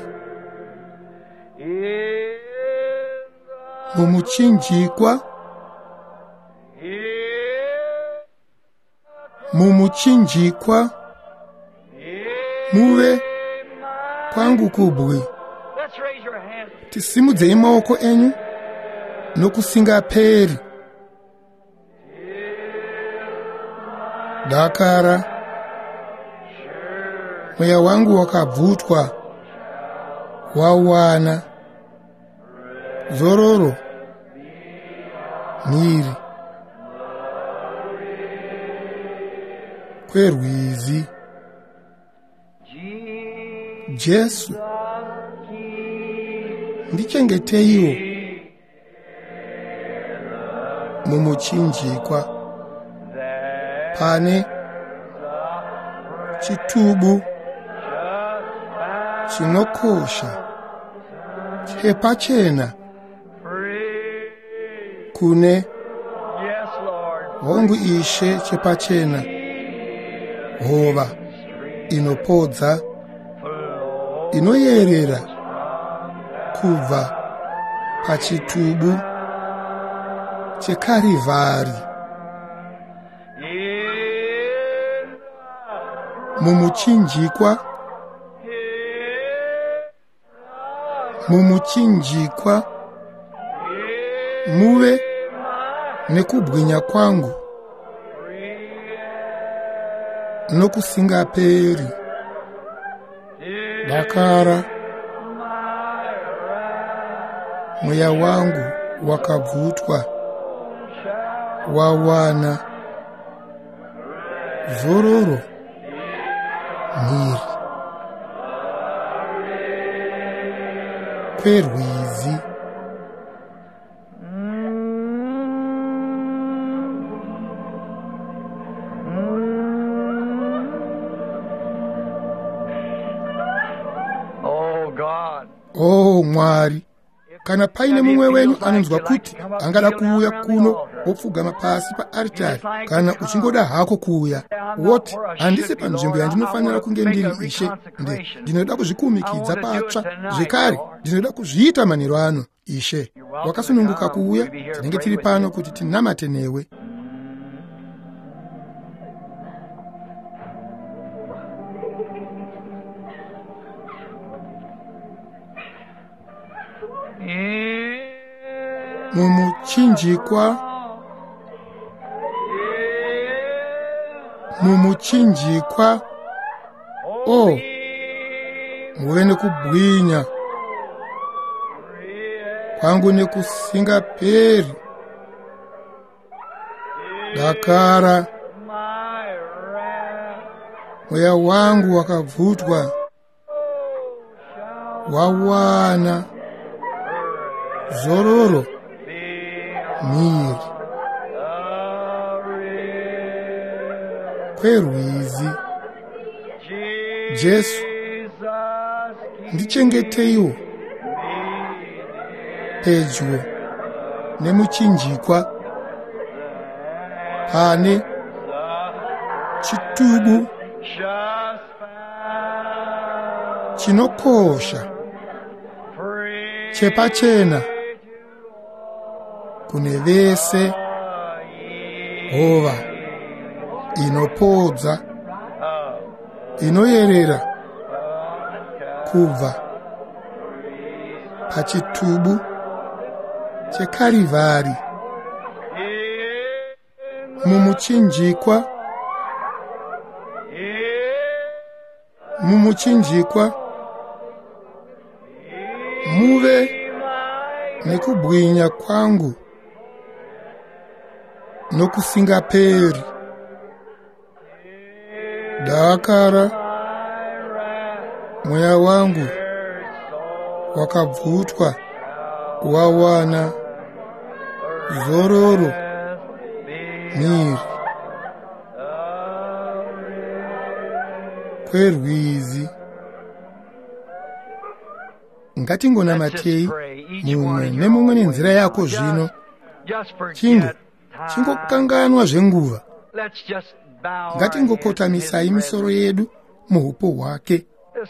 mumuchinjikwa, mumuchinjikwa muve kwangu kubwi. Tisimudzei maoko enyu nokusingaperi. Dakara mweya wangu wakabvutwa wawana zororo mhiri kwerwizi. Jesu, ndichengeteiwo mumuchinjikwa pane chitubu chinokosha chepachena kune hongu Ishe, chepachena hova inopodza inoyerera kubva pachitubu cheKarivhari. Mumuchinjikwa, mumuchinjikwa, muve nekubwinya kwangu nokusingaperi. Dakara mweya wangu wakabvutwa, wawana zororo mhiri kwerwizi. Oh Mwari, kana paine mumwe wenyu anonzwa kuti angada kuuya kuno wopfugama pasi paaritari, kana uchingoda hako kuuya, woti handisi panzvimbo yandinofanira kunge ndiri, Ishe, ndinoda kuzvikumikidza patsva zvekare, ndinoda kuzviita manheru ano, Ishe. Wakasununguka kuuya, tinenge tiri pano kuti tinamate newe. Mumuchinjikwa, mumuchinjikwa, o muve nekubwinya kwangu nekusingaperi. Dakara mweya wangu wakabvutwa, wawana zororo mhiri kwerwizi. Jesu, ndichengeteiwo pedyo nemuchinjikwa pane chitubu chinokosha chepachena kune vese, hova inopodza inoyerera kubva pachitubu cheKarivhari. Mumuchinjikwa, mumuchinjikwa, muve nekubwinya kwangu nokusingaperi. Dakara mweya wangu wakabvutwa, wawana zororo mhiri kwerwizi. Ngatingonamatei mumwe nemumwe nenzira yako zvino. Chingokanganwa zvenguva. Ngatingokotamisai misoro yedu muhupo hwake.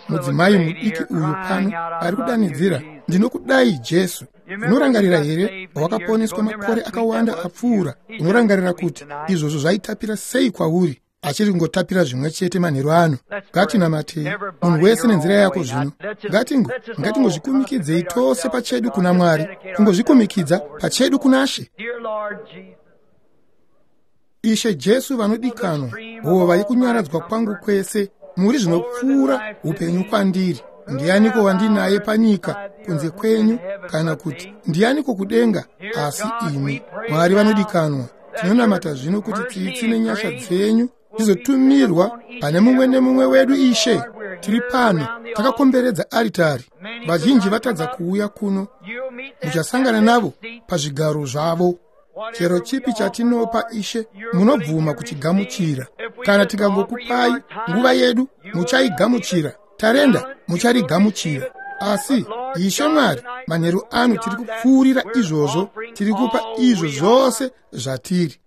Mudzimai mudiki uyu pano ari kudanidzira, ndinokudai Jesu. Unorangarira here wakaponeswa makore akawanda apfuura? Unorangarira kuti izvozvo zvaitapira sei kwauri? Achiri kungotapira zvimwe chete manheru ano. Ngatinamatei munhu wese nenzira yako zvino. Ngatingozvikumikidzei tose pachedu kuna Mwari, kungozvikumikidza pachedu kuna She. Ishe Jesu vanodikanwa, hova yekunyaradzwa kwangu kwese, muri zvinopfuura upenyu kwandiri. Ndianiko wandinaye panyika kunze kwenyu, kana kuti ndianiko kudenga asi imi? Mwari vanodikanwa, tinonamata zvino kuti tsitsi nenyasha dzenyu dzizotumirwa pane mumwe nemumwe wedu. Ishe, tiri pano takakomberedza aritari. Vazhinji vatadza kuuya kuno, muchasangana navo pazvigaro zvavo. Chero chipi chatinopa, Ishe, munobvuma kuchigamuchira. Kana tikangokupai nguva yedu, muchaigamuchira. Tarenda mucharigamuchira. Asi Ishe Mwari, manheru ano tiri kupfuurira izvozvo, tiri kupa izvo zvose zvatiri,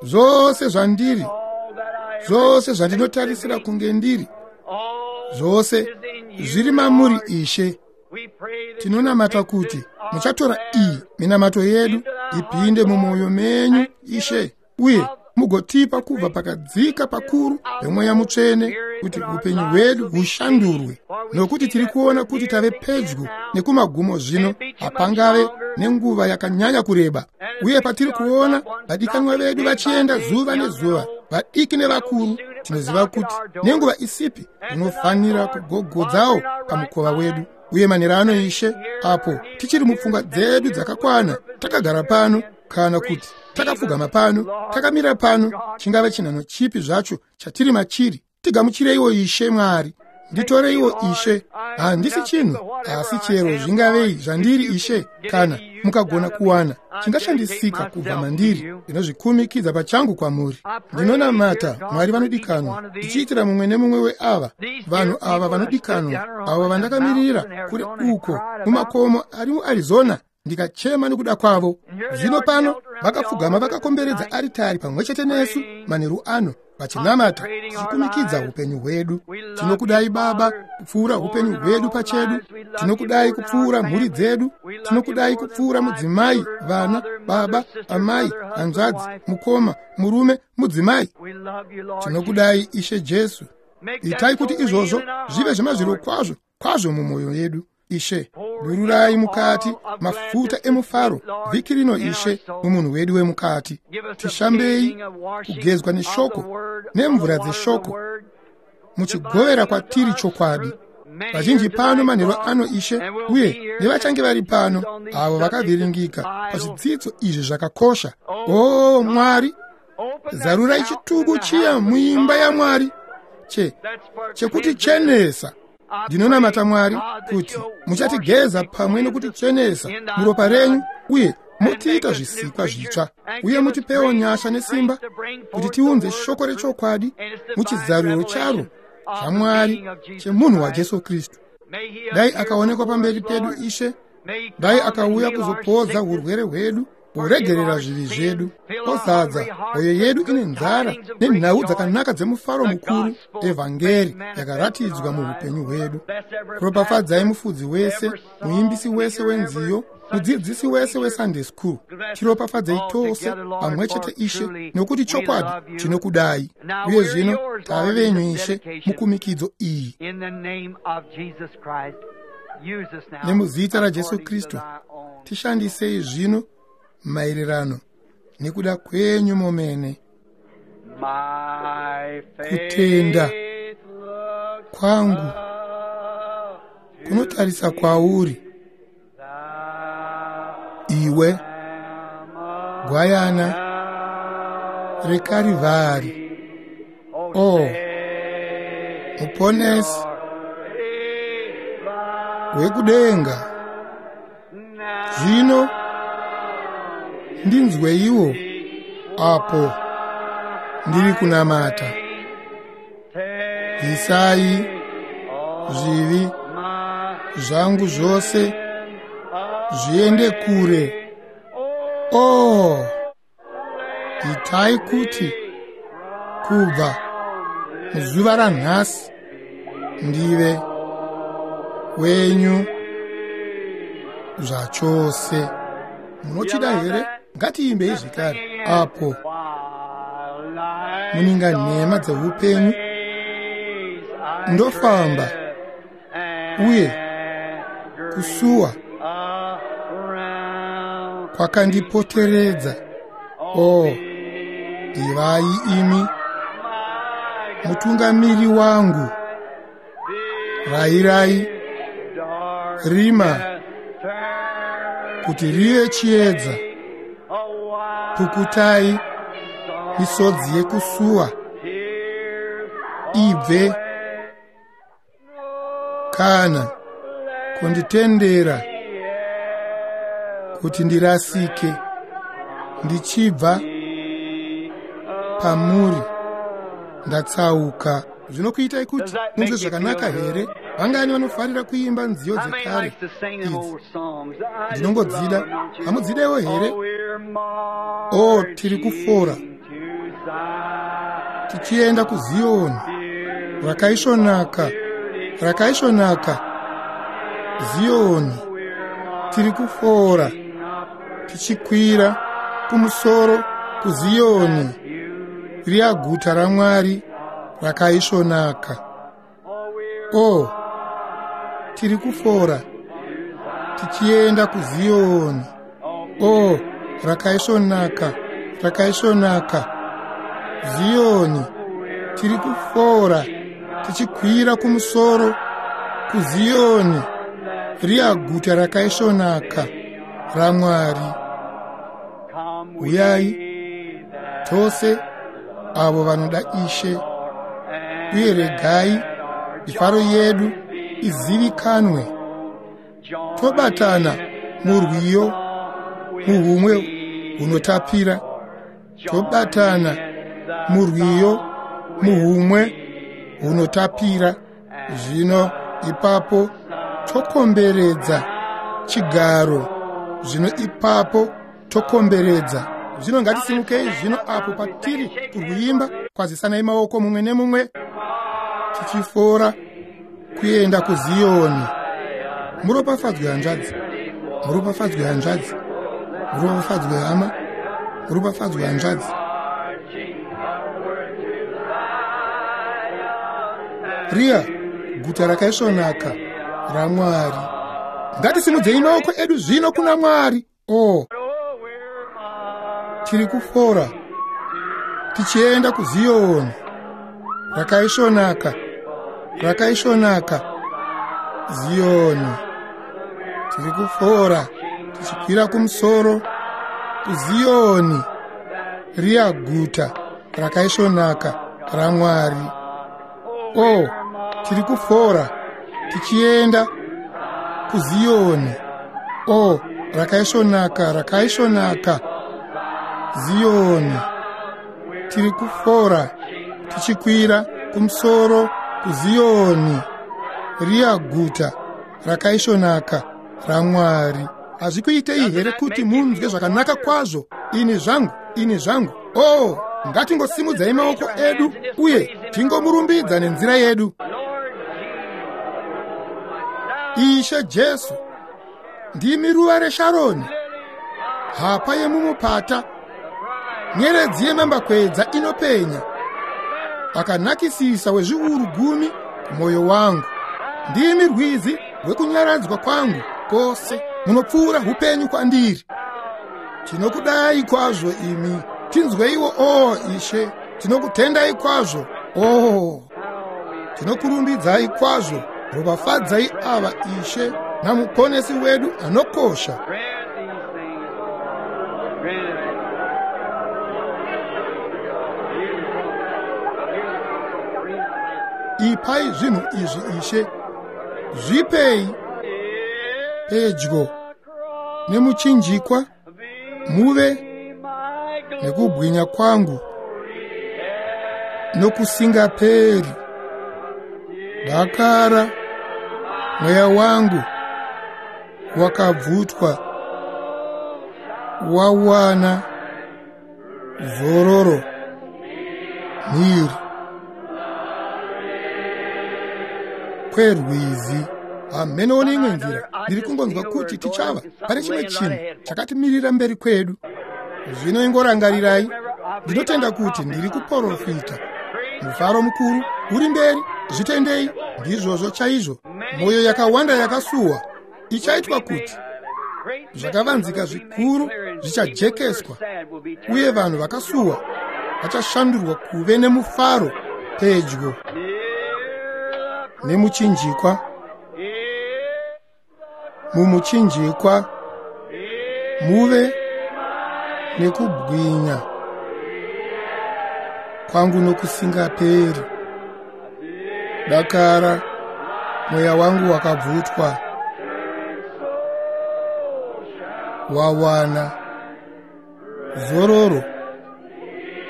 zvose zvandiri, zvose zvandinotarisira kunge ndiri, zvose zviri mamuri, Ishe. Tinonamata kuti muchatora iyi minamato yedu ipinde mumwoyo menyu, Ishe, uye mugotipa kubva pakadzika pakuru pemweya mutsvene kuti upenyu hwedu hushandurwe, nokuti tiri kuona kuti tave pedyo nekumagumo zvino. Hapangave nenguva yakanyanya kureba. Uye patiri kuona vadikanwa vedu vachienda zuva nezuva, vadiki nevakuru, tinoziva kuti nenguva isipi tinofanira kugogodzawo pamukova wedu. Uye manheru ano, Ishe, apo tichiri mupfungwa dzedu dzakakwana, takagara pano kana kuti takapfugama pano, takamira pano, chingave chinhano chipi zvacho chatiri machiri, tigamuchireiwo, Ishe Mwari. Nditoreiwo, Ishe. Handisi chinhu, asi chero zvingavei zvandiri, Ishe, kana mukagona kuwana chingashandisika kubva mandiri, ndinozvikumikidza pachangu kwamuri. Ndinonamata, Mwari vanodikanwa, ndichiitira mumwe nemumwe weava vanhu ava vanodikanwa, avo vandakamirira kure uko mumakomo ari muArizona, ndikachema nekuda kwavo. Zvino pano vakapfugama vakakomberedza aritari pamwe chete nesu manheru ano, vachinamata, tichikumikidza upenyu hwedu. Tinokudai, Baba, kupfuura upenyu hwedu pachedu. Tinokudai kupfuura mhuri dzedu. Tinokudai kupfuura mudzimai, vana, baba, amai, hanzvadzi, mukoma, murume, mudzimai. Tinokudai, Ishe Jesu. Itai kuti izvozvo zvive zvemazviro kwazvo kwazvo mumwoyo yedu, Ishe. Dururai mukati mafuta emufaro vhiki rino, Ishe, mumunhu wedu wemukati. Tishambei kugezwa neshoko, nemvura dzeshoko, muchigovera kwatiri chokwadi. Vazhinji pano manheru ano, Ishe, uye nevachange vari pano, avo vakavhiringika pazvidzidzo izvi zvakakosha. O Mwari, zarurai chitubu chiya muimba yaMwari chekuti chenesa. Ndinonamata, Mwari, kuti muchatigeza pamwe nokutichenesa muropa renyu, uye mutiita zvisikwa zvitsva, uye mutipewo nyasha nesimba kuti tiunze shoko rechokwadi muchizaruro charo zvaMwari chemunhu waJesu Kristu. Dai akaonekwa pamberi pedu, Ishe. Dai akauya kuzopodza urwere hwedu, kuregerera zvivi zvedu, ozadza mwoyo yedu ine nzara nenhau dzakanaka dzemufaro mukuru, evhangeri yakaratidzwa muupenyu hwedu. Ropafadzai mufudzi wese, muimbisi wese wenziyo, mudzidzisi wese weSunday school. Tiropafadzei tose pamwe chete, Ishe, nokuti chokwadi tinokudai. Uye zvino tave venyu, Ishe, mukumikidzo iyi. Nemuzita raJesu Kristu, tishandisei zvino maererano nekuda kwenyu momene. Kutenda kwangu kunotarisa kwauri, iwe gwayana reKarivhari, o Muponesi wekudenga. Zvino ndinzweiwo apo ndiri kunamata. Bvisai zvivi zvangu zvose zviende kure. O, itai kuti kubva muzuva ranhasi ndive wenyu zvachose. Munochida here? Ngatiimbei zvekare. Apo muninga nhema dzeupenyu ndofamba, uye kusuwa kwakandipoteredza, o ivai imi mutungamiri wangu. Rayirai rima kuti rive chiedza, pukutai misodzi yekusuwa ibve, kana kunditendera kuti ndirasike ndichibva pamuri ndatsauka. Zvinokuitai kuti munzwe zvakanaka here? Vangani vanofarira kuimba nziyo dzekare idzi? Ndinongodzida. Hamudzidewo here? O, tiri kufora tichienda kuZiyoni rakaisvonaka, rakaisvonaka Ziyoni. Tiri kufora tichikwira kumusoro kuZiyoni, riya guta raMwari rakaisvonaka. O, tiri kufora tichienda kuZiyoni. O, rakaisvonaka, rakaisvonaka Ziyoni. Tiri kufora tichikwira kumusoro kuZiyoni, riya guta rakaisvonaka raMwari. Uyai tose avo vanoda Ishe, uye regai mifaro yedu izivikanwe. Tobatana murwiyo muhumwe hunotapira. Tobatana murwiyo muhumwe hunotapira. Zvino ipapo tokomberedza chigaro. Zvino ipapo tokomberedza. Zvino ngatisimukei zvino apo patiri kurwuimba. Kwazisanai maoko mumwe nemumwe, tichifora kuenda kuZiyoni. Muropafadzwe hanzvadzi, muropafadzwe hanzvadzi, muropafadzwe hama, muropafadzwe hanzvadzi. Riya guta rakaisvonaka raMwari. Ngatisimudzei maoko edu zvino kuna Mwari. O, tiri kufora tichienda kuZiyoni. Rakaisvonaka, rakaisvonaka Ziyoni. Tiri kufora tichikwira kumusoro kuZiyoni, riya guta rakaisvonaka raMwari. O, tiri kufora tichienda kuZiyoni. O, rakaisvonaka, rakaisvonaka Ziyoni. Tiri kufora tichikwira kumusoro kuZiyoni, riya guta rakaisvonaka raMwari. Hazvikuitei here kuti munzwe zvakanaka kwazvo? Ini zvangu, ini zvangu. O, ngatingosimudzai maoko edu uye tingomurumbidza nenzira yedu. Ishe Jesu, ndimi ruva reSharoni, hapa yemumupata, nyeredzi yemambakwedza inopenya, akanakisisa wezviuru gumi kumwoyo wangu. Ndimi rwizi rwekunyaradzwa kwangu kwose, munopfuura upenyu kwandiri. Tinokudai kwazvo imi, tinzweiwo, o Ishe. Tinokutendai kwazvo, o. Tinokurumbidzai kwazvo. Ropafadzai ava, Ishe, namuponesi wedu anokosha. Ipai zvinhu izvi, Ishe, zvipei pedyo nemuchinjikwa, muve nekubwinya kwangu nokusingaperi. Dakara mweya wangu wakabvutwa, wawana zororo mhiri kwerwizi. Hameno neimwe nzira ndiri kungonzwa kuti tichava pane chimwe chinhu chakatimirira mberi kwedu. Zvino ingorangarirai, ndinotenda kuti ndiri kuprofita. Mufaro mukuru uri mberi, zvitendei. Ndizvozvo chaizvo. Mwoyo yakawanda yakasuwa ichaitwa kuti zvakavanzika zvikuru zvichajekeswa, uye vanhu vakasuwa vachashandurwa kuve nemufaro pedyo nemuchinjikwa. Mumuchinjikwa muve nekubwinya kwangu nokusingaperi. Dakara mweya wangu wakabvutwa, wawana zororo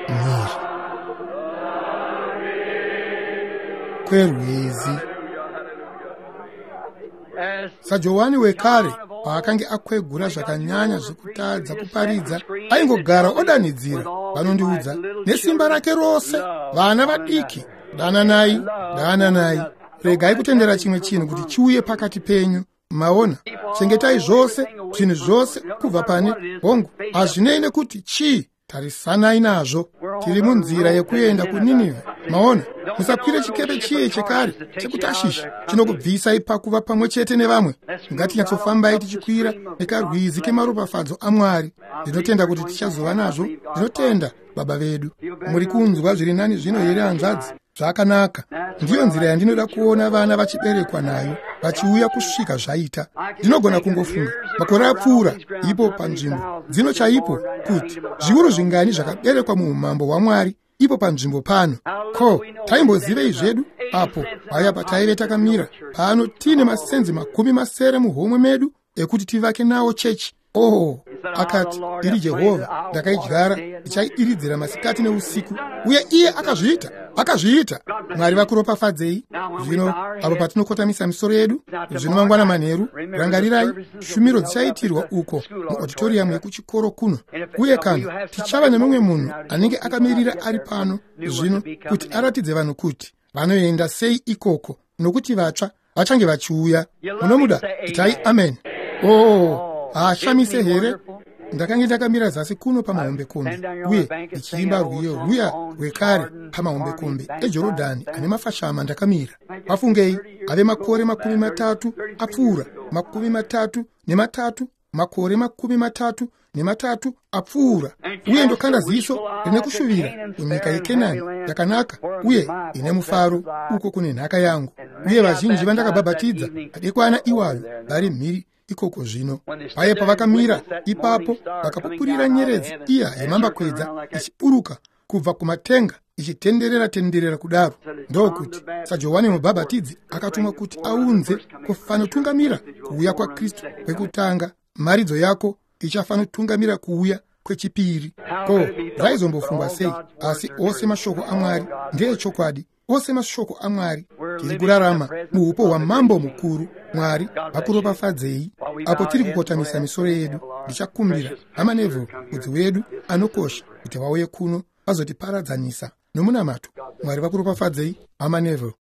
mhiri kwerwizi. SaJohani wekare paakange akwegura zvakanyanya zvekutadza kuparidza, aingogara odanidzira, vanondiudza nesimba rake rose, vana vadiki, dananai, dananai, regai kutendera chimwe chinhu kuti chiuye pakati penyu. Maona, chengetai zvose zvinhu zvose kubva pane hongu, hazvinei nekuti chii. Tarisanai nazvo. Tiri munzira yekuenda kuNinivhe. Maona, musakwire chikepe chiye chekare chekuTashishi chinokubvisai pakuva pamwe chete nevamwe. Ngatinyatsofambai tichikwira nekarwizi kemaropafadzo aMwari. Ndinotenda kuti tichazova nazvo. Ndinotenda Baba vedu. Muri kunzwa zviri nani zvino here, hanzvadzi? Zvakanaka. Ndiyo nzira yandinoda kuona vana vachiberekwa nayo, vachiuya kusvika zvaita. Ndinogona kungofunga makore apfuura ipo panzvimbo dzino chaipo kuti zviuru zvingani zvakaberekwa muumambo hwaMwari ipo panzvimbo pano. Ko taimbozivei zvedu apo paya pataive takamira pano tiine masenzi 70 muhomwe medu ekuti tivake nawo chechi? Oh, akati, iri Jehovha, ndakaidyara, ndichaidiridzira masikati neusiku. Uye iye akazviita, akazviita. Mwari vakuropafadzei. Zvino apo patinokotamisa misoro yedu zvino mangwana manheru, rangarirai shumiro dzichaitirwa uko muauditorium yekuchikoro kuno. Uye kana tichava nemumwe munhu anenge akamirira ari pano zvino kuti aratidze vanhu kuti vanoenda sei ikoko, nokuti vatsva vachange vachiuya. Munomuda? Itai amen. Oh, haashamise here? Ndakange ndakamira zasi kuno pamahombekombe uye ndichiimba rwiyo rwuya rwekare pamahombekombe eJorodhani ane mafashama ndakamira. Pafungei, ave makore 30 apfuura, 33, makore 33 apfuura, uye ndokanda ziso rine kushuvira kunyika yeKenani yakanaka uye ine mufaro, uko kune nhaka yangu. Uye vazhinji vandakabhabhatidza madekwana iwayo vari mhiri ikoko zvino. Paye pavakamira ipapo vakapupurira nyeredzi iya yemambakwedza ichiburuka kubva kumatenga ichitenderera tenderera kudaro, ndokuti saJohani Mubhabhatidzi akatumwa kuti aunze kufanotungamira kuuya kwaKristu kwekutanga, mharidzo yako ichafanotungamira kuuya kwechipiri. Ko zvaizombofungwa sei? Asi ose mashoko aMwari ndeechokwadi. Ose mashoko aMwari. Tiri kurarama muupo hwaMambo mukuru. Mwari vakuropafadzei. Apo tiri kukotamisa misoro yedu, ndichakumbira Hama Neville, mudzi wedu anokosha, kuti vauye kuno vazotiparadzanisa nomunamato. Mwari vakuropafadzei, Hama Neville.